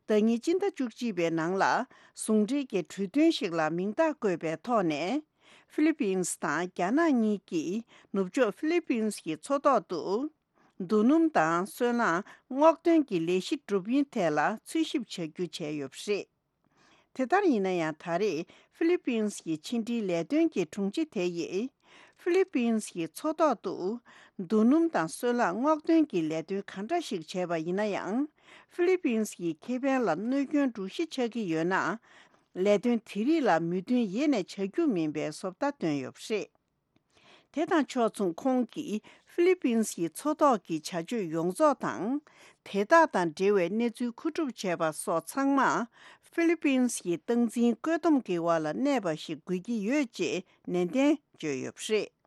ཟླ་ཉིན་སྤྱི་ཟླ་བཅུ་གཅིག་པའི་ནང་ལ་ཟུང་འབྲེལ་གྱི་གྲོས་མཐུན་ཞིག་ལ་མིང་རྟགས་བཀོད་པའི་ཐོག་ནས། ཧྥི་ལི་པིན་དང་རྒྱ་ནག་གཉིས་ཀྱིས་ནུབ་ཕྱོགས་ཧྥི་ལི་པིན་གྱི་མཚོ་ཐོག་ཏུ་རྡོ་སྣུམ་དང་སོལ་རླངས་སྔོག་འདོན་གྱི་ལས་གཞི་སྒྲུབ་ཡུན་ཐད་ལ་འཚོལ་ཞིབ་བྱ་རྒྱུ་བྱས་ཡོད་པ་རེད། དེ་ལྟར་ཡིན་ན་ཡང་། ད་རེས་ཧྥི་ལི་པིན་གྱི་ཕྱི་འབྲེལ་ལས་དོན་གྱི་དྲུང་ཆེ་དེ་ཡིས་ཧྥི་ལི་པིན་གྱི་མཚོ་ཐོག་ཏུ་རྡོ་སྣུམ་དང་སོལ་རླངས་སྔོག་འདོན་གྱི་ལས་དོན་ག་འདྲ་ཞིག་བྱས་པ་ཡིན་ན་ཡང་། ཧྥི་ལི་པིན་གྱི་ཁེ་ཕན་ལ་གནོད་སྐྱོན་འགྲོ་གཞི་ཆགས་ཀྱི་ཡོད་ན། ལས་དོན་དེ་རིགས་ལ་མོས་མཐུན་ཡེ་ནས་བྱ་རྒྱུ་མིན་པའི་བཟོ་ལྟ་བཏོན་ཡོད་པ་རེད། དེ་དང་ཕྱོགས་མཚུངས་ཁོང་གིས་ཧྥི་ལི་པིན་གྱི་མཚོ་ཐོག་གི་བྱ་སྤྱོད་ཡོངས་རྫོགས་དང་། དེ་དག་དང་འབྲེལ་བའི་གནས་ཚུལ་མཁོ་སྒྲུབ་བྱས་པ་སོགས་ཚང་མ་ཧྥི་ལི་པིན་གྱི་སྟངས་འཛིན་བཀོད་འདོམས་ཀྱི་འོག་ལ་གནས་པ་ཞིག་དགོས་ཀྱི་ཡོད་ཅེས་ནན་ཏན་བརྗོད་ཡོད་པ་རེད།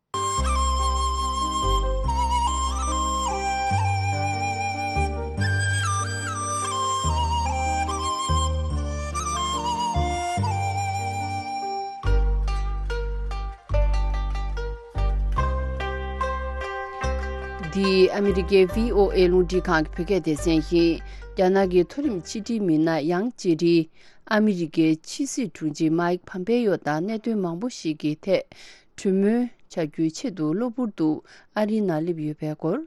འདི་ཨ་མི་རི་ཀའི་བྷི་ཨོ་ཨེ་རླུང་འཕྲིན་ཁང་གི་བོད་སྐད་སྡེ་ཚན་ཡིན། རྒྱ་ནག་གི་མཐོ་རིམ་ཕྱི་འབྲེལ་མི་སྣ་ཡང་ཅེ་ཀྲི་ཨ་མི་རི་ཀའི་ཕྱི་སྲིད་དྲུང་ཆེ་མཱིག་ཕམ་པེ་ཡོ་དང་གནད་དོན་མང་པོ་ཞིག་གི་ཐད་གྲོས་མོལ་བྱ་རྒྱུའི་ཆེད་དུ་གློ་བུར་དུ་ཨ་རིའི་ནང་སླེབས་ཡོད་པའི་སྐོར།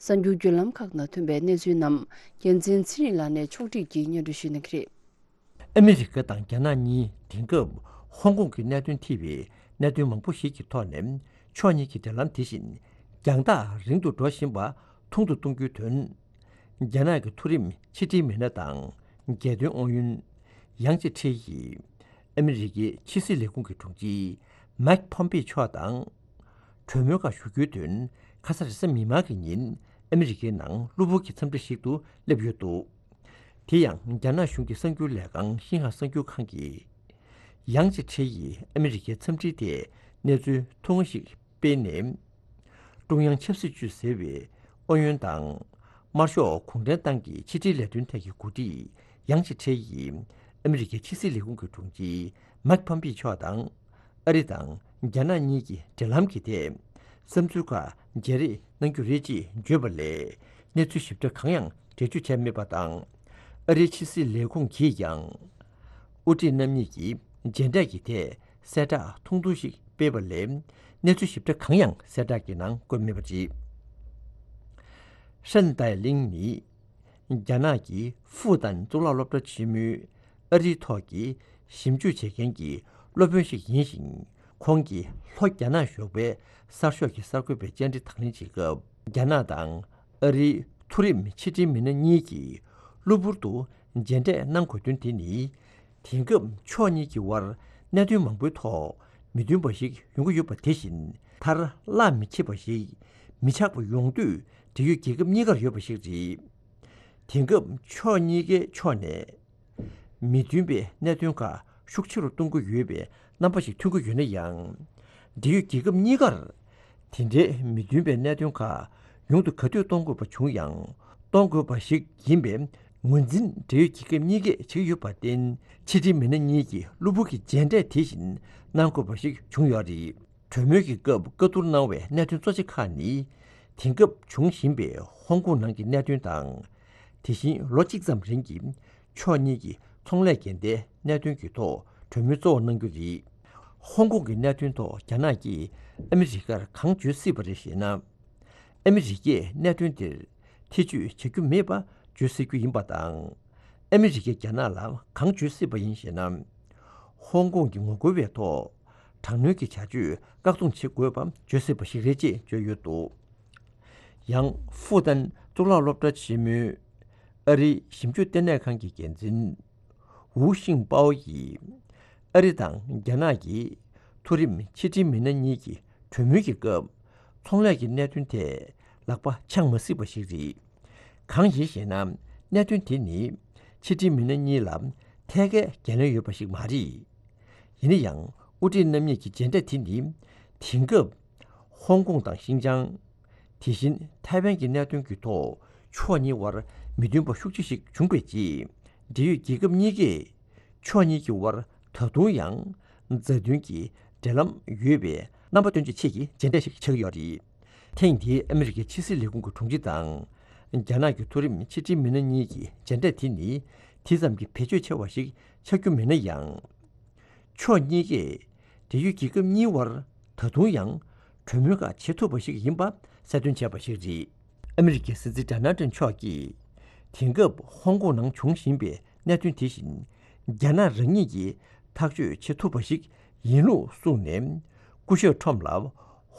གསར་འགྱུར་བརྒྱུད་ལམ་ཁག་ནང་ཐོན་པའི་གནས་ཚུལ་རྣམས་རྒྱལ་མཚན་ཚེ་རིང་ལགས་ནས་ཕྱོགས་སྒྲིག་གིས་སྙན་སྒྲོན་ཞུ་གནང་གི་རེད། ཨ་མི་རི་ཀ་དང་རྒྱ་ནག་གཉིས་དེང་སྐབས་ཧོང་ཀོང་གི་གནད་དོན་ཐེ་བའི་གནད་དོན་མང་པོ་ཞིག་གི་ཐོག་ནས་ཕྱོགས་གཉིས་ཀྱི་འབྲེལ་ལམ་དེ་བཞིན་རྒྱང་ཐག་རིང་དུ་འགྲོ་བཞིན་པ་ཐུང་དུ་གཏོང་རྒྱུའི་དོན། རྒྱ་ནག་གི་མཐོ་རིམ་ཕྱི་འབྲེལ་མི་སྣ་དང་རྒྱལ་དོན་ཨུ་ཡོན་ཡང་ཅེ་ཁྲི་ཡིས་ཨ་མི་རི་ཀའི་ཕྱི་སྲིད་ལས་ཁུངས་ཀྱི་དྲུང་ཆེ་མཱིག་ཕོམ་པེ་མཆོག་དང་གྲོས་མོལ་ཁག་ཞུ་རྒྱུའི་དོན་ཁ་ས་རེས་གཟའ་མིག་དམར་གྱི་ཉིན་ཨ་མི་རི་ཀའི་ནང་གློ་བུར་གྱི་འཚམས་འདྲི་ཞིག་ཏུ་སླེབས་ཡོད་འདུག་དེ་ཡང་རྒྱ་ནག་གཞུང་གི་གསར་འགྱུར་ལས་ཁང་ཤིན་ཧྭ་གསར་འགྱུར་ཁང་གིས། ཡང་ཅེ་ཁྲི་ཡིས་ཨ་མི་རི་ཀའི་འཚམས་འདྲིའི་ཐད་གནས་ཚུལ་ཐུང་ངུ་ཞིག་སྤེལ་ནས། ཀྲུང་དབྱང་ཆབ་སྲིད་ཅུས་ཟེར་བའི་ཨུ་ཡོན་དང་། དམར་ཤོག་གུང་ཁྲན་ཏང་གི་ཕྱི་དྲིལ་ལས་དོན་ཐད་ཀྱི་འགོ་ཁྲིད་ཡང་ཅེ་ཁྲི་ཡིས་ཨ་མི་རི་ཀའི་ཕྱི་སྲིད་ལས་ཁུངས་ཀྱི་དྲུང་ཆེ་མཱིག་ཕོམ་པེ་མཆོག་དང་། ཨ་རི་དང་རྒྱ་ནག་གཉིས་ཀྱི་འབྲེལ་ལམ་གྱི་ཐད་བསམ་ཚུལ་ཁག་བརྗེ་རེས་གནང་རྒྱུ་རེད་ཅེས་བརྗོད་པ་ལས་གནས་ཚུལ་ཞིབ་ཕྲ་གང་ཡང་ འགྲེལ་བརྗོད་བྱས་མེད་པ་དང་། ཨ་རིའི་ཕྱི་སྲིད་ལས་ཁུངས་ཀྱིས་ཀྱང་། དབུ་ཁྲིད་རྣམ་གཉིས་ཀྱིས་མཇལ་འཕྲད་ཀྱི་ཐད་གསལ་བསྒྲགས་ཐུང་ཐུང་ཞིག་སྤེལ་བ་ལས། གནས་ཚུལ་ཞིབ་ཕྲ་གང་ཡང་གསལ་བསྒྲགས་ཀྱི་ནང་བཀོད་མེད་པ་རེད། ཧྲན་ཏའེ་ལིང་ནི། རྒྱ་ནག་གི་ཧྥུ་ཏན་གཙུག་ལག་སློབ་གྲྭ་ཆེན་མོའི་ཨ་རིའི་ཐོག་གི་ཞིབ་འཇུག་བྱེད་མཁན་གྱི་སློབ་དཔོན་ཞིག་ཡིན་ཞིང་། ཁོང་གིས་ལྷོ་རྒྱ་ནག་གཞུང་པའི་གསར་ཤོག་གི་གསར་འགོད་པའི་བཅར་འདྲི་དང་ལེན་བྱེད་སྐབས། རྒྱ་ནག་དང་ཨ་རིའི་མཐོ་རིམ་ཕྱི་འབྲེལ་མི་སྣ་གཉིས་ཀྱིས་གློ་བུར་དུ་མཇལ་འཕྲད་གནང་དགོས་དོན་དེ་ནི། དེང་སྐབས་ཕྱོགས་གཉིས་ཀྱི་དབར་གནད་དོན་མང་པོའི་ཐོག་མི་མཐུན་པ་ཞིག་ཡོང་གི་ཡོད་པ་དེ་བཞིན། མཐར་གླགས་མི་ཁེལ་བ་ཞིག་མི་ཆགས་པ་ཡོང་འདོད་འབྲེལ་ཡོད་རྒྱལ་ཁབ་གཉིས་ཀར་ཡོད་པ་ཞིག་རེད། དེང་སྐབས་ཕྱོགས་གཉིས་ཀའི་ཕྱོགས་ནས་མི་མཐུན་པའི་གནད་དོན་ཁག་ཤུགས་ཆེ་རུ་གཏོང་གི་ཡོད་པའི་རྣམ་པ་ཞིག་ཐོན་གྱི་ཡོད་ན་ཡང་། འབྲེལ་ཡོད་རྒྱལ་ཁབ་གཉིས་ཀར་དེ་འདྲའི་མི་མཐུན་པའི་གནད་དོན་ཁག་ཡོང་དུ་ག་དུས་གཏོང་དགོས་པ་བྱུང་ཡང་། གཏོང་དགོས་པ་ཞིག་ཡིན་པའི་ངོས་འཛིན་འབྲེལ་ཡོད་རྒྱལ་ཁབ་གཉིས་ཀས་བྱེད་ཀྱི་ཡོད་པར་བརྟེན། ཕྱི་འབྲེལ་མི་སྣ་གཉིས་ཀྱིས་གློ་བུར་གྱི་མཇལ་འཕྲད་དེ་བཞིན་གནང་དགོས་པ་ཞིག་བྱུང་ཡོད་རེད། གྲོས་མོལ་གྱི་སྐབས་བཀའ་བསྡུར་གནང་བའི་གནད་དོན་གཙོ་ཆེ་ཁག་ནི། དེང་སྐབས་འབྱུང་བཞིན་པའི་ཧོང་ཀོང་ནང་གི་གནད་དོན་དང་། དེ་བཞིན་ལོ་གཅིག་ཙམ་རིང་གི་ཕྱོགས་གཉིས་ཀྱི་ཚོང་ལས་འགལ་ཟླའི་གནད་དོན་གྱི་ཐོག་གྲོས་མོལ་གཙོ་བོ་གནང་རྒྱུ་རེད། ཧོང་ཀོང་གི་གནད་དོན་ཐོག་རྒྱ་ནག་གིས་ཨ་མི་རི་ཀར་གང་བརྗོད་སྲིད་པ་རེད་ཞེ་ན། ཨ་མི་རི་ཀས་གནད་དོན་དེར་ཐེ་བྱུས་བྱ་རྒྱུ་མེད་པ་བརྗོད་སྲིད་རྒྱུ་ཡིན་པ་དང་། ཨ་མི་རི་ཀས་རྒྱ་ནག་ལ་གང་བརྗོད་སྲིད་པ་ཡིན་ཞེ་ན། ཧོང་ཀོང་གི་ངོ་རྒོལ་བའི་ཐོག་དྲག་གནོན་གྱི་བྱ་སྤྱོད་བཀག་སྡོམ་བྱེད་དགོས་པ་བརྗོད་སྲིད་པ་ཞིག་རེད་ཅེས་བརྗོད་ཡོད་འདུག་ཡང་ཧྥུ་ཏན་གཙུག་ལག་སློབ་གྲྭ་ཆེན་མོའི་ཨ་རིའི་ཞིབ་འཇུག་ལྟེ་གནས་ཁང་གི་འགན་འཛིན་ཝུའུ་ཤིང་པའོ་ཡིས། ཨ་རི་དང་རྒྱ་ནག་གི་མཐོ་རིམ་ཕྱི་འབྲེལ་མི་སྣ་གཉིས་ཀྱི་གྲོས་མོལ་གྱི་སྐབས། ཚོང་ལས་ཀྱི་གནད་དོན་ཐད་ལག་པ་འཆང་མ་སྲིད་པ་ཞིག་རེད། གང་ཡིན་ཞེ་ན། གནད་དོན་དེ་ནི་ཕྱི་འབྲེལ་མི་སྣ་གཉིས་ལ་ཐད་ཀའི་འགན་ལེན་ཡོད་པ་ཞིག་མ་རེད། ཡིན་ན་ཡང་། དབུ་ཁྲིད་རྣམ་གཉིས་ཀྱི་མཇལ་འཕྲད་དེ་ནི། དེང་སྐབས་ཧོང་ཀོང་དང་ཤིན་ཅང་། དེ་བཞིན་ཐའེ་ཝན་གྱི་གནད་དོན་གྱི་ཐོག་ཕྱོགས་གཉིས་དབར་མི་མཐུན་པ་ཤུགས་ཆེ་ཞིག་བྱུང་བའི་རྗེས། འབྲེལ་ཡོད་རྒྱལ་ཁབ་གཉིས་ཀས་ཕྱོགས་གཉིས་ཀྱི་དབར་ད་དུང་ཡང་མཛའ་མཐུན་གྱི་འབྲེལ་ལམ་ཡོད་པའི་རྣམ་པ་སྟོན་ཆེད་ཀྱི་མཇལ་འཕྲད་ཞིག་ཆགས་ཀྱི་ཡོད་རེད། ཐེངས་འདིའི་ཨ་མི་རི་ཀའི་ཕྱི་སྲིད་ལས་ཁུངས་ཀྱི་དྲུང་ཆེ་དང་། རྒྱ་ནག་གི་མཐོ་རིམ་ཕྱི་འབྲེལ་མི་སྣ་གཉིས་ཀྱི་མཇལ་འཕྲད་དེ་ནི་དེ་ཙམ་གྱི་བེད་སྤྱོད་ཆེ་བ་ཞིག་ཆགས་རྒྱུ་མིན་ན་ཡང་། ཕྱོགས་གཉིས་ཀས་འབྲེལ་ཡོད་རྒྱལ་ཁབ་གཉིས་དབར་ད་དུང་ཡང་གྲོས་མོལ་ཁག་བྱེད་ཐུབ་པ་ཞིག་ཡིན་པ་གསལ་སྟོན་བྱས་པ་ཞིག་རེད། ཨ་མི་རི་ཀའི་སྲིད་འཛིན་ཌོ་ནལ་ཊམ་མཆོག་གིས་དེང་སྐབས་ཧོང་ཀོང་ནང་འབྱུང་བཞིན་པའི་གནད་དོན་དེ་བཞིན་རྒྱ་ནག་རང་ཉིད་ཀྱིས་ཐག་གཅོད་བྱེད་ཐུབ་པ་ཞིག་ཡིན་ལུགས་གསུངས་ནས། སྐུ་ཞབས་ཁྲོམ་ལ་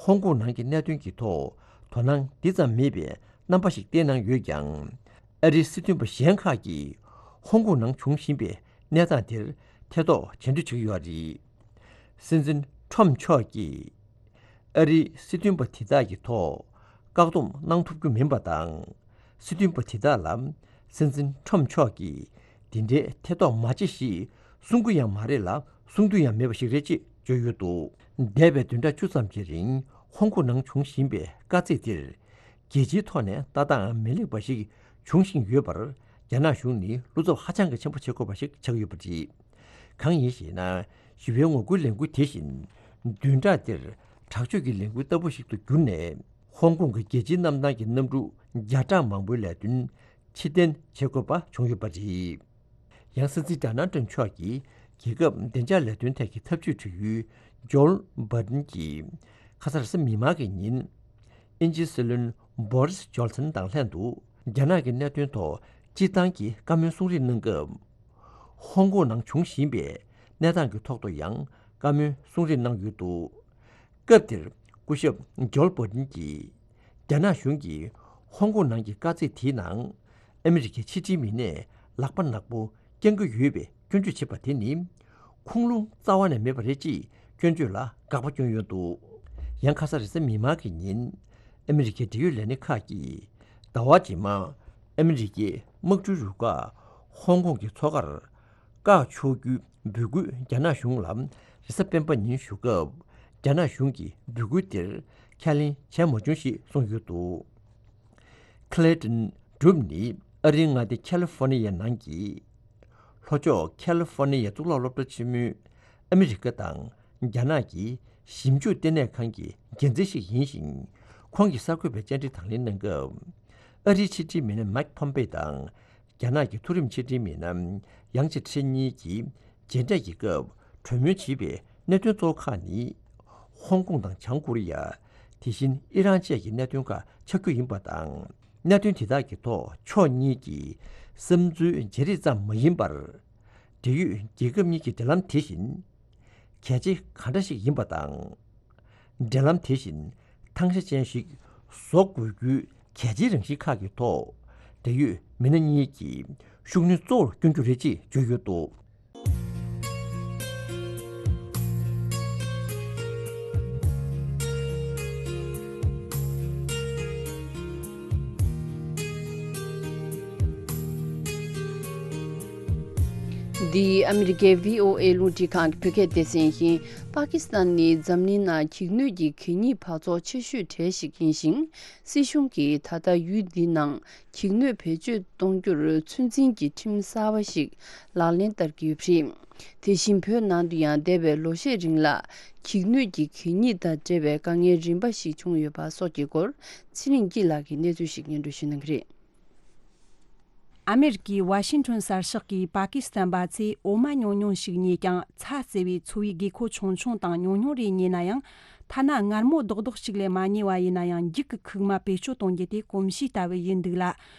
ཧོང་ཀོང་ནང་གི་གནད་དོན་གྱི་ཐོག་དོ་སྣང་དེ་ཙམ་མེད་པའི་རྣམ་པ་ཞིག་བསྟན་གནང་ཡོད་ཀྱང་། ཨ་རིའི་སྲིད་དོན་པ་གཞན་ཁག་གིས་ཧོང་ཀོང་ནང་འབྱུང་བཞིན་པའི་གནས་སྟངས་དེར་ཐེ་གཏོགས་བྱེད་འདོད་བྱེད་ཀྱི་ཡོད་རེད། སྲིད་འཛིན་ཁྲོམ་མཆོག་གིས་ཨ་རིའི་སྲིད་དོན་པ་དེ་དག་གི་ཐོག་བཀག་སྡོམ་གནང་ཐུབ་རྒྱུ་མིན་པ་དང་། སྲིད་དོན་པ་དེ་དག་ལ་སྲིད་འཛིན་ཁྲོམ་མཆོག་གིས་འདི་འདྲའི་ཐེ་གཏོགས་མ་བྱེད་ཞེས་གསུང་གི་ཡང་མ་རེད་ལ། གསུང་རྒྱུ་ཡང་མེད་པ་ཞིག་རེད་ཅེས་བརྗོད་ཡོད་འདུག་འདས་པའི་བདུན་ཕྲག་བཅུ་ཙམ་གྱི་རིང་ཧོང་ཀོང་ནང་བྱུང་བཞིན་པའི་དཀའ་ཚེགས་དེར། རྒྱལ་སྤྱིའི་ཐོག་ནས་ལྟ་སྟངས་མི་ལེགས་པ་ཞིག་འབྱུང་བཞིན་ཡོད་པར། རྒྱ་ནག་གཞུང་ནི་བློ་འཚབ་ཧ་ཅང་གི་ཆེན་པོ་བྱེད་དགོས་པ་ཞིག་ཆགས་ཡོད་པ་རེད། གང་ཡིན་ཞེ་ན། ཞི་བའི་ངོ་རྒོལ་ལས་འགུལ་དེ་བཞིན་བདུན་ཕྲག་འདིར་དྲག་སྤྱོད་ཀྱི་ལས་འགུལ་ལྟ་བུ་ཞིག་ཏུ་གྱུར་ནས། ཧོང་ཀོང་གི་རྒྱལ་སྤྱིའི་གནམ་ཐང་གི་གནམ་གྲུ་བརྒྱ་ཕྲག་མང་པོའི་ལས་དོན་ཕྱིར་འཐེན་བྱེད་དགོས་པ་བྱུང་ཡོད་པ་རེད། ཡང་སྲིད་འཛིན་ཌོ་ནལ་ཊམ་མཆོག་གིས་རྒྱལ་ཁབ་བདེ་འཇགས་ལས་དོན་ཐད་ཀྱི་ཐབས་ཇུས་དྲི་ཡུལ་ཇོལ་བྷར་ཏན་གྱིས་ཁ་སང་རེས་གཟའ་མིག་དམར་གྱི་ཉིན། དབྱིན་ཇིའི་སྲིད་བློན་བྷོ་རིས་ཇོན་སན་དང་ལྷན་དུ་རྒྱ་ནག་གི་གནད་དོན་ཐོག་སྤྱིར་བཏང་གི་བཀའ་མོལ་གསུང་རེས་གནང་སྐབས། ཧོང་ཀོང་ནང་བྱུང་བཞིན་པའི་གནས་སྟངས་ཀྱི་ཐོག་ཏུ་ཡང་བཀའ་མོལ་གསུང་རེས་གནང་ཡོད་འདུག་སྐབས་དེར་སྐུ་ཞབས་ཇོལ་བྷར་ཏན་གྱིས། རྒྱ་ནག་གཞུང་གིས་ཧོང་ཀོང་ནང་གི་དཀའ་ཚེགས་དེའི་ནང་ཨ་མི་རི་ཀའི་ཕྱི་འབྲེལ་མི་སྣས་ལག་པ་ནག་པོ་བརྐྱང་གི་ཡོད་པའི་སྐྱོན་བརྗོད་བྱེད་པ་དེ་ནི། ཁུངས་ལུང་རྩ་བ་ནས་མེད་པ་རེད་ཅེས་སྐྱོན་བརྗོད་ལ་དགག་པ་བསྐྱོན་ཡོད་འདུག་ཡང་ཁ་སང་རེས་གཟའ་མིག་དམར་གྱི་ཉིན། ཨ་མི་རི་ཀའི་འབྲེལ་ཡོད་ལས་སྣེ་ཁག་གིས་ཟླ་བ་རྗེས་མ་ཨ་མི་རི་ཀའི་དམག་གྲུའི་རུ་ཁག་ཧོང་ཀོང་གི་མཚོ་ཁར་བཀག་ཆོག་རྒྱུའི་འབོད་སྐུལ་རྒྱ་ནག་གཞུང་ལ་རེས་གཟའ་སྤེན་པ་ཉིན་ཞུ་སྐབས། རྒྱ་ནག་གཞུང་གིས་འབོད་སྐུལ་དེར་ཁས་ལེན་བྱས་མ་བྱུང་ཞེས་གསུངས་ཡོད་འདུག་ཁི་ལེ་ཏན་གྲུབ་ནི་ཨ་རིའི་མངའ་སྡེ་ཁ་ལི་ཧྥོ་ནི་ཡའི་ནང་གི་ལྷོ་ཕྱོགས་ཁ་ལི་ཧྥོ་ནི་ཡའི་གཙུག་ལག་སློབ་གྲྭ་ཆེན་མོའི་ཨ་མི་རི་ཀ་དང་རྒྱ་ནག་གི་ཞིབ་འཇུག་ལྟེ་གནས་ཁང་གི་འགན་འཛིན་ཞིག་ཡིན་ཞིང་། ཁོང་གིས་གསར་འགོད་པའི་བཅར་འདྲི་དང་ལེན་གནང་སྐབས། ཨ་རིའི་ཕྱི་འབྲེལ་མི་སྣ་མཱིག་ཕོམ་པེ་དང་། རྒྱ་ནག་གི་མཐོ་རིམ་ཕྱི་འབྲེལ་མི་སྣ་ཡང་ཅི་ཁྲེན་གཉིས་ཀྱིས་མཇལ་འཕྲད་ཀྱི་སྐབས་གྲོས་མོལ་བྱས་པའི་གནད་དོན་གཙོ་བོ་ཁག་ནི། ཧོང་ཀོང་དང་བྱང་ཀོ་རི་ཡ། དེ་བཞིན་ཨི་རན་བཅས་ཀྱི་གནད་དོན་ཁག་ཆགས་རྒྱུ་ཡིན་པ་དང་། གནད་དོན་དེ་དག་གི་ཐོག་ཕྱོགས་གཉིས་ཀྱི་བསམ་ཚུལ་བརྗེ་རེས་ཙམ་མ་ཡིན་པར། འབྲེལ་ཡོད་རྒྱལ་ཁབ་གཉིས་ཀྱི་འབྲེལ་ལམ་དེ་བཞིན་གལ་ཆེ་གང་འདྲ་ཞིག་ཡིན་པ་དང་། འབྲེལ་ལམ་དེ་བཞིན་ཐང་ཆ་ཅན་ཞིག་བཟོ་དགོས་རྒྱུའི་གལ་ཆེའི་རང་བཞིན་ཁག་གི་ཐོག་འབྲེལ་ཡོད་མི་སྣ་གཉིས་ཀྱིས་ཤུགས་སྣོན་གཙོ་བོར་བསྐྱོན་རྒྱུ་རེད་ཅེས་བརྗོད་ཡོད་འདུག། འདི་ཨ་མི་རི་ཀའི་བྷི་ཨོ་ཨེ་རླུང་འཕྲིན་ཁང་གི་བོད་སྐད་སྡེ་ཚན་ཡིན། པ་ཀི་སི་ཐན་ནི་འཛམ་གླིང་ནང་འགྱིག་སྣོད་ཀྱི་གད་སྙིགས་འབག་བཙོག་ཆེ་ཤོས་གྲས་ཤིག་ཡིན་ཞིང་། སྲིད་གཞུང་གིས་ད་ལྟ་ཡུལ་འདིའི་ནང་འགྱིག་སྣོད་བེད་སྤྱོད་གཏོང་རྒྱུར་ཚོད་འཛིན་གྱི་ཁྲིམས་གསར་བ་ཞིག་ལག་ལེན་བསྟར་གྱི་ཡོད་པ་རེད། དེ་བཞིན་བོད་ནང་དུ་ཡང་འདས་པའི་ལོ་ཤས་རིང་ལ་འགྱིག་སྣོད་ཀྱི་གད་སྙིགས་དང་འབྲེལ་བའི་དཀའ་ངལ་རིམ་པ་ཞིག་བྱུང་ཡོད་པ་སོགས་ཀྱི་སྐོར་ཚེ་རིང་སྐྱིད་ལགས་ཀྱིས་གནས་ཚུལ་ཞིག་སྙན་སྒྲོན་ཞུ་གནང་གི་རེད། ཨ་མེ་རི་ཀའི་ཝ་ཤིང་ཊོན་གསར་ཤོག་གིས་པ་ཀི་སི་ཐན་པ་ཚོས་འོ་མ་ཉུང་ཉུང་ཞིག་ཉོས་ཀྱང་། ཚྭ་བརྩི་བའི་འཚོ་བའི་དགོས་མཁོ་ཆུང་ཆུང་དང་ཉུང་ཉུང་རེ་ཉོས་ན་ཡང་། ཐ་ན་མངར་མོ་རྡོག་རྡོག་ཅིག་ལས་མ་ཉོས་པ་ཡིན་ན་ཡང་། འགྱིག་གི་ཁུག་མ་བེད་སྤྱོད་གཏོང་རྒྱུ་དེ་གོམས་གཤིས་ལྟ་བུ་ཡིན་འདུག་ལ།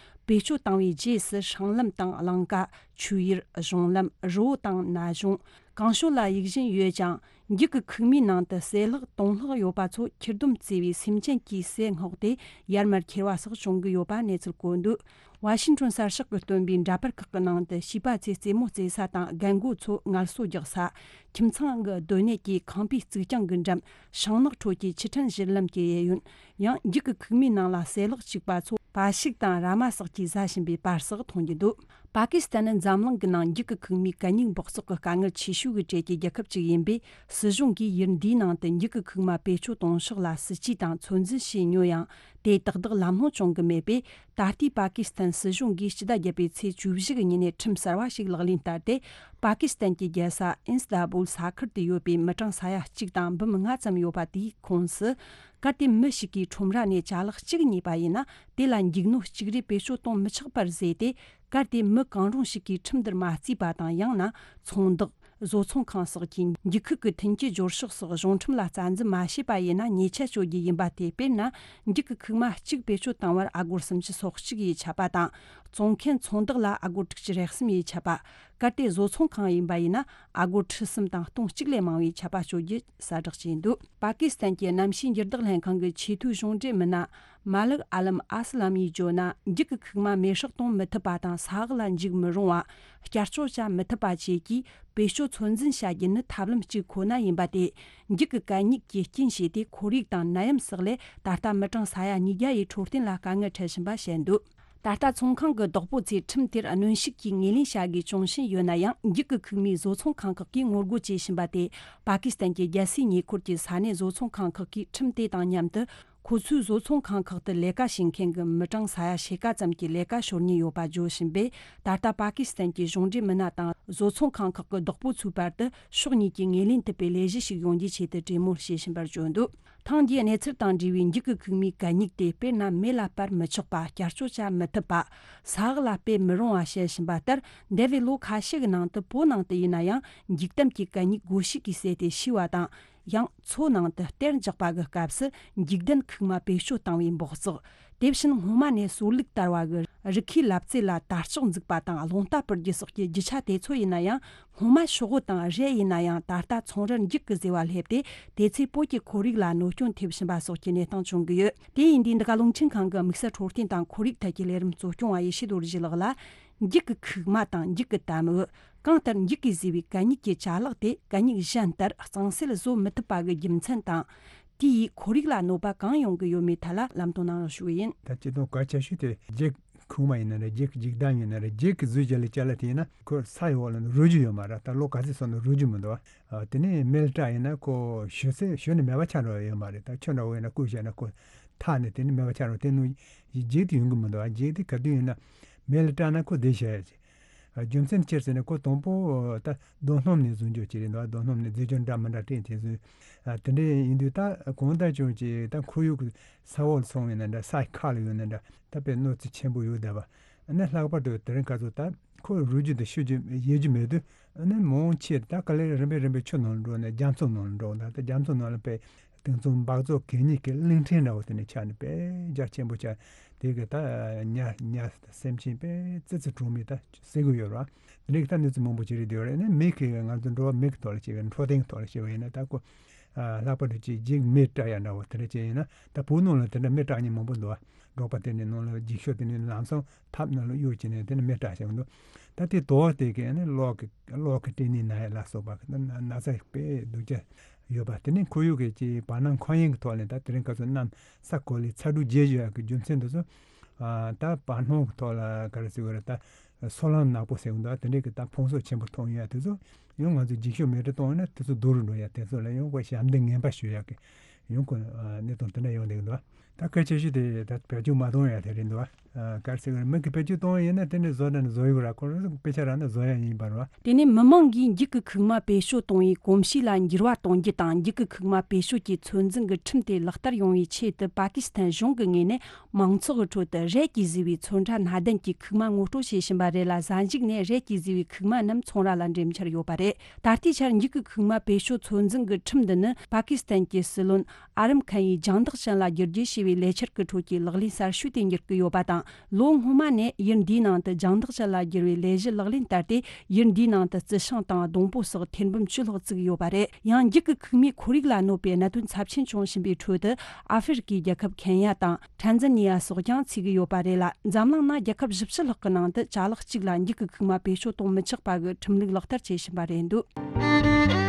བེད་སྤྱོད་བཏང་བའི་རྗེས་སུ་སྲང་ལམ་དང་གླིང་ག། ཆོས་ཡུལ། གཞུང་ལམ། རི་བོ་དང་ན་གཞོང་། གང་བྱུང་ལ་གཡུག་བཞིན་ཡོད་ཀྱང་། འགྱིག་གི་ཁུག་མའི་ནང་དུ་ཟས་ལྷག་དོན་ལྷག་ཡོད་པ་ཚོ་ཁྱེར་སྡོམ་བརྩི་བའི་སེམས་ཅན་གྱི་ཟས་སྔོག་སྟེ་ཡར་མར་ཁྱེར་བ་སོགས་བྱུང་གི་ཡོད་པ་གནས་ཚུལ་བཀོད་འདུག། ཝ་ཤིང་ཊོན་གསར་ཤོག་གིས་བཏོན་པའི་འདྲ་པར་ཁག་གི་ནང་དུ། བྱིས་པ་ཚོས་རྩེད་མོ་རྩེ་ས་དང་། རྒན་རྒོན་ཚོས་ངལ་གསོ་རྒྱག་ས། ཁྱིམ་ཚང་གི་སྡོད་གནས་ཀྱི་ཁང་པའི་རྩིག་གྱང་གི་འགྲམ། ཤིང་ནགས་ཁྲོད་ཀྱི་ཆུ་ཕྲན་བཞུར་ལམ་གྱི་གཡས་གཡོན། ཡང་འགྱིག་གི་ཁུག་མའི་ནང་ལ་ཟས་ལྷག་བཅུག་པ་ཚོ། བ་ཕྱུགས་དང་ར་མ་སོགས་ཀྱིས་ཟ་བཞིན་པའི་པར་སོགས་མཐོང་རྒྱུ་འདུག། པ་ཀི་སི་ཐན་ནི་འཛམ་གླིང་གི་ནང་འགྱིག་གི་ཁུག་མའི་གད་སྙིགས་འབག་བཙོག་གི་དཀའ་ངལ་ཆེ་ཤོས་ཀྱི་གྲས་ཀྱི་རྒྱལ་ཁབ་ཅིག་ཡིན་པས། སྲིད་གཞུང་གིས་ཡུལ་འདིའི་ནང་དུ་འགྱིག་གི་ཁུག་མ་བེད་སྤྱོད་གཏོང་ཕྱོགས་ལ་སྲིད་ཇུས་དང་ཚོད་འཛིན་བྱས་མྱོང་ཡང་། དེ་ཏག་ཏག་ལམ་ལྷོང་བྱུང་གི་མེད་པས། ད་ལྟའི་པ་ཀི་སི་ཐན་སྲིད་གཞུང་གིས་སྤྱི་ཟླ་བརྒྱད་པའི་ཚེས་བཅུ་བཞི་གི་ཉིན་ནས་ཁྲིམས་གསར་བ་ཞིག་ལག་ལེན་བསྟར་ཏེ། པ་ཀི་སི་ཐན་གྱི་རྒྱལ་ས་ཨིན་སི་ཏ་བུལ་ས་ཁུལ་དུ་ཡོད་པའི་མི་གྲངས་ས་ཡ་གཅིག་དང་འབུམ་ལྔ་ཙམ་ཡོད་པ་དེའི་ཁོངས་སུ། གལ་ཏེ་མི་ཞིག་གིས་ཁྲོམ་ར་ནས་ཅ་ལག་གཅིག་རྙེད་པ་ཡིན་ན། དེ་ལ་འགྱིག་སྣོད་གཅིག་རེ་བེད་སྤྱོད་གཏོང་མི་ཆོག་པར་བཟོས་ཏེ། གལ་ཏེ་མི་གང་རུང་ཞིག་གིས་ཁྲིམས་འདིར་མ་བརྩིས་པ་དང་། ཡང་ན་ཚོང་བདག། བཟོ་ཚོང་ཁང་སོགས་ཀྱིས་འགྱིག་ཁུག་གི་མཐུན་རྐྱེན་སྦྱོར་ཕྱོགས་སོགས་གཞུང་ཁྲིམས་ལ་རྩ་འཛིན་མ་བྱས་པ་ཡིན་ན། ཉེས་ཆད་གཅོད་རྒྱུ་ཡིན་པ་སྟེ། དཔེར་ན། འགྱིག་གི་ཁུག་མ་གཅིག་བེད་སྤྱོད་བཏང་བར་ཨ་སྒོར་སུམ་ཅུ་སོ་གཅིག་ཡིས་ཆད་པ་དང་། བཙོང་མཁན་ཚོང་བདག་ལ་ཨ་སྒོར་དྲུག་ཅུ་རེ་གསུམ་ཡིས་ཆད་པ། གལ་ཏེ་བཟོ་ཚོང་ཁང་ཡིན་པ་ཡིན་ན། ཨ་སྒོར་ཁྲི་གསུམ་དང་སྟོང་གཅིག་ལས་མང་བའི་ཆད་པ་གཅོད་རྒྱུ་གསལ་བསྒྲགས་བྱས་འདུག། པ་ཀི་སི་ཐན་གྱི་གནམ་གཤིས་འགྱུར་ལྡོག་ལྷན་ཁང་གི་ཆེས་མཐོའི་གཞུང་འབྲེལ་མི་སྣ་མ་ལིག་ཨ་ལམ་ཨ་སི་ལམ་ཡིས་བརྗོད་ན། འགྱིག་གི་ཁུག་མ་མེ་སྲེག་གཏོང་མི་ཐུབ་པ་དང་། ས་འོག་ལ་འཇུག་མི་རུང་བ། བསྐྱར་བཅོས་བྱ་མི་ཐུབ་པ་བཅས་ཀྱིས་བེད་སྤྱོད་ཚོད་འཛིན་བྱ་རྒྱུ་ནི་ཐབས་ལམ་གཅིག་ཁོ་ན་ཡིན་པ་སྟེ། འགྱིག་གི་གད་སྙིགས་ཀྱི་རྐྱེན་བྱས་ཏེ། ཁོར་ཡུག་དང་ནད་ཡམས་སོགས་ལས་ད་ལྟ་མི་གྲངས་ས་ཡ་ཉིས་བརྒྱ་ཡི་འཕྲོད་བསྟེན་ལ་དཀའ་ངལ་འཕྲད་བཞིན་པ་བཤད་འདུག། ད་ལྟ་ཚོང་ཁང་གི་བདག་པོ་ཚོས་ཁྲིམས་དེར་གནོན་ཤུགས་ཀྱིས་ངོས་ལེན་བྱ་དགོས་བྱུང་བཞིན་ཡོད་ན་ཡང་། འགྱིག་གི་ཁུག་མའི་བཟོ་ཚོང་ཁང་ཁག་གིས་ངོ་རྒོལ་བྱེད་བཞིན་པ་སྟེ། པ་ཀི་སི་ཐན་གྱི་རྒྱལ་སའི་ཉེ་འཁོར་གྱི་ས་གནས་བཟོ་ཚོང་ཁང་ཁག་གིས་ཁྲིམས་དེ་དང་མཉམ་དུ། ཁོ་ཚོའི་བཟོ་ཚོང་ཁང་ཁག་ཏུ་ལས་ཀ་བྱེད་མཁན་གྱི་མི་གྲངས་ས་ཡ་ཕྱེད་ཀ་ཙམ་གྱི་ལས་ཀ་ཤོར་ཉེན་ཡོད་པ་བརྗོད་བཞིན་པས། ད་ལྟ་པ་ཀི་སི་ཐན་གྱི་གཞུང་འབྲེལ་མི་སྣ་དང་བཟོ་ཚོང་ཁང་ཁག་གི་བདག་པོ་ཚོའི་བར་དུ་ཕྱོགས་གཉིས་ཀྱིས་ངོས་ལེན་ཐུབ་པའི་ལས་གཞི་ཞིག་ཡོང་རྒྱུའི་ཆེད་དུ་གྲོས་མོལ་བྱེད་བཞིན་པར་བརྗོད་འདུག། ཐེངས་འདིའི་གནས་ཚུལ་དང་འབྲེལ་བའི་འགྱིག་གི་ཁུག་མའི་གད་སྙིགས་དེ། དཔེར་ན། མེ་ལ་སྤར་མི་ཆོག་པ། བསྐྱར་བཅོས་བྱ་མི་ཐུབ་པ། ས་འོག་ལ་སྤེལ་མི་རུང་བ་བཤད་བཞིན་པ་ལྟར། འདས་པའི་ལོ་ཁ་ཤས་ཀྱི་ནང་དུ། བོད་ནང་དུ་ཡིན་ན་ཡང་། འགྱིག་དམ་གྱི་གད་སྙིགས་སྒོ་ཕྱུགས་ཀྱིས་བསྲེས་ཏེ་བྱུགས་པ་དང་། ཡང་མཚོ་ནང་དུ་གཏེར་འཇོག་པ་གི་སྐབས་སུ་འགྱིག་ལྡན་ཁུག་མ་བེད་སྤྱོད་བཏང་བའི་འབག་བཙོག། དེ་བཞིན་སྔོན་མ་ནས་སོར་ལུག་དར་བ་གི་རི་ཁའི་ལབ་རྩེ་ལ་དར་ལྕོག་འཛུགས་པ་དང་རླུང་རྟ་སྤུར་རྒྱུ་སོགས་ཀྱི་རྒྱུ་ཆ་དེ་ཚོ་ཡིན་ན་ཡང་། སྔོན་མ་ཤོག་བུ་དང་རས་ཡིན་ན་ཡང་། ད་ལྟ་ཚོང་རར་འགྱིག་གི་ཟེ་བ་སླེབས་ཏེ། དེ་ཚོས་བོད་ཀྱི་ཁོར་ཡུག་ལ་གནོད་སྐྱོན་ཐེབས་བཞིན་པ་སོགས་ཀྱི་གནས་སྟངས་བྱུང་གི་ཡོད། དེ་ཡིན་དུས་འདི་ག་རླུང་འཕྲིན་ཁང་གི་དམིགས་བསལ་འཕྲོད་བསྟེན་དང་ཁོར་ཡུག་ཐད་ཀྱི་ལས་རིམ་གཙོ་སྐྱོང་བ་ཡེ་ཤེས་རྡོ་རྗེ་ལགས་ལ། འགྱིག་གི་ཁུག་མ་དང་འགྱིག་གི་དམ་འོས། གང་ལྟར་འགྱིག་གིས་བཟོས་པའི་གད་སྙིགས་ཀྱི་ཅ་ལག་དེ་གད་སྙིགས་གཞན་ལྟར་གཙང་སེལ་བཟོ་མི་ཐུབ་པ་གི་རྒྱུ་མཚན་དང་། དེ་ཡིས་ཁོར་ཡུག་ལ་གནོད་པ་གང་ཡོང་གི་ཡོད་མེད་ཐད་ལ་ལམ་སྟོན་གནང་རོགས་ཞུ་གི་ཡིན། ད་སྤྱིར་བཏང་གལ་ཆེ་ཤོས་དེ་འགྱིག་ཁུག་མ་ཡིན་ན་རེད། འགྱིག་འགྱིག་དམ་ཡིན་ན་རེད། འགྱིག་གིས་བཟོས་བྱས་ལ་ཅ་ལག་དེ་ཡིན་ན། ཁོ་ས་ཡི་འོག་ལ་རུལ་རྒྱུ་ཡོད་མ་རེད། ད་ལོ་ག་ཚོད་སོང་ན་རུལ་རྒྱུ་མི་འདུག་བ། དེ་ནས་མེ་ལ་སྲེག་ཡིན་ན་ཁོ་ཞུ་ཚེ་ཞུ་ནས་མེད་པ་ཆགས་འགྲོ་ཡ་ཡོད་མ་རེད། ད་ཆུ་འདྲ་བོ་ཡིན་ན་བསྐོལ་བྱས་ན་ཁོ་ཐག་ནས་དེ་ནས་མེད་པ་ཆགས་འགྲོ། དེ་ནང་འགྱིག་དེ་ཡོང་གི་མི་འདུག་བ། འགྱིག་དེ་ག་དུས་ཡིན་ན་མེ་ལ་སྲེག་ན་ཁོ་བསྡད་བྱས་ཡ་ཅིག། རྒྱུ་མཚན་ཅི་ཟེར་ན་ཁོ་དང་པོ་ད་རྡོ་སྣུམ་ནས་བཟོ་རྒྱུ་ཅིག་རེད་འདུག་རྡོ་སྣུམ་ནས་རྫས་སྦྱོར་འདྲ་མི་འདྲ་སྤྲད་དེ་བཟོས། དེ་འདྲ་ཡིན་དུས་ད་གང་ལྟར་ཀྱང་ཅིག་ད་ཁོར་ཡུག་གི་ས་འོག་སོང་བས་ན་འདྲ་ས་ཁ་ལ་ཡོད་ན་འདྲ་ད་དཔེ་གནོད་འཚེ་ཆེན་པོ་ཡོད་བསྡད་པ། ཨ་ནི་ལྷག་པར་དུ་དེ་རིང་ཁ་སང་ད་ཁོ་རུལ་རྒྱུ་དང་བཤུ་རྒྱུ་ཡལ་རྒྱུ་མེད་དུས་ཨ་ནི་མང་ཆེ་ད་ག་ལེར་རིམ་པས་རིམ་པས་ཆུ་ནང་འགྲོ་ནས་རྒྱ་མཚོ་ནང་འགྲོ། ད་ལྟ་རྒྱ་མཚོ་ནང་ལ་དཔེ་དེང་སང་སྦགས་བཙོག་གད་སྙིགས་ཀྱི་གླིང་ཕྲན་འདྲ་བོ་དེ་ནས་ཆགས་ནས་དཔེ་རྒྱ་ཆེན་པོ་ཆགས། དེ་གི་ད་ཉ་ཉ་སེམས་ཅན་དཔེ་ཙི་ཙི་གྲོག་མའི་ད་ཟེར་གི་ཡོད་རེད། དེ་འདྲའི་ད་གནས་ཚུལ་མང་པོ་ཅིག་རེད་དེ་ཡོད་རེད། ཨ་ནི་མི་གི་ང་ཚོ་འགྲོ་བ་མི་གི་ཐོག་ལ་བྱས་པའི་འཕྲོད་བསྟེན་གི་ཐོག་ལ་བྱས་པ་ཡིན་ན་ད་ཁོ། ལྷག་པར་དུ་ཅིག་ཅིག་མི་སྐྲག་ཡ་འདྲ་བོ་དེ་འདྲ་ཅིག་ཡིན་ན་ད་བོད་ནང་ལ་དེ་འདྲ་མི་སྐྲག་མཁན་མང་པོ་འདུག་བ། འབྲོག་པ་དེ་ནས་ནང་ལ་འགྱིག་ཤོག་དེ་ནས་ལམ་སང་ཐབ་ནང་ལ་གཡུག་བྱས་ནས་དེ་ནས་མི་སྐྲག་བྱས་འདུག་ད་དེ་དོགས་དེ་གས་ནི་གློག་གི་གློག་གི་སྐྲན་ནད་ན་ཡ་ལ་སོགས་པ་གི་ན་ན་ཚ་དཔེ་སྡུག་ཅག་ཡོད་པ། དེ་ནས་ཁོར་ཡུག་གི་ཅིག་བར་སྣང་མཁའ་དབྱིངས་ཀྱི་ཐོག་ནས་ད་དེ་རིང་ཁ་སང་གནམ་ས་གོ་ལའི་ཚ་དྲོད་རྒྱས་བཞིན་ཡོད་ཀྱི་རྒྱུ་མཚན་དེ་ཚོ། ད་བར་སྣང་གི་ཐོག་ལ་ག་རེ་ཟེར་དགོས་རེད། ད་སོལ་རླངས་ནག་པོ་ཟེར་གི་འདུག་དེ་འདྲའི་གི་ད་ཕུང་གསོག་ཆེན་པོ་ཐོན་ཡོད་དེ་ཚོ་ཡང་ང་ཚོས་འགྱིག་ཤོག་མེ་སྲེག་གཏོང་ཡོད་ན་དེ་ཚོ་སྡུག་རུ་འགྲོ་ཡ་དེ་ཚོ་ལ་ཡང་ཁོ་ཞབས་འདེགས་ངན་པ་ཞུ་ཡག་གི་ཡང་ཁོ་གནས་སྟངས་དེ་འདྲ་ཡོང་བསྡད་གི་འདུག་ད་གལ་ཆེ་ཤོས་དེ་ད་བེད་སྤྱོད་མ་གཏོང་ཡ་དེ་རེད་འདུག་ག་རེ་ཟེར་གི་རེད། མི་གི་བེད་སྤྱོད་གཏོང་ཡ་ཡིན་ན་དེ་ནས་བཟོ་འདྲ་ནས་བཟོ་ཡོད་ར། ཁོ་རང་དཔེ་ཆ་རག་ན་བཟོ་ཡ་ཡིན་པ་རེད། དེ་ནས་མི་མང་གིས་འགྱིག་གི་ཁུག་མ་བེད་སྤྱོད་གཏོང་བའི་གོམས་གཤིས་ལ་འགྱུར་བ་གཏོང་རྒྱུ་དང་། འགྱིག་གི་ཁུག་མ་བེད་སྤྱོད་ཀྱི་ཚོད་འཛིན་གྱི་ཁྲིམས་དེ་ལག་བསྟར་ཡོང་བའི་ཆེད་དུ་པ་ཀི་སི་ཐན་གཞུང་གི་ངོས་ནས་མང་ཚོགས་ཀྱི་ཁྲོད་དུ་རལ་གྱིས་བཟོས་པའི་ཚོན་ཁྲ་སྣ་ལྡན་གྱི་ཁུག་མ་ངོ་སྤྲོད་བྱེད་བཞིན་པ་རེད་ལ། གཟའ་མཇུག་ནས་རལ་གྱིས་བཟོས་པའི་ཁུག་མ་རྣམས་ཚོང་ར་ལ་འགྲེམས་འཆར་ཡོད་པ་རེད། ད་ལྟའི་ཆར་འགྱིག་གི་ཁུག་མ་བེད་སྤྱོད་ཚོད་འཛིན་གྱི་ཁྲིམས་འདི་ནི་པ་ཀི་སི་ཐན་གྱི་སྲིད་བློན་ཨ་རམ་ཁན་ཡིས་རྒྱང་ཐག་ཅན་ལ་བསྒྱུར་བཅོས་བྱས་པའི་ལས་འཆར་གྱི་ཁྲོད་ཀྱི་ལག་ལེན་གསར་ཤོས་དེ་འགྱུར་གྱི་ཡོད་པ་དང་། ལོ་སྔོན་མ་ནས་ཡུལ་འདིའི་ནང་དུ་རྒྱང་ཐག་ཅན་ལ་བསྒྱུར་བའི་ལས་གཞི་ལག་ལེན་བསྟར་ཏེ། ཡུལ་འདིའི་ནང་དུ་རྩི་ཤིང་དང་སྡོང་པོ་སོགས་ཐེར་འབུམ་བཅུ་ལྷག་བཙུགས་ཡོད་པ་རེད། ཡང་འགྱིག་གི་ཁུག་མའི་ཁོར་ཡུག་ལ་གནོད་པའི་གནད་དོན་ཚབས་ཆེན་བྱུང་བཞིན་པའི་ཁྲོད་དུ། ཨ་ཧྥེ་རི་ཀའི་རྒྱལ་ཁབ་ཁེན་ཡ་དང་ཁྲན་ཛན་ནི་ཡ་སོགས་ཀྱང་ཚུད་ཀྱི་ཡོད་པ་རེད་ལ། འཛམ་གླིང་ནང་རྒྱལ་ཁབ་བཞི་བཅུ་ལྷག་གི་ནང་དུ་ཅ་ལག་གཅིག་ལ་འགྱིག་གི་ཁུག་མ་བེད་སྤྱོད་གཏོང་མི་ཆོག་པ་གི་ཁྲིམས་ལུགས་ལག་བསྟར་བྱེད་བཞིན་པ་རེད་འདུག་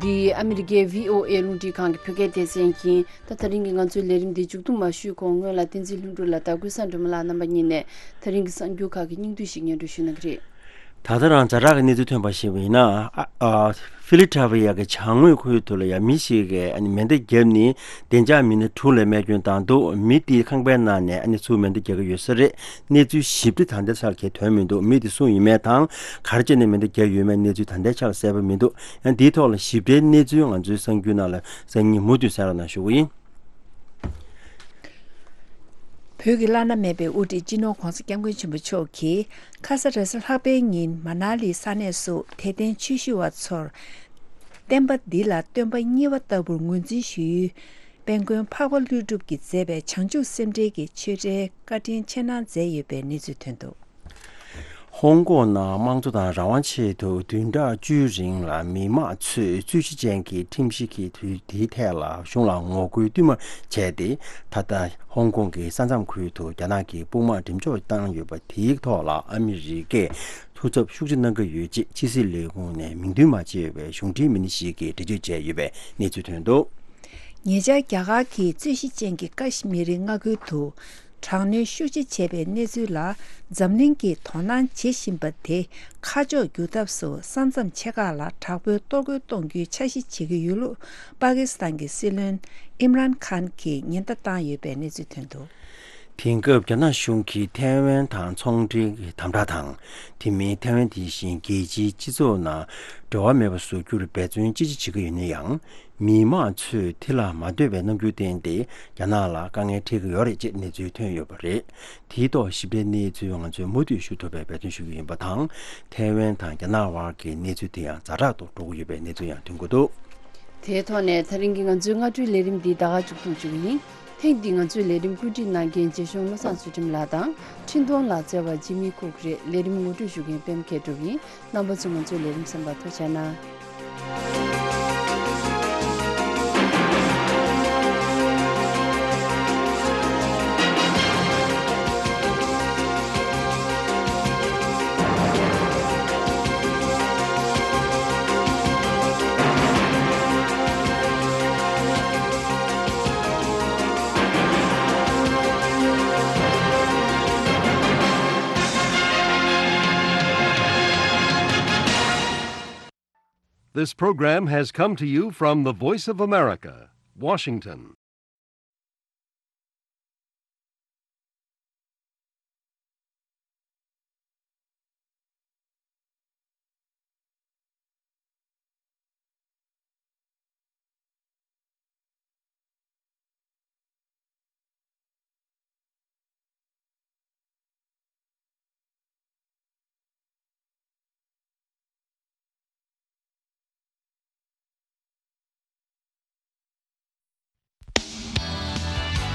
འདི་ཨ་མི་རི་ཀའི་བྷི་ཨོ་ཨེ་རླུང་འཕྲིན་ཁང་གི་བོད་སྐད་སྡེ་ཚན་ཡིན། ད་དེ་རིང་གི་ང་ཚོའི་ལས་རིམ་འདི་མཇུག་བསྡོམས་མ་ཞུས་གོང་སྔོན་ལ་བསྟན་འཛིན་ལྷུན་གྲུབ་ལགས་དང་ཀུན་བཟང་སྒྲོལ་མ་ལགས་རྣམ་པ་གཉིས་ནས་དེ་རིང་གི་གསར་འགྱུར་ཁག་གི་སྙིང་བསྡུས་ཤིག་སྙན་སྒྲོན་ཞུ་གནང་གི་རེད། ད་ལྟ་རང་ཛ་དྲག་གི་གནས་ཚུལ་ཐོན་པ་ཞིག་ཡིན་ན། ཨ་ཨ་ཧྥི་ལི་ཐ་ཝི་ཡ་གི་བྱང་ངོས་ཁུལ་དུ་ལ་ཡ་མི་ཞིག་གིས་ཨ་ནི་མེ་མདའ་བརྒྱབ་ནས་བདེ་འཇགས་མི་སྣ་དྲུག་ལ་རྨས་སྐྱོན་བཏང་འདུག་མི་དེའི་ཁང་པའི་ནང་ནས་ཨ་ནི་ཚུར་མེ་མདའ་རྒྱག་གི་ཡོད་ས་རེད། གནས་ཚུལ་ཞིབ་ཕྲ་ད་ལྟའི་ཆར་གྱི་ཐོན་མི་འདུག་མི་དེ་སུ་ཡིན་མིན་དང་ག་རེ་བྱས་ནས་མེ་མདའ་བརྒྱབ་ཡོད་མེད་གནས་ཚུལ་ད་ལྟའི་ཆར་གསལ་པོ་མི་འདུག་ཡང་འདིའི་ཐོག་ལ་ཞིབ་ཕྲའི་གནས་ཚུལ་ང་ཚོའི་གསར་འགྱུར་ནང་ལ་སང་ཉིན་མུ་མཐུད་གསན་རོགས་གནང་ཞུ་གི་ཡིན། བོད་ཀྱི་བླ་ན་མེད་པའི་དབུ་ཁྲིད་སྤྱི་ནོར་༧གོང་ས་༧སྐྱབས་མགོན་ཆེན་པོ་མཆོག་གིས་ཁ་ས་རེས་གཟའ་ལྷག་པའི་ཉིན་མ་ན་ལིའི་ས་གནས་སུ་དད་ལྡན་ཆོས་ཞུ་བ་ཚོར། བསྟན་པ་འདི་ལ་སྟོན་པ་གཉིས་པ་ལྟ་བུར་ངོས་འཛིན་ཞུ་ཡུལ། དཔལ་མགོན་འཕགས་པ་ཀླུ་སྒྲུབ་ཀྱིས་མཛད་པའི་བྱང་ཆུབ་སེམས་འགྲེལ་གྱི་ཆོས་འབྲེལ་བཀའ་དྲིན་ཆེ་གནང་མཛད་ཡོད་པའི་གནས་ཚུལ་ཐོན་འདུག་ཧོང་ཀོང་ནང་དམངས་གཙོ་དང་རང་དབང་ཆེད་དུ་བདུན་ཕྲག་བཅུའི་རིང་ལ་མི་མང་ཚོས་རྩོད་གཞི་ཅན་གྱི་ཁྲིམས་གཞི་གི་དུས་དེའི་ཐད་ལ་གཞུང་ལ་ངོ་རྒོལ་བསྟུད་མར་བྱས་ཏེ། ད་ལྟ་ཧོང་ཀོང་གི་ས་མཚམས་ཁུལ་དུ་རྒྱ་ནག་གིས་དཔུང་དམག་འགྲེམས་འཇོག་བཏང་ཡོད་པ་དེའི་ཐོག་ལ་ཨ་མི་རི་ཀས་ཐུགས་འཚབ་ཤུགས་ཆེ་གནང་གི་ཡོད་ཅེས་ཕྱི་སྲིད་ལས་ཁུངས་ནས་མིང་འདོན་མ་བྱས་པའི་གཞུང་འབྲེལ་མི་སྣ་ཞིག་གིས་འགྲེལ་བརྗོད་བྱས་ཡོད་པའི་གནས་ཚུལ་ཐོན་འདུག་ཉེ་ཆར་རྒྱ་གར་གྱིས་རྩོད་གཞི་ཅན་གྱི་ཀ་ཤི་མིར་མངའ་ཁུལ་དུ་དྲག་གནོན་ཤུགས་ཆེ་བྱས་པའི་གནས་ཚུལ་ལ་འཛམ་གླིང་གིས་དོ་སྣང་བྱེད་བཞིན་པ་དེ་ཁ་ཕྱོགས་བསྒྱུར་ཐབས་སུ་ས་མཚམས་ཆེ་ཁག་ལ་དྲག་པོའི་གཏོར་རྒོལ་གཏོང་རྒྱུའི་འཆར་གཞི་བྱེད་ཀྱི་ཡོད་ལུགས་པ་ཀི་སི་ཐན་གྱི་སྲིད་བློན་ཨིམ་རན་ཁཱན་གྱིས་ཉེན་བརྡ་བཏང་ཡོད་པའི་གནས་ཚུལ་ཐོན་འདུག་དེང་སྐབས་རྒྱ་ནག་གཞུང་གིས་ཐའེ་ཝན་དང་ཚོང་འབྲེལ་གྱི་དམ་དྲག་དང་། དེ་མིན་ཐའེ་ཝན་དེ་བཞིན་རྒྱལ་སྤྱིའི་སྤྱི་ཚོགས་ནང་འབྲེལ་བ་མེད་པ་བཟོ་རྒྱུར་འབད་བརྩོན་ཅི་ཆེ་བྱེད་ཀྱི་ཡོད་ན་ཡང་། མི་མང་ཚོས་དེ་ལ་མ་འདོད་པའི་རྣམ་འགྱུར་བསྟན་ཏེ་རྒྱ་ནག་ལ་དཀའ་ངལ་འཕྲད་ཀྱི་ཡོད་རེད་ཅེས་གནས་ཚུལ་ཐོན་ཡོད་པ་རེད། དེའི་ཐོག་ཞིབ་ཕྲའི་གནས་ཚུལ་ང་ཚོས་མུ་མཐུད་ཞུ་ཐུབ་པའི་འབད་བརྩོན་ཞུ་གི་ཡིན་པ་དང་། ཐའེ་ཝན་དང་རྒྱ་ནག་དབར་གྱི་གནས་ཚུལ་དེ་ཡང་ཛ་དྲག་ཏུ་འགྲོ་གི་ཡོད་པའི་གནས་ཚུལ་ཡང་ཐོན་གྱི་འདུག་དེའི་ཐོག་ནས་ད་རིང་གི་ང་ཚོའི་སྔ་དྲོའི་ལས་རིམ་འདི་ད་ག་མཇུག་བསྡུ་བཅུག་གི་ཡིན། ཐེངས་འདིའི་ང་ཚོའི་ལས་རིམ་བཀོད་སྒྲིག་གནང་མཁན་རྗེ་གཞུང་བློ་བཟང་ཚུལ་ཁྲིམས་ལགས་དང་། འཕྲིན་གཏོང་ལག་རྩལ་བ་ཇི་མི་ཀུག་རེད། ལས་རིམ་ངོ་སྤྲོད་ཞུ་མཁན་པད་མ་མཁས་གྲུབ་ཡིན། རྣམ་པ་ཚོས་ང་ཚོའི་ལས་རིམ་གསན་པར་ཐུགས་རྗེ་གནང་། This program has come to you from the Voice of America, Washington.